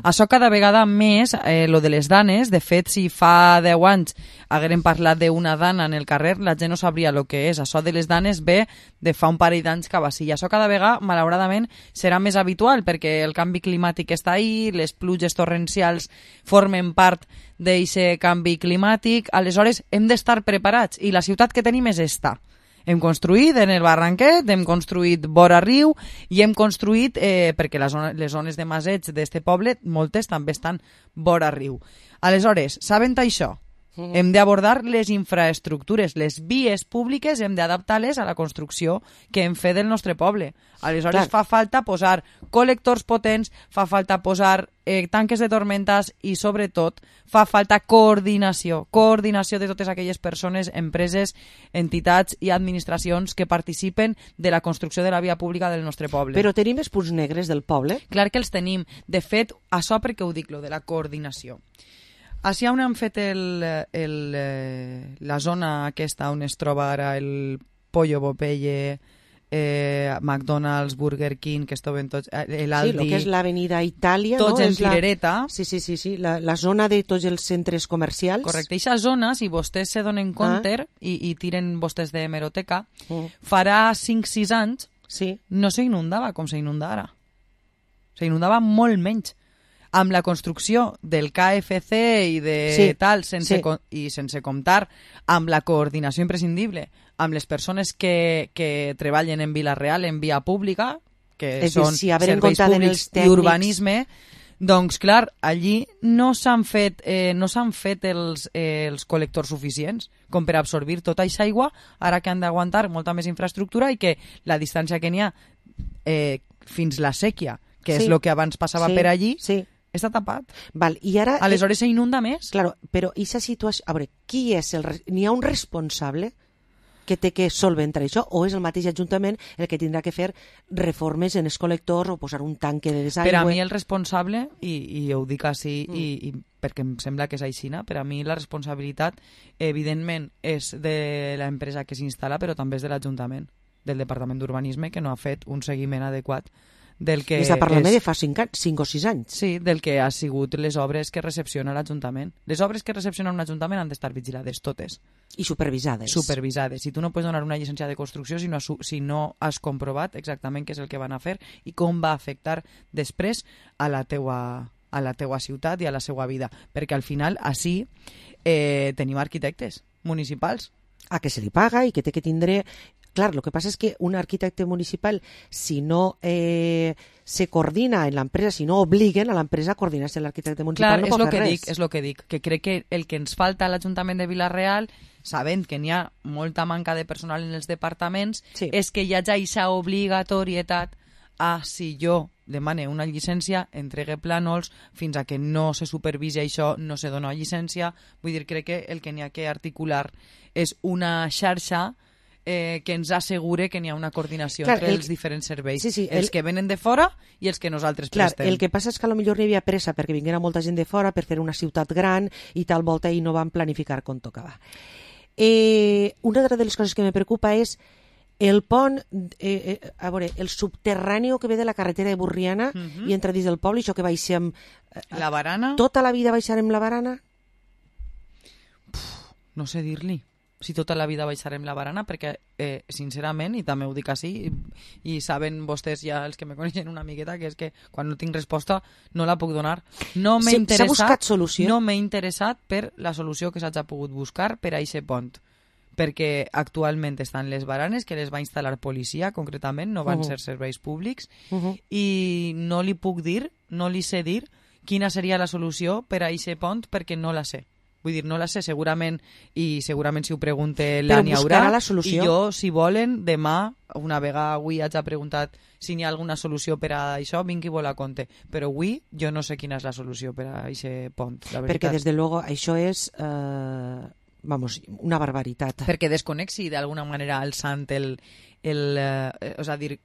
Això cada vegada més, lo de les danes, de fet, si fa 10 anys haguérem parlat d'una dana en el carrer, la gent no sabria el que és. Això de les danes ve de fa un parell d'anys cap així. I això cada vegada, malauradament, serà més habitual, perquè el canvi climàtic està ahí, les pluges torrencials formen part d'aquest canvi climàtic, aleshores hem d'estar preparats, i la ciutat que tenim és esta. Hem construït en el barranquet, hem construït vora riu i hem construït, perquè les zones de maseig d'este poble, moltes també estan vora riu. Aleshores, sabent això, hem d'abordar les infraestructures, les vies públiques hem d'adaptar-les a la construcció que hem fet del nostre poble. Aleshores fa falta posar col·lectors potents, fa falta posar tanques de tormentas i sobretot fa falta coordinació de totes aquelles persones, empreses, entitats i administracions que participen de la construcció de la via pública del nostre poble.
Però tenim els punts negres del poble?
Clar que els tenim. De fet, això perquè ho dic, lo de la coordinació. Així on han fet la zona aquesta on es troba ara el Pollo Popeye, McDonald's, Burger King, que estaven tots...
Sí,
l'Aldi...
el que és l'avenida Itàlia,
tots
no?
en filereta.
Sí, la zona de tots els centres comercials.
Correcte, aquesta zona, si vostès se donen compte i tiren vostès de hemeroteca, farà 5-6 anys no s'inundava com s'inunda ara. S'inundava molt menys. Amb la construcció del KFC i de tal, sense comptar amb la coordinació imprescindible amb les persones que treballen en Vila-real, en via pública, que són serveis públics i urbanisme, doncs, clar, allí no s'han fet els col·lectors suficients com per absorbir tota aquesta aigua, ara que han d'aguantar molta més infraestructura i que la distància que n'hi ha fins la sèquia, que és el que abans passava per allí, està tapat.
Val, i ara...
Aleshores s'inunda més.
Claro, però aquesta situació... A veure, qui és n'hi ha un responsable que té que solventar això, o és el mateix Ajuntament el que tindrà que fer reformes en els col·lectors o posar un tanque de desaigüe?
Per a mi el responsable, i ho dic així i perquè em sembla que és aixina, per a mi la responsabilitat evidentment és de l'empresa que s'instal·la, però també és de l'Ajuntament, del Departament d'Urbanisme, que no ha fet un seguiment adequat del que...
Està parlant de fa 5 o 6 anys.
Sí, del que ha sigut les obres que recepciona l'Ajuntament. Les obres que recepciona un Ajuntament han d'estar vigilades totes.
I supervisades.
Supervisades. I tu no pots donar una llicència de construcció si no has comprovat exactament què és el que van a fer i com va afectar després a la teua ciutat i a la seva vida. Perquè al final, així, tenim arquitectes municipals.
A que se li paga i que té que tindre... Clar, el que passa és que un arquitecte municipal, si no se coordina en l'empresa, si no obliguen a l'empresa a coordinar-se amb l'arquitecte municipal, no pot fer res.
És el que dic, que crec que el que ens falta a l'Ajuntament de Vila-real, sabent que n'hi ha molta manca de personal en els departaments, és que hi hagi aquesta obligatorietat a, si jo demane una llicència, entregue plànols, fins a que no se supervisi això, no se dona llicència. Vull dir, crec que el que n'hi ha que articular és una xarxa que ens assegure que n'hi ha una coordinació entre els diferents serveis, els que venen de fora i els que nosaltres prestem.
El que passa és que potser no hi havia pressa perquè vinguera molta gent de fora per fer una ciutat gran i tal volta i no van planificar com tocava. Una altra de les coses que me preocupa és el pont, a veure, el subterrani que ve de la carretera de Burriana i entra dins del poble, això que baixem...
La barana?
Tota la vida baixarem la barana?
No sé dir-li. Si tota la vida baixarem la barana, perquè sincerament, i també ho dic així, i saben vostès ja els que me coneixen una miqueta, que és que quan no tinc resposta no la puc donar. No m'he interessat,
s'ha buscat solució?
No m'he interessat per la solució que s'hagi pogut buscar per a aquest pont, perquè actualment estan les baranes que les va instal·lar policia, concretament, no van ser serveis públics, i no li puc dir, no li sé dir quina seria la solució per a aquest pont, perquè no la sé. Vull dir, no la sé, segurament si ho pregunte
però
n'hi haurà.
buscarà la solució.
I jo, si volen, demà, una vegada avui haig preguntat si n'hi ha alguna solució per a això, vinc i vol a compte. Però avui jo no sé quina és la solució per a aquest pont, la veritat.
Perquè, des de luego, això és una barbaritat.
Perquè desconnexi d'alguna manera alçant és a dir,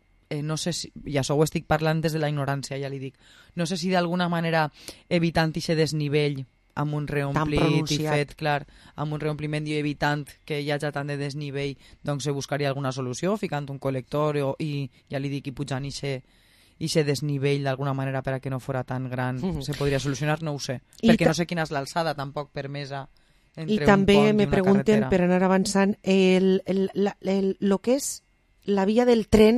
no sé si, i això ho estic parlant des de la ignorància, ja li dic, no sé si d'alguna manera evitant aquest desnivell amb un reomplit i fet, clar, amb un reompliment i evitant que hi hagi tant de desnivell, doncs se buscaria alguna solució, ficant un col·lector i ja li dic, i pujant ixe desnivell d'alguna manera per a que no fora tan gran. Se podria solucionar, no ho sé, perquè no sé quina és l'alçada tampoc permesa entre
I també
un pont
me
i una
pregunten,
carretera.
per anar avançant, lo que és la via del tren,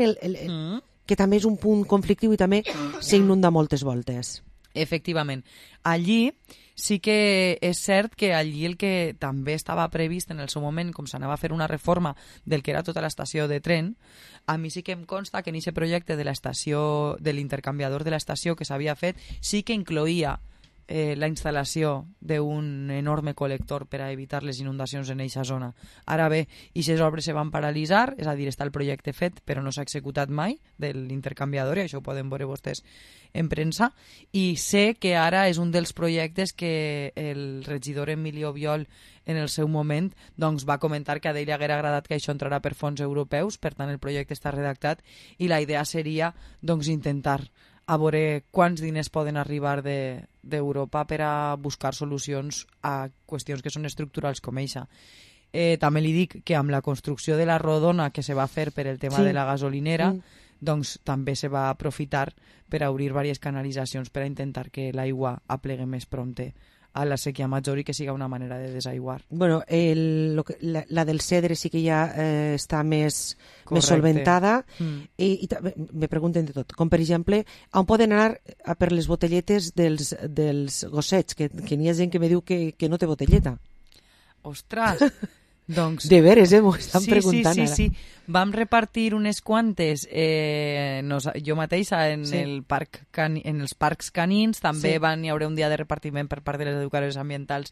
que també és un punt conflictiu i també s'inunda moltes voltes.
Efectivament. Allí sí que és cert que allí el que també estava previst en el seu moment, com s'anava a fer una reforma del que era tota l'estació de tren, a mi sí que em consta que en aquest projecte de l'estació, de l'intercanviador de l'estació que s'havia fet, sí que incloïa la instal·lació d'un enorme col·lector per a evitar les inundacions en eixa zona. Ara bé, aquestes obres se van paralitzar, és a dir, està el projecte fet però no s'ha executat mai de l'intercanviador, i això ho poden veure vostès en premsa, i sé que ara és un dels projectes que el regidor Emilio Biol en el seu moment doncs, va comentar que a ell li haguera agradat que això entrarà per fons europeus, per tant el projecte està redactat i la idea seria doncs, intentar a veure quants diners poden arribar d'Europa per a buscar solucions a qüestions que són estructurals com eixa. També li dic que amb la construcció de la rodona que se va fer per el tema de la gasolinera, doncs també se va aprofitar per a obrir diverses canalitzacions per a intentar que l'aigua aplegue més prompte a la sequia major i que siga una manera de desaiguar.
Bueno, la del Cedre sí que ja està més solventada i me pregunten de tot, com per exemple on poden anar per les botelletes dels gossets, que n'hi ha gent que me diu que no té botelleta.
Ostres! Doncs,
de veres, m'ho estan preguntant ara.
Sí. Vam repartir unes quantes jo mateixa en els parcs canins, també hi haurà un dia de repartiment per part de les educadores ambientals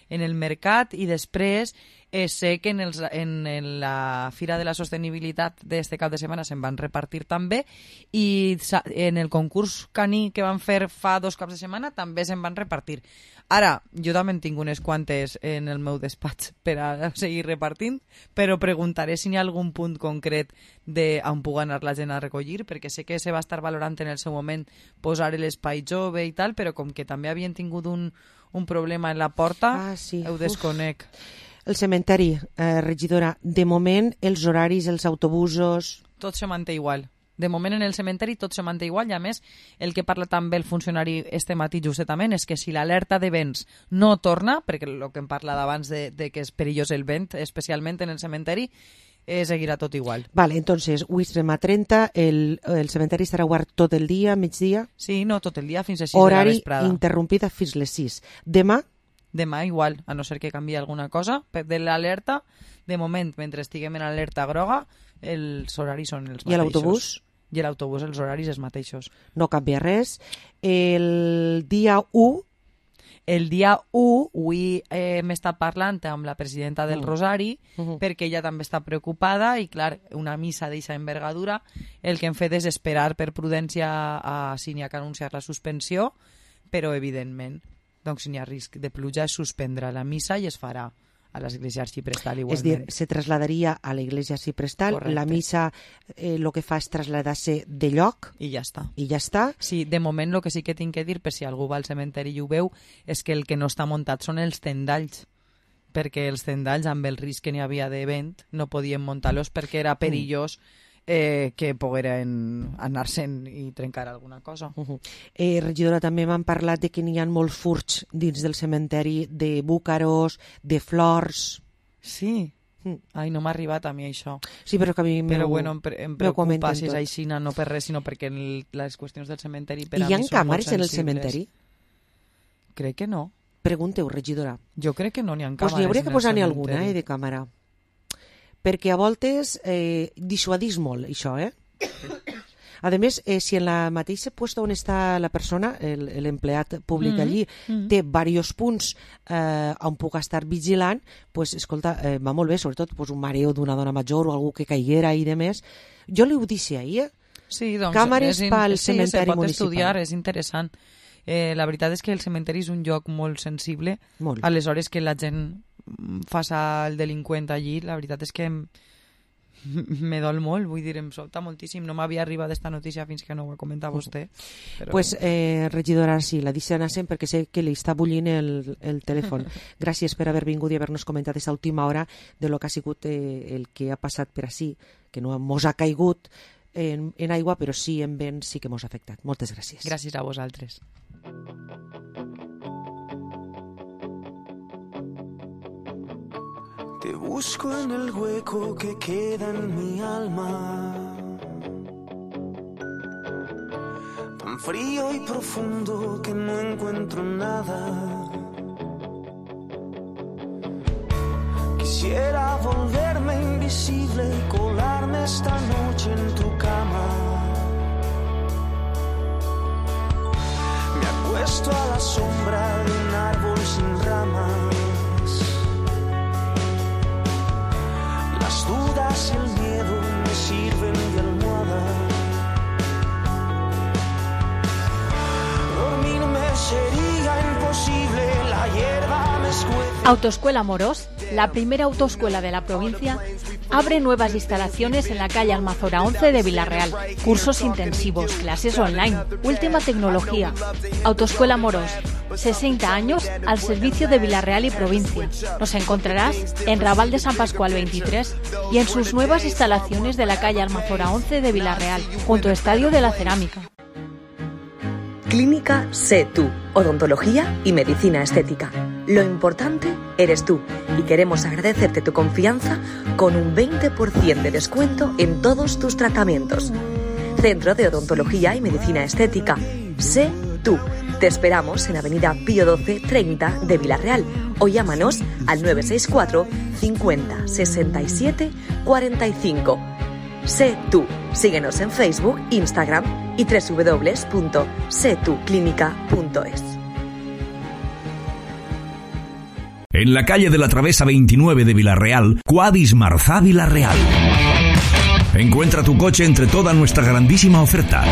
en el mercat, i després sé que en la Fira de la Sostenibilitat d'este cap de setmana se'n van repartir també, i en el concurs caní que van fer fa 2 caps de setmana també se'n van repartir. Ara, jo també en tinc unes quantes en el meu despatx per a seguir repartint, però preguntaré si hi ha algun punt concret on pugui anar la gent a recollir, perquè sé que se va estar valorant en el seu moment posar l'espai jove i tal, però com que també havien tingut un problema en la porta, ho desconec.
El cementeri, regidora, de moment els horaris, els autobusos...
Tot se manté igual. De moment en el cementeri tot se manté igual, i a més el que parla també el funcionari este matí justament és que si l'alerta de vents no torna, perquè el que em parla d'abans de que és perillós el vent, especialment en el cementeri, seguirà tot igual.
Vale, entonces, avui estem a 30, el cementeri estarà obert tot el dia, migdia?
Sí, no, tot el dia, fins a 6 de la vesprada.
Horari interrompit fins les 6. Demà?
Demà igual, a no ser que canviï alguna cosa. De l'alerta, de moment, mentre estiguem en alerta groga, els horaris són els mateixos.
I l'autobús?
I l'autobús, els horaris els mateixos.
No canvia res. El dia 1...
El dia 1, avui hem estat parlant amb la presidenta del Rosari, perquè ella també està preocupada, i clar, una missa d'eixa envergadura, el que hem fet és esperar per prudència si n'hi ha que anunciar la suspensió, però evidentment, doncs si n'hi ha risc de pluja es suspendrà la missa i es farà a l'església arxiprestal igualment.
És dir, se trasladaria a l'església arxiprestal. Correcte. La missa el que fa és traslladar-se de lloc.
I ja està.
I ja està.
Sí, de moment el que sí que tinc que dir, per si algú va al cementeri i ho veu, és que el que no està muntat són els tendalls, perquè els tendalls, amb el risc que n'hi havia de vent, no podien muntar-los perquè era perillós que pogueren anar-se'n i trencar alguna cosa.
Regidora, també m'han parlat de que n'hi ha molts furts dins del cementeri, de búcaros, de flors...
Sí? Ai, no m'ha arribat a mi això.
Sí, però que a mi
però bueno, em preocupa si és així, no per res, sinó perquè les qüestions del cementeri per a mi són molt sensibles.
Hi ha càmeres en el cementeri?
Crec que no.
Pregunteu, regidora.
Jo crec que no n'hi ha càmeres.
Pues n'hi hauria que posar-n'hi alguna, de càmera. Perquè a voltes dissuadís molt, això, Además, si en la mateixa puesto on està la persona, l'empleat públic allí, té diversos punts on puc estar vigilant, pues, escolta, va molt bé, sobretot pues, un mareo d'una dona major o algú que caiguera i demés. Jo li ho deixo ahir,
sí, doncs,
càmeres pel cementeri
municipal. Sí, se pot estudiar,
municipal.
és interessant. La veritat és que el cementeri és un lloc molt sensible.
Molt.
Aleshores que la gent faça el delinqüent allí, la veritat és que me dol molt, vull dir, em sobta moltíssim. No m'havia arribat aquesta notícia fins que no ho ha comentat vostè. Però...
Pues, regidora, sí, la deixo anar sempre perquè sé que li està bullint el telèfon. Gràcies per haver vingut i haver-nos comentat aquesta última hora de lo que ha sigut el que ha passat per ací, que no mos ha caigut en aigua, però sí en vent, sí que mos ha afectat. Moltes gràcies.
Gràcies a vosaltres.
Te busco en el hueco que queda en mi alma, tan frío y profundo que no encuentro nada. Quisiera volverme invisible y colarme esta noche en tu cama. Me acuesto a la sombra de un árbol sin ramas. Las dudas y el miedo me sirven de almohada. Dormirme sería imposible, la hierba me escuece.
Autoescuela Moros, la primera autoescuela de la provincia, abre nuevas instalaciones en la calle Almazora 11 de Villarreal. Cursos intensivos, clases online, última tecnología. Autoescuela Moros, 60 años al servicio de Villarreal y provincia. Nos encontrarás en Raval de San Pascual 23 y en sus nuevas instalaciones de la calle Almazora 11 de Villarreal, junto al Estadio de la Cerámica.
Clínica Sé Tú, odontología y medicina estética. Lo importante eres tú y queremos agradecerte tu confianza con un 20% de descuento en todos tus tratamientos. Centro de Odontología y Medicina Estética. Sé Tú. Te esperamos en Avenida Pío 12 30 de Villarreal o llámanos al 964 50 67 45. Sé Tú. Síguenos en Facebook, Instagram y www.setuclinica.es.
En la calle de la Travesa 29 de Villarreal, Quadis Marzá Villarreal. Encuentra tu coche entre toda nuestra grandísima oferta.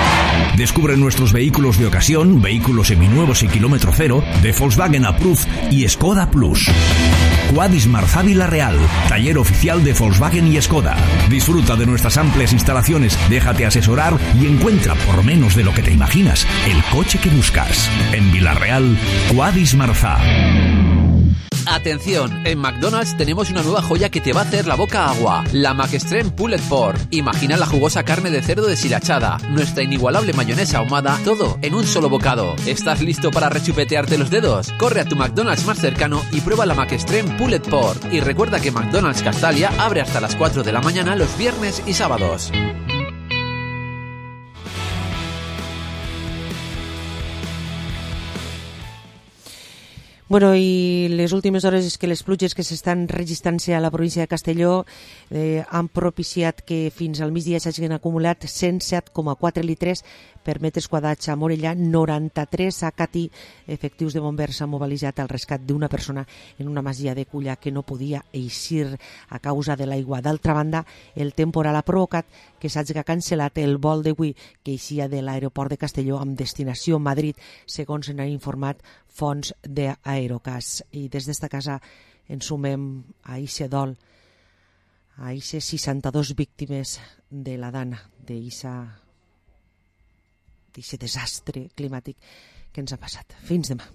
Descubre nuestros vehículos de ocasión, vehículos seminuevos y kilómetro cero, de Volkswagen Approved y Skoda Plus. Quadis Marzá Villarreal, taller oficial de Volkswagen y Skoda. Disfruta de nuestras amplias instalaciones, déjate asesorar y encuentra, por menos de lo que te imaginas, el coche que buscas. En Villarreal, Quadis Marzá.
Atención, en McDonald's tenemos una nueva joya que te va a hacer la boca agua, la McExtreme Pulled Pork. Imagina la jugosa carne de cerdo deshilachada, nuestra inigualable mayonesa ahumada, todo en un solo bocado. ¿Estás listo para rechupetearte los dedos? Corre a tu McDonald's más cercano y prueba la McExtreme Pulled Pork. Y recuerda que McDonald's Castalia abre hasta las 4 de la mañana los viernes y sábados.
Bueno, i les últimes hores és que les pluges que s'estan registrant-se a la província de Castelló han propiciat que fins al migdia s'hagin acumulat 107,4 litres per metres quadrats a Morellà, 93 a Catí. Efectius de bombers s'han mobilitzat al rescat d'una persona en una masia de Culla que no podia eixir a causa de l'aigua. D'altra banda, el temporal ha provocat que s'hagi cancel·lat el vol d'avui que eixia de l'aeroport de Castelló amb destinació Madrid, segons n'ha informat fonts d'Aerocas. I des d'esta casa ens sumem a eixe dol, a eixe 62 víctimes de la Dana, d'eixe desastre climàtic que ens ha passat. Fins demà.